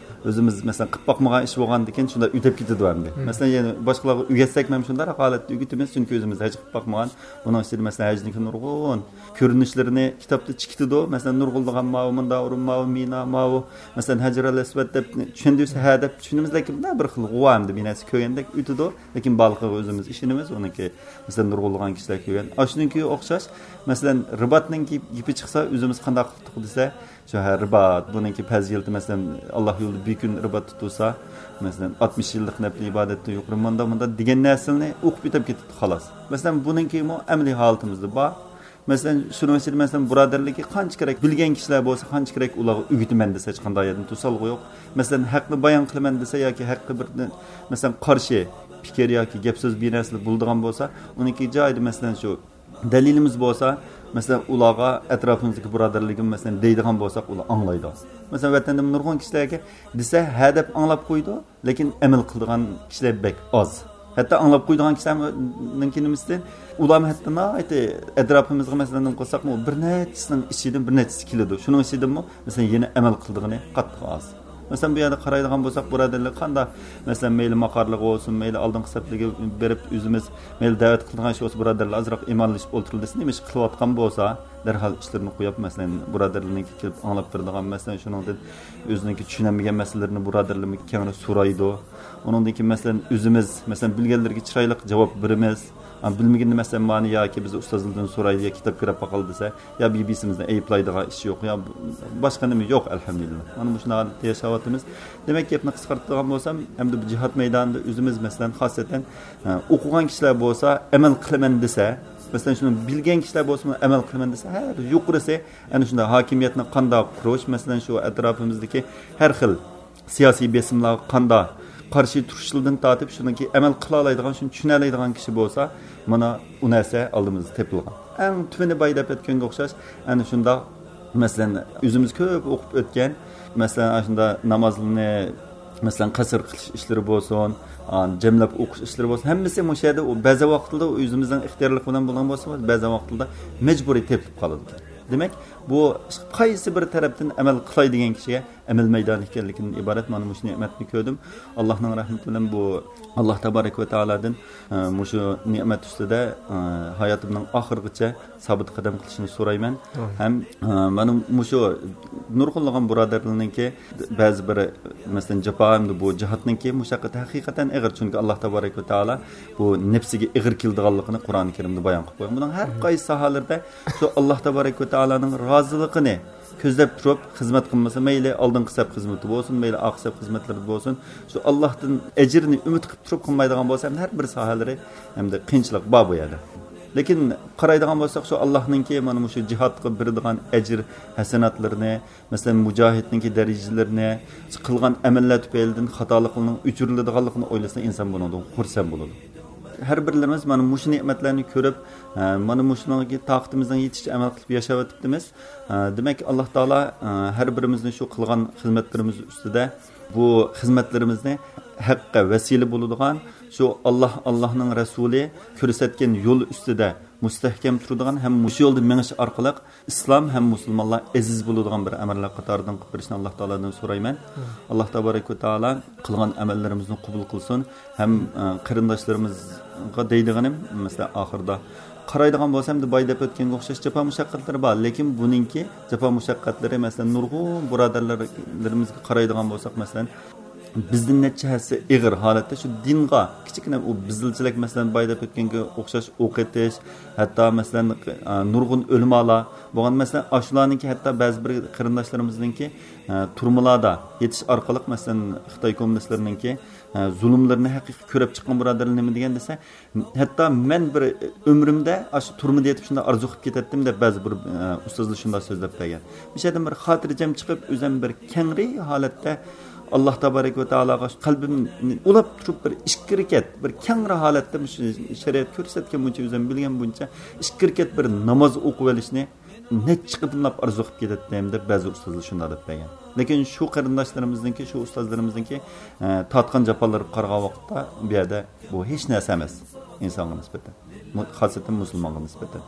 ئۆزىمىز، مەسىلەن، قىلىپ باقمىغان ئىش بولغاندىكىن، شۇنداق ئۆتۈپ كېتىدۇ ئەمدى. مەسىلەن، يەنە باشقىلارغا ئۆگەتسەكمۇ ھەم شۇنداق ھالەتتە ئۆگىتىمىز، چۈنكى ئۆزىمىز ھەج قىلىپ باقمىغان. بۇنىڭ ئىچىدە، مەسىلەن، ھەجنىڭكى نۇرغۇن كۆرۈنۈشلىرىنى كىتابتا چىكىتىدۇ. مەسىلەن، نۇرغۇنلىغان ماۋۇ، مۇنداق ئورۇن ماۋۇ، مىنا ماۋۇ، مەسىلەن، ھەجرەل ئەسۋەد دەپ چۈشەندۈرسە، ھە دەپ چۈشىنىمىز، لېكىن مۇنداق بىر خىل غۇۋا ئەمدى بىر نەرسە كۆرگەندەك ئۆتىدۇ. لېكىن بارلىقىغا ئۆزىمىز ئىشىنىمىز، ئۇنىڭكى، مەسىلەن، نۇرغۇنلىغان كىشىلەر كۆرگەن. ئاشۇنىڭكى ئوخشاش، مەسىلەن، رىباتنىڭكى گېپى چىقسا، ئۆزىمىز قانداق قىلدۇق دېسە، شۇ، ھە، رىبات، بۇنىڭكى پەزىلىتى، مەسىلەن، ئاللا يولىدا بىر كۈن رىبات تۇتۇلسا، مەسىلەن، ئاتمىش يىللىق نەپلى ئىبادەتتىن يۇقىرى، مۇنداق، مۇنداق دېگەن نەرسىلەرنى ئوقۇپ ئۆتۈپ كېتىپتۇ، خالاس. مەسىلەن، بۇنىڭكىمۇ ئەمەلىي ھالىتىمىزدە بار. مەسىلەن، شۇنىڭ ئىچىدە، مەسىلەن، بۇرادەرلىككە قانچە كېرەك بىلگەن كىشىلەر بولسا، قانچە كېرەك ئۇلارغا ئۆگىتىمەن دېسە، ھېچقانداق يەردىن توسالغۇ يوق. مەسىلەن، ھەقنى بايان قىلىمەن دېسە ياكى ھەققە بىر، مەسىلەن، قارشى پىكىر ياكى گەپ سۆز بىر نەرسىلەر بولىدىغان بولسا، ئۇنىڭكى جايىدا، مەسىلەن، شۇ دەلىلىمىز بولسا، مەسىلەن، ئۇلارغا ئەتراپىمىزدىكى بۇرادەرلىرىمىز، مەسىلەن، دەيدىغان بولساق، ئۇلار ئاڭلايدۇ. مەسىلەن، ۋەتەندىمۇ نۇرغۇن كىشىلەرگە دېسە، ھە دەپ ئاڭلاپ قويىدۇ، لېكىن ئەمەل قىلىدىغان كىشىلەر بەك ئاز. ھەتتا ئاڭلاپ قويىدىغان كىشىلەرنىڭكى نېمىسىدىن، ئۇلارمۇ ھەتتا ناھايىتى ئەتراپىمىزغا، مەسىلەن، نېمە قىلساقمۇ، بىر نەچچىسىنىڭ ئىچىدىن بىر نەچچىسى كېلىدۇ. شۇنىڭ ئىچىدىنمۇ، مەسىلەن، يەنە ئەمەل قىلىدىغىنى قاتتىق ئاز. مەسىلەن، بۇ يەردە قارايدىغان بولساق، بۇرادەرلەر قانداق، مەسىلەن، مەيلى ماقارلىقى بولسۇن، مەيلى ئالدىنقى سەپلەرگە بېرىپ، ئۆزىمىز مەيلى دەۋەت قىلىدىغان ئىش بولسا، بۇرادەرلەر ئازراق ئىمانلىشىپ ئولتۇرۇلدى دېسە، نېمە ئىش قىلىۋاتقان بولسا، دەرھال ئىشلىرىنى قويۇپ، مەسىلەن، بۇرادەرلىرىنىڭكى كېلىپ ئاڭلاپ بېرىدىغان، مەسىلەن، شۇنىڭدىن ئۆزىنىڭكى چۈشىنەلمىگەن مەسىلىلىرىنى بۇرادەرلىرىمىزگە كەڭرى سورايدۇ. ئۇنىڭدىن كېيىن، مەسىلەن، ئۆزىمىز، مەسىلەن، بىلگەنلىرىگە چىرايلىق جاۋاب بېرىمىز. ئا، بىلمىگىنىنى، مەسىلەن، مانا ياكى بىز ئۇستازلاردىن سورايلى يا كىتاب كىرىپ باقايلى دېسە، يا بىر بىرسىمىزنى ئەيىبلەيدىغان ئىش يوق، يا باشقا نېمە يوق، ئەلھەمدۇلىللا. مانا مۇشۇنداق ھالەتتە ياشاۋاتىمىز. دېمەك، گەپنى قىسقارتىدىغان بولسام، ئەمدى بۇ جىھاد مەيدانىدا ئۆزىمىز، مەسىلەن، خاسەتەن، ئە، ئوقۇغان كىشىلەر بولسا ئەمەل قىلىمەن دېسە، مەسىلەن، شۇنى بىلگەن كىشىلەر بولسىمۇ ئەمەل قىلىمەن دېسە، ھە، يۇقىرىسى ئەنە شۇنداق ھاكىمىيەتنى قانداق قۇرۇش، مەسىلەن، شۇ ئەتراپىمىزدىكى ھەر خىل سىياسىي بېسىملارغا قانداق قارشى تۇرۇشلىرىدىن تارتىپ، شۇنىڭكى ئەمەل قىلالايدىغان، شۇنى چۈشىنەلەيدىغان كىشى بولسا، مانا ئۇ نەرسە ئالدىمىزدا تېپىلغان. ئەڭ تۈۋىنى بايا دەپ ئۆتكەنگە ئوخشاش، ئەنە شۇنداق، مەسىلەن، ئۆزىمىز كۆپ ئوقۇپ ئۆتكەن، مەسىلەن، ئاشۇنداق نامازنى، مەسىلەن، قەسىر قىلىش ئىشلىرى بولسۇن، ئا، جەملەپ ئوقۇش ئىشلىرى بولسۇن، ھەممىسى مۇشۇ يەردە، ئۇ بەزى ۋاقىتلاردا ئۆزىمىزنىڭ ئىختىيارلىقى بىلەن بولغان بولسا، بەزى ۋاقىتلاردا مەجبۇرىي تېپىلىپ قالىدىكەن. دېمەك، بۇ قايسى بىر تەرەپتىن ئەمەل قىلاي دېگەن كىشىگە ئەمەل مەيدانى ئىكەنلىكىدىن ئىبارەت. مانا مۇشۇ نېمەتنى كۆردۈم. ئاللاھنىڭ رەھمىتى بىلەن بۇ ئاللاھ تابارەك ۋە تائالادىن، ئە، مۇشۇ نېمەت ئۈستىدە، ئە، ھاياتىمنىڭ ئاخىرىغىچە سابىت قەدەم قىلىشنى سورايمەن. ئامىن. ھەم، ئە، مانا مۇشۇ نۇرغۇنلىغان بۇرادەرلەرنىڭكى بەزى بىر، مەسىلەن، جاپا ھەمدە بۇ جىھادنىڭكى مۇشەققىتى ھەقىقەتەن ئېغىر. چۈنكى ئاللاھ تابارەك ۋە تائالا بۇ نەپسىگە ئېغىر كېلىدىغانلىقىنى قۇرئان كەرىمدە بايان قىلىپ قويغان. بۇنىڭ ھەر قايسى ساھەلىرىدە شۇ ئاللاھ تابارەك ۋە تائالانىڭ رازىلىقىنى كۆزلەپ تۇرۇپ خىزمەت قىلمىسا، مەيلى ئالدىنقى سەپ خىزمىتى بولسۇن، مەيلى ئارقا سەپ خىزمەتلىرىدە بولسۇن، شۇ ئاللاھتىن ئەجىرنى ئۈمىد قىلىپ تۇرۇپ قىلمايدىغان بولسا، ھەر بىر ساھەلىرى ھەمدە قىيىنچىلىق بار بۇ يەردە. لېكىن قارايدىغان بولساق، شۇ ئاللاھنىڭكى مانا مۇشۇ جىھادقا بېرىدىغان ئەجىر ھەسەناتلىرىنى، مەسىلەن، مۇجاھىدنىڭكى دەرىجىلىرىنى، قىلغان ئەمەللەر تۈپەيلىدىن خاتالىقلىرىنىڭ ئۆچۈرۈلىدىغانلىقىنى ئويلىسا، ئىنسان بۇنىڭدىن خۇرسەن بولىدۇ. ھەر بىرلىرىمىز مانا مۇشۇ نېمەتلەرنى كۆرۈپ، ئە، مانا مۇشۇنىڭغا تاقىتىمىزنىڭ يېتىشىچە ئەمەل قىلىپ ياشاۋېتىپتىمىز. ئە، دېمەك، ئاللاھ تائالا، ئە، ھەر بىرىمىزنى شۇ قىلغان خىزمەتلىرىمىز ئۈستىدە، بۇ خىزمەتلىرىمىزنى ھەققە ۋەسىلە بولىدىغان، شۇ ئاللاھ، ئاللاھنىڭ رەسۇلى كۆرسەتكەن يول ئۈستىدە مۇستەھكەم تۇرىدىغان ھەم مۇشۇ يولدا مېڭىش ئارقىلىق ئىسلام ھەم مۇسۇلمانلار ئەزىز بولىدىغان بىر ئەمەللەر قاتارىدىن قىلىپ بېرىشنى ئاللاھ تائالادىن سورايمەن. ئاللاھ تابارەك ۋە تائالا قىلغان ئەمەللىرىمىزنى قوبۇل قىلسۇن. ھەم، ئە، قېرىنداشلىرىمىزغا دەيدىغىنىم، مەسىلەن، ئاخىرىدا قارايدىغان بولسا، ئەمدى بايا دەپ ئۆتكەنگە ئوخشاش جاپا مۇشەققەتلىرى بار، لېكىن بۇنىڭكى جاپا مۇشەققەتلىرى، مەسىلەن، نۇرغۇن بۇرادەرلىرىمىزگە قارايدىغان بولساق، مەسىلەن، بىزدىن نەچچە ھەسسە ئېغىر ھالەتتە شۇ دىنغا كىچىككىنە ئۇ بېزىلچىلىك، مەسىلەن، بايا دەپ ئۆتكەنگە ئوخشاش ئوق ئېتىش، ھەتتا، مەسىلەن، ئە، نۇرغۇن ئۆلىمالار بولغان، مەسىلەن، ئاشۇلارنىڭكى، ھەتتا بەزى بىر قېرىنداشلىرىمىزنىڭكى، ئە، تۈرمىلاردا يېتىش ئارقىلىق، مەسىلەن، خىتاي كوممۇنىستلىرىنىڭكى، ئە، زۇلۇملىرىنى ھەقىقىي كۆرۈپ چىققان بۇرادەرلەر نېمە دېگەن دېسە، ھەتتا مەن بىر ئۆمرۈمدە ئاشۇ تۈرمىدە يېتىپ شۇنداق ئارزۇ قىلىپ كېتەتتىم دەپ بەزى بىر، ئە، ئۇستازلار شۇنداق سۆزلەپ بەرگەن. مۇشۇ يەردىن بىر خاتىرجەم چىقىپ، ئۆزۈم بىر كەڭرى ھالەتتە ئاللاھ تابارەك ۋە تائالاغا قەلبىمنى ئۇلاپ تۇرۇپ، بىر ئىككى رەكەت، بىر كەڭرى ھالەتتە مۇشۇ شەرىئەت كۆرسەتكەن بويىچە، ئۆزۈم بىلگەن بويىچە ئىككى رەكەت بىر ناماز ئوقۇۋېلىشنى نەچچە قېتىملاپ ئارزۇ قىلىپ كېتەتتىم دەپ بەزى ئۇستازلار شۇنداق دەپ بەرگەن. لېكىن شۇ قېرىنداشلىرىمىزنىڭكى، شۇ ئۇستازلىرىمىزنىڭكى، ئە، تارتقان جاپالىرىغا قارىغان ۋاقىتتا، بۇ يەردە بۇ ھېچ نەرسە ئەمەس ئىنسانغا نىسبەتەن. مۇ-، خاسەتەن مۇسۇلمانغا نىسبەتەن.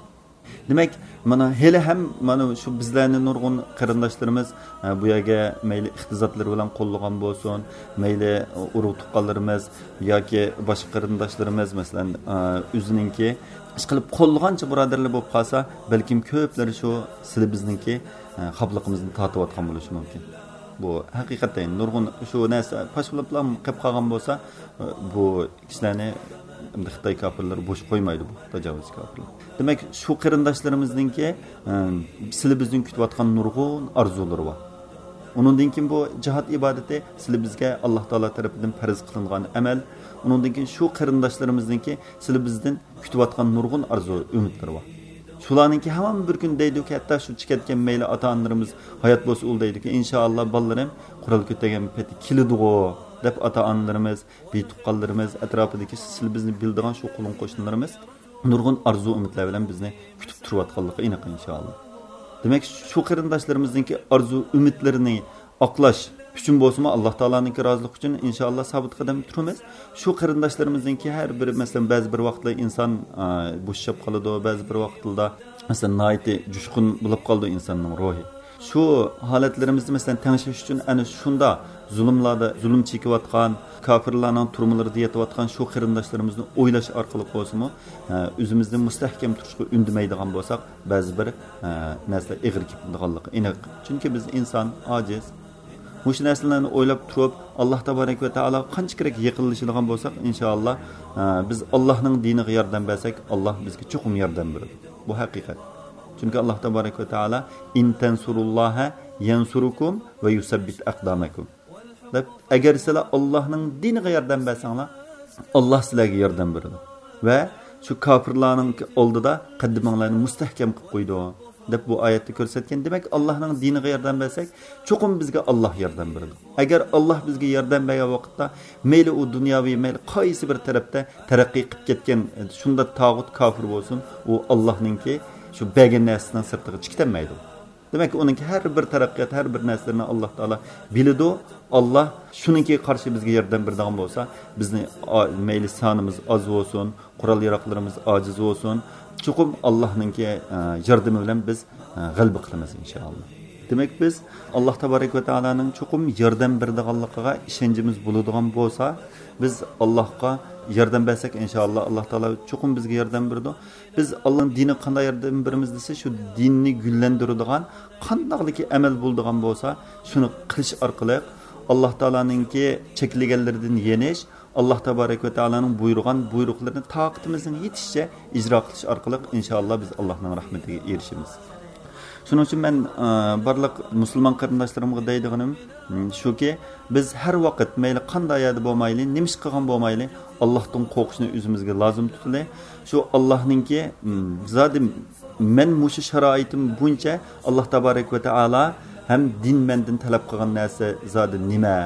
دېمەك، مانا ھېلىھەم مانا شۇ بىزلەرنى نۇرغۇن قېرىنداشلىرىمىز، ئە، بۇ يەرگە مەيلى ئىقتىسادلىرى بىلەن قوللىغان بولسۇن، مەيلى ئۇرۇق تۇغقانلىرىمىز ياكى باشقا قېرىنداشلىرىمىز، مەسىلەن، ئە، ئۆزىنىڭكى ئىشقىلىپ قوللىغانچە بۇرادەرلەر بولۇپ قالسا، بەلكىم كۆپلىرى شۇ سىلى بىزنىڭكى، ئە، خاپىلىقىمىزنى تارتىۋاتقان بولۇشى مۇمكىن. بۇ ھەقىقەتەن نۇرغۇن شۇ نەرسە پاش بولۇپلا قېلىپ قالغان بولسا، ئە، بۇ كىشىلەرنى ئەمدى خىتاي كاپىرلىرى بوش قويمايدۇ، بۇ تاجاۋۇزچى كاپىرلار. دېمەك، شۇ قېرىنداشلىرىمىزنىڭكى، ئە، سىلى بىزدىن كۈتۈۋاتقان نۇرغۇن ئارزۇلىرى بار. ئۇنىڭدىن كېيىن بۇ جىھاد ئىبادىتى سىلى بىزگە ئاللاھ تائالا تەرىپىدىن پەرز قىلىنغان ئەمەل. ئۇنىڭدىن كېيىن شۇ قېرىنداشلىرىمىزنىڭكى سىلى بىزدىن كۈتۈۋاتقان نۇرغۇن ئارزۇ ئۈمىدلىرى بار. شۇلارنىڭكى ھامان بىر كۈن دەيدۇكى، ھەتتا شۇ چىكەتكەن مەيلى ئاتا-ئانىلىرىمىز ھايات بولسا ئۇل دەيدۇكى، ئىنشائاللا بالىلىرىم قورال كۆتەرگەن پېتى كېلىدىغۇ دەپ ئاتا-ئانىلىرىمىز، بىر تۇغقانلىرىمىز، ئەتراپىدىكى سىلى بىزنى بىلىدىغان شۇ قولۇم قوشنىلىرىمىز نۇرغۇن ئارزۇ ئۈمىدلەر بىلەن بىزنى كۈتۈپ تۇرۇۋاتقانلىقى ئېنىق، ئىنشائاللا. دېمەك، شۇ قېرىنداشلىرىمىزنىڭكى ئارزۇ ئۈمىدلىرىنى ئاقلاش ئۈچۈن بولسىمۇ، ئاللاھ تائالانىڭكى رازىلىقى ئۈچۈن، ئىنشائاللا، سابىت قەدەم تۇرىمىز. شۇ قېرىنداشلىرىمىزنىڭكى ھەر بىرى، مەسىلەن، بەزى بىر ۋاقىتلار ئىنسان، ئا، بوشىشىپ قالىدۇ، بەزى بىر ۋاقىتلاردا، مەسىلەن، ناھايىتى جۇشقۇن بولۇپ قالىدۇ ئىنساننىڭ روھى. شۇ ھالەتلىرىمىزنى، مەسىلەن، تەڭشەش ئۈچۈن ئەنە شۇنداق زۇلۇملاردا زۇلۇم چېكىۋاتقان، كاپىرلارنىڭ تۈرمىلىرىدە يېتىۋاتقان شۇ قېرىنداشلىرىمىزنى ئويلاش ئارقىلىق بولسىمۇ، ئە، ئۆزىمىزنى مۇستەھكەم تۇرۇشقا ئۈندىمەيدىغان بولساق، بەزى بىر، ئە، نەرسىلەر ئېغىر كېلىدىغانلىقى ئېنىق. چۈنكى بىز ئىنسان، ئاجىز. مۇشۇ نەرسىلەرنى ئويلاپ تۇرۇپ، ئاللاھ تابارەك ۋە تائالاغا قانچە كېرەك يېقىنلىشىدىغان بولساق، ئىنشائاللاھ، ئە، بىز ئاللاھنىڭ دىنىغا ياردەم بەرسەك، ئاللاھ بىزگە چوقۇم ياردەم بېرىدۇ. بۇ ھەقىقەت. چۈنكى ئاللاھ تابارەك ۋە تائالا، «إن تنصروا الله ينصركم ويثبت أقدامكم» دەپ، ئەگەر سىلەر ئاللاھنىڭ دىنىغا ياردەم بەرسەڭلار، ئاللاھ سىلەرگە ياردەم بېرىدۇ ۋە شۇ كاپىرلارنىڭ ئالدىدا قەددىمىڭلارنى مۇستەھكەم قىلىپ قويىدۇ، دەپ بۇ ئايەتتە كۆرسەتكەن. دېمەك، ئاللاھنىڭ دىنىغا ياردەم بەرسەك، چوقۇم بىزگە ئاللاھ ياردەم بېرىدۇ. ئەگەر ئاللاھ بىزگە ياردەم بەرگەن ۋاقىتتا، مەيلى ئۇ دۇنياۋى، مەيلى قايسى بىر تەرەپتە تەرەققىي قىلىپ كەتكەن شۇنداق تاغۇت، كاپىر بولسۇن، ئۇ ئاللاھنىڭكى شۇ بەرگەن نەرسىسىنىڭ سىرتىغا چىقىتەلمەيدۇ. دېمەك، ئۇنىڭكى ھەر بىر تەرەققىيات، ھەر بىر نەرسىلىرىنى ئاللاھ تائالا بىلىدۇ. ئاللاھ شۇنىڭكى قارشى بىزگە ياردەم بېرىدىغان بولسا، بىزنى ئا-، مەيلى سانىمىز ئاز بولسۇن، قورال-ياراغلىرىمىز ئاجىز بولسۇن، چوقۇم ئاللاھنىڭكى، ئە، ياردىمى بىلەن بىز، ئە، غەلىبە قىلىمىز، ئىنشائاللاھ. دېمەك، بىز ئاللاھ تابارەك ۋە تائالانىڭ چوقۇم ياردەم بېرىدىغانلىقىغا ئىشەنچىمىز بولىدىغان بولسا، بىز ئاللاھقا ياردەم بەرسەك، ئىنشائاللاھ، ئاللاھ تائالا چوقۇم بىزگە ياردەم بېرىدۇ. بىز ئاللاھنىڭ دىنىغا قانداق ياردەم بېرىمىز دېسە، شۇ دىننى گۈللەندۈرىدىغان قانداقلىكى ئەمەل بولىدىغان بولسا، شۇنى قىلىش ئارقىلىق ئاللاھ تائالانىڭكى چەكلىگەنلىرىدىن يېنىش، ئاللاھ تابارەك ۋە تائالانىڭ بۇيرۇغان بۇيرۇقلىرىنى تاقىتىمىزنىڭ يېتىشىچە ئىجرا قىلىش ئارقىلىق، ئىنشائاللاھ، بىز ئاللاھنىڭ رەھمىتىگە ئېرىشىمىز. شۇنىڭ ئۈچۈن مەن، ئە، بارلىق مۇسۇلمان قېرىنداشلىرىمغا دەيدىغىنىم، م، شۇكى، بىز ھەر ۋاقىت، مەيلى قانداق يەردە بولمايلى، نېمە ئىش قىلغان بولمايلى، ئاللاھتىن قورقۇشنى ئۆزىمىزگە لازىم تۇتىلى. شۇ ئاللاھنىڭكى، م، زادى مەن مۇشۇ شارائىتىم بويىچە ئاللاھ تابارەك ۋە تائالا ھەم دىن مەندىن تەلەپ قىلغان نەرسە زادى نېمە،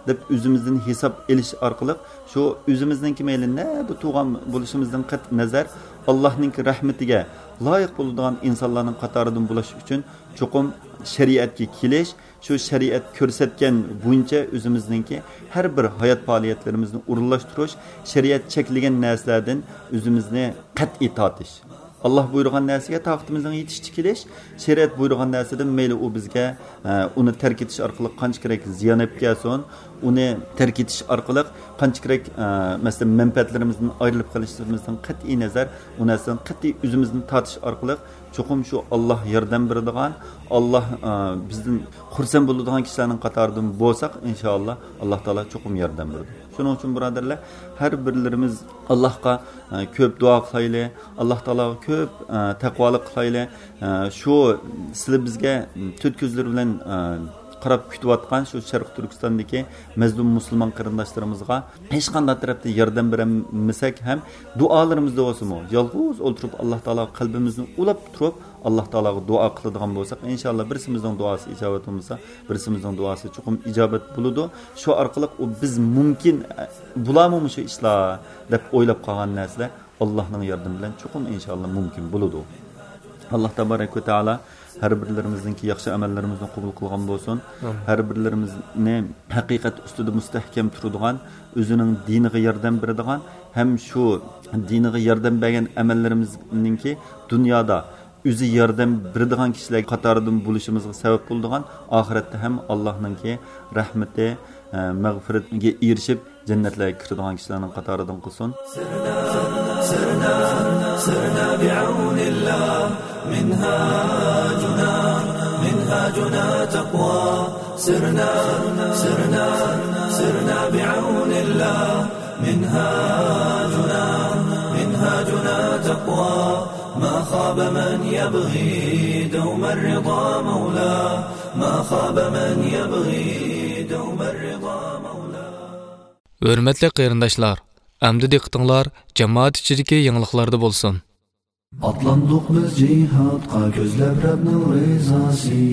دەپ ئۆزىمىزدىن ھېساب ئېلىش ئارقىلىق، شۇ ئۆزىمىزنىڭكى مەيلى نەدە تۇغان بولۇشىمىزدىن قەتئىي نەزەر، ئاللاھنىڭكى رەھمىتىگە لايىق بولىدىغان ئىنسانلارنىڭ قاتارىدىن بولۇش ئۈچۈن چوقۇم شەرىئەتكە كېلىش، شۇ شەرىئەت كۆرسەتكەن بويىچە ئۆزىمىزنىڭكى ھەر بىر ھايات پائالىيەتلىرىمىزنى ئورۇنلاشتۇرۇش، شەرىئەت چەكلىگەن نەرسىلەردىن ئۆزىمىزنى قەتئىي تارتىش. ئاللاھ بۇيرۇغان نەرسىگە تاقىتىمىزنىڭ يېتىشىچە كېلىش، شەرىئەت بۇيرۇغان نەرسىدىن مەيلى ئۇ بىزگە، ئە، ئۇنى تەرك ئېتىش ئارقىلىق قانچە كېرەك زىيان ئېلىپ كەلسۇن، ئۇنى تەرك ئېتىش ئارقىلىق قانچە كېرەك، ئە، مەسىلەن، مەنپەئەتلىرىمىزدىن ئايرىلىپ قېلىشىمىزدىن قەتئىي نەزەر، ئۇ نەرسىدىن قەتئىي ئۆزىمىزنى تارتىش ئارقىلىق چوقۇم شۇ ئاللاھ ياردەم بېرىدىغان، ئاللاھ، ئە، بىزدىن خۇرسەن بولىدىغان كىشىلەرنىڭ قاتارىدىن بولساق، ئىنشائاللاھ، ئاللاھ تائالا چوقۇم ياردەم بېرىدۇ. شۇنىڭ ئۈچۈن، بۇرادەرلەر، ھەر بىرلىرىمىز ئاللاھقا، ئە، كۆپ دۇئا قىلايلى، ئاللاھ تائالاغا كۆپ، ئە، تەقۋالىق قىلايلى. ئە، شۇ سىلى بىزگە تۆت كۆزلىرى بىلەن، ئە، قاراپ كۈتۈۋاتقان شۇ شەرقىي تۈركىستاندىكى مەزلۇم مۇسۇلمان قېرىنداشلىرىمىزغا ھېچقانداق تەرەپتىن ياردەم بېرەلمىسەك ھەم، دۇئالىرىمىزدا بولسىمۇ، يالغۇز ئولتۇرۇپ ئاللاھ تائالاغا قەلبىمىزنى ئۇلاپ تۇرۇپ، ئاللاھ تائالاغا دۇئا قىلىدىغان بولساق، ئىنشائاللاھ، بىرسىمىزنىڭ دۇئاسى ئىجابەت بولمىسا، بىرسىمىزنىڭ دۇئاسى چوقۇم ئىجابەت بولىدۇ. شۇ ئارقىلىق ئۇ بىز مۇمكىن، ئە، بولامۇ مۇشۇ ئىشلار دەپ ئويلاپ قالغان نەرسىلەر ئاللاھنىڭ ياردىمى بىلەن چوقۇم ئىنشائاللاھ مۇمكىن بولىدۇ. ئاللاھ تابارەك ۋە تائالا ھەر بىرلىرىمىزنىڭكى ياخشى ئەمەللىرىمىزنى قوبۇل قىلغان بولسۇن. ئامىن. ھەر بىرلىرىمىزنى ھەقىقەت ئۈستىدە مۇستەھكەم تۇرىدىغان، ئۆزىنىڭ دىنىغا ياردەم بېرىدىغان ھەم شۇ دىنىغا ياردەم بەرگەن ئەمەللىرىمىزنىڭكى دۇنيادا ئۆزى ياردەم بېرىدىغان كىشىلەر قاتارىدىن بولۇشىمىزغا سەۋەب بولىدىغان، ئاخىرەتتە ھەم ئاللاھنىڭكى رەھمىتى، ئە، مەغپىرىتىگە ئېرىشىپ، جەننەتلەرگە كىرىدىغان كىشىلەرنىڭ قاتارىدىن قىلسۇن. سرنا، سرنا، سرنا بعون الله، منهاجنا، منهاجنا تقوى. سرنا، سرنا، سرنا بعون الله، منهاجنا، منهاجنا تقوى. ما خاب من يبغي دوم الرضا مولاه، ما خاب من يبغي دوم الرضا مولاه. ھۆرمەتلىك قېرىنداشلار، ئەمدى دىققىتىڭلار جامائەت ئىچىدىكى يېڭىلىقلاردا بولسۇن. ئاتلاندۇق بىز جىھادقا كۆزلەپ رەبنىڭ رىزاسى.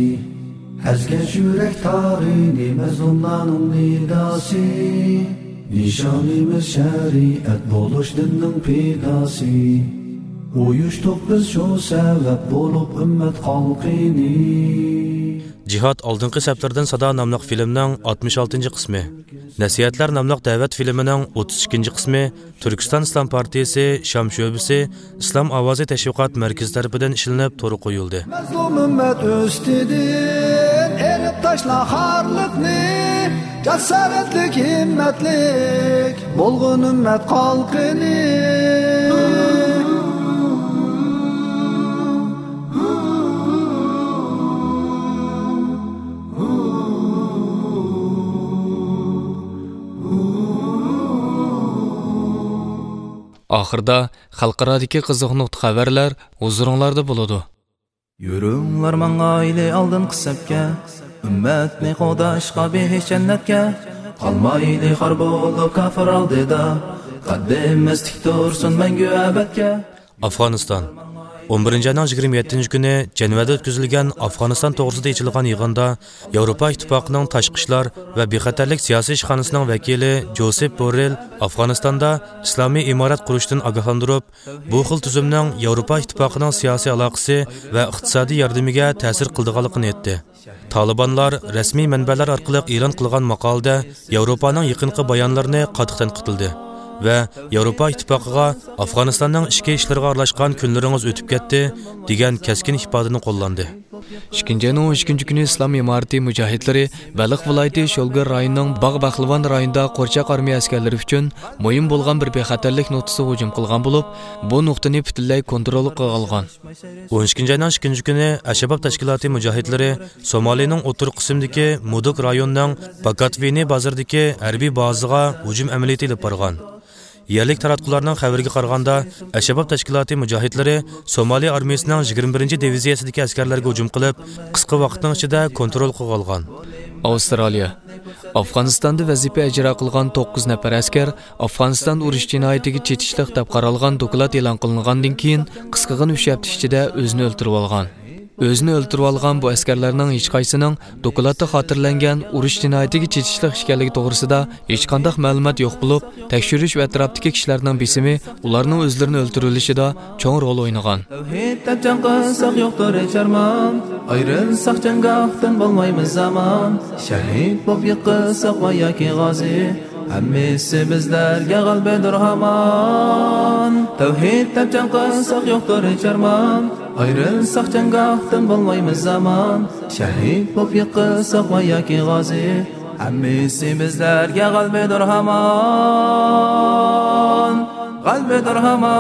ئەزگەش يۈرەك تارىنى مەزلۇملارنىڭ نىداسى. نىشانىمىز شەرىئەت بولۇش دىننىڭ پىداسى. ئۇيۇشتۇق بىز شۇ سەۋەب بولۇپ ئۈممەت خەلقىنى. جىھاد ئالدىنقى سەپلىرىدىن سادا ناملىق فىلىمنىڭ ئاتمىش ئالتىنچى قىسمى، نەسىھەتلەر ناملىق دەۋەت فىلىمىنىڭ ئوتتۇز ئىككىنچى قىسمى، تۈركىستان ئىسلام پارتىيىسى شام شۆبىسى ئىسلام ئاۋازى تەشۋىقات مەركىزى تەرىپىدىن ئىشلىنىپ تورغا قويۇلدى. مەزلۇم ئۈممەت ئۈستىدىن ئېلىپ تاشلا خارلىقنى، جاسارەتلىك، ھىممەتلىك بولغىن ئۈممەت قالقىنى. ئاخىرىدا خەلقئارادىكى قىزىق نۇقتا خەۋەرلەر ھۇزۇرۇڭلاردا بولىدۇ. يۈرۈڭلار ماڭايلى ئالدىنقى سەپكە، ئۈممەتنى قوغداشقا بېھىش جەننەتكە. قالمايلى خار بولۇپ كاپىر ئالدىدا، قەددىمىز تىك تۇرسۇن مەڭگۈ ئەبەدكە. ئافغانىستان. ئون بىرىنچى ئاينىڭ يىگىرمە يەتتىنچى كۈنى جەنۋەدە ئۆتكۈزۈلگەن ئافغانىستان توغرىسىدا ئېچىلغان يىغىندا ياۋروپا ئىتتىپاقىنىڭ تاشقى ئىشلار ۋە بىخەتەرلىك سىياسىي ئىشخانىسىنىڭ ۋەكىلى جوسېپ بوررېل ئافغانىستاندا ئىسلامىي ئىمارەت قۇرۇشتىن ئاگاھلاندۇرۇپ، بۇ خىل تۈزۈمنىڭ ياۋروپا ئىتتىپاقىنىڭ سىياسىي ئالاقىسى ۋە ئىقتىسادىي ياردىمىگە تەسىر قىلىدىغانلىقىنى ئېيتتى. تالىبانلار رەسمىي مەنبەلەر ئارقىلىق ئېلان قىلغان ماقالىدە ياۋروپانىڭ يېقىنقى بايانلىرىنى قاتتىق تەنقىدلىدى ۋە ياۋروپا ئىتتىپاقىغا «ئافغانىستاننىڭ ئىچكى ئىشلىرىغا ئارىلاشقان كۈنلىرىڭىز ئۆتۈپ كەتتى» دېگەن كەسكىن ئىپادىنى قوللاندى. ئىككىنچى ئاينىڭ ئون ئىككىنچى كۈنى ئىسلام ئىمارىتى مۇجاھىدلىرى بەلخ ۋىلايىتى شولگىر رايونىنىڭ باغ بەقلىۋان رايونىدا قورچاق ئارمىيە ئەسكەرلىرى ئۈچۈن مۇھىم بولغان بىر بىخەتەرلىك نۇقتىسىغا ھۇجۇم قىلغان بولۇپ، بۇ نۇقتىنى پۈتۈنلەي كونترول قىلغان. ئون ئىككىنچى ئاينىڭ ئىككىنچى كۈنى ئەشەباب تەشكىلاتى مۇجاھىدلىرى سومالىنىڭ ئوتتۇرا قىسمىدىكى مۇدۇك رايونىنىڭ باكاتۋىنى بازىرىدىكى ھەربىي بازىغا ھۇجۇم ئەمەلىيىتى ئېلىپ بارغان. يەرلىك تاراتقۇلارنىڭ خەۋىرىگە قارىغاندا، ئەشەباب تەشكىلاتى مۇجاھىدلىرى سومالى ئارمىيىسىنىڭ يىگىرمە بىرىنچى دىۋىزىيەسىدىكى ئەسكەرلەرگە ھۇجۇم قىلىپ، قىسقا ۋاقىتنىڭ ئىچىدە كونترول قىلىۋالغان. ئاۋسترالىيە. ئافغانىستاندا ۋەزىپە ئىجرا قىلغان توققۇز نەپەر ئەسكەر ئافغانىستان ئۇرۇش جىنايىتىگە چېتىشلىق دەپ قارالغان دوكلات ئېلان قىلىنغاندىن كېيىن، قىسقىغىنە ئۈچ ھەپتە ئىچىدە ئۆزىنى ئۆلتۈرۈۋالغان. ئۆزىنى ئۆلتۈرۈۋالغان بۇ ئەسكەرلەرنىڭ ھېچقايسىنىڭ دوكلاتتا خاتىرىلەنگەن ئۇرۇش جىنايىتىگە چېتىشلىق ئىكەنلىكى توغرىسىدا ھېچقانداق مەلۇمات يوق بولۇپ، تەكشۈرۈش ۋە ئەتراپتىكى كىشىلەرنىڭ بېسىمى ئۇلارنىڭ ئۆزلىرىنى ئۆلتۈرۈۋېلىشىدا چوڭ رول ئوينىغان. تەۋھىد دەپ جەڭ قىلساق يوقتۇر ھېچ ئارمان، ئايرىلساق جەڭگاھتىن بولمايمىز ئامان، شەھىد بولۇپ يىقىلساق ۋە ياكى غازى، ھەممىسى بىزلەرگە غەلىبىدۇر ھامان. تەۋھىد دەپ جەڭ قىلساق يوقتۇر ھېچ ئارمان، ئايرىلساق جەڭگاھتىن بولمايمىز ئامان، شەھىد بولۇپ يىقىلساق ۋە ياكى غازى، ھەممىسى بىزلەرگە غەلىبىدۇر ھامان، غەلىبىدۇر ھامان.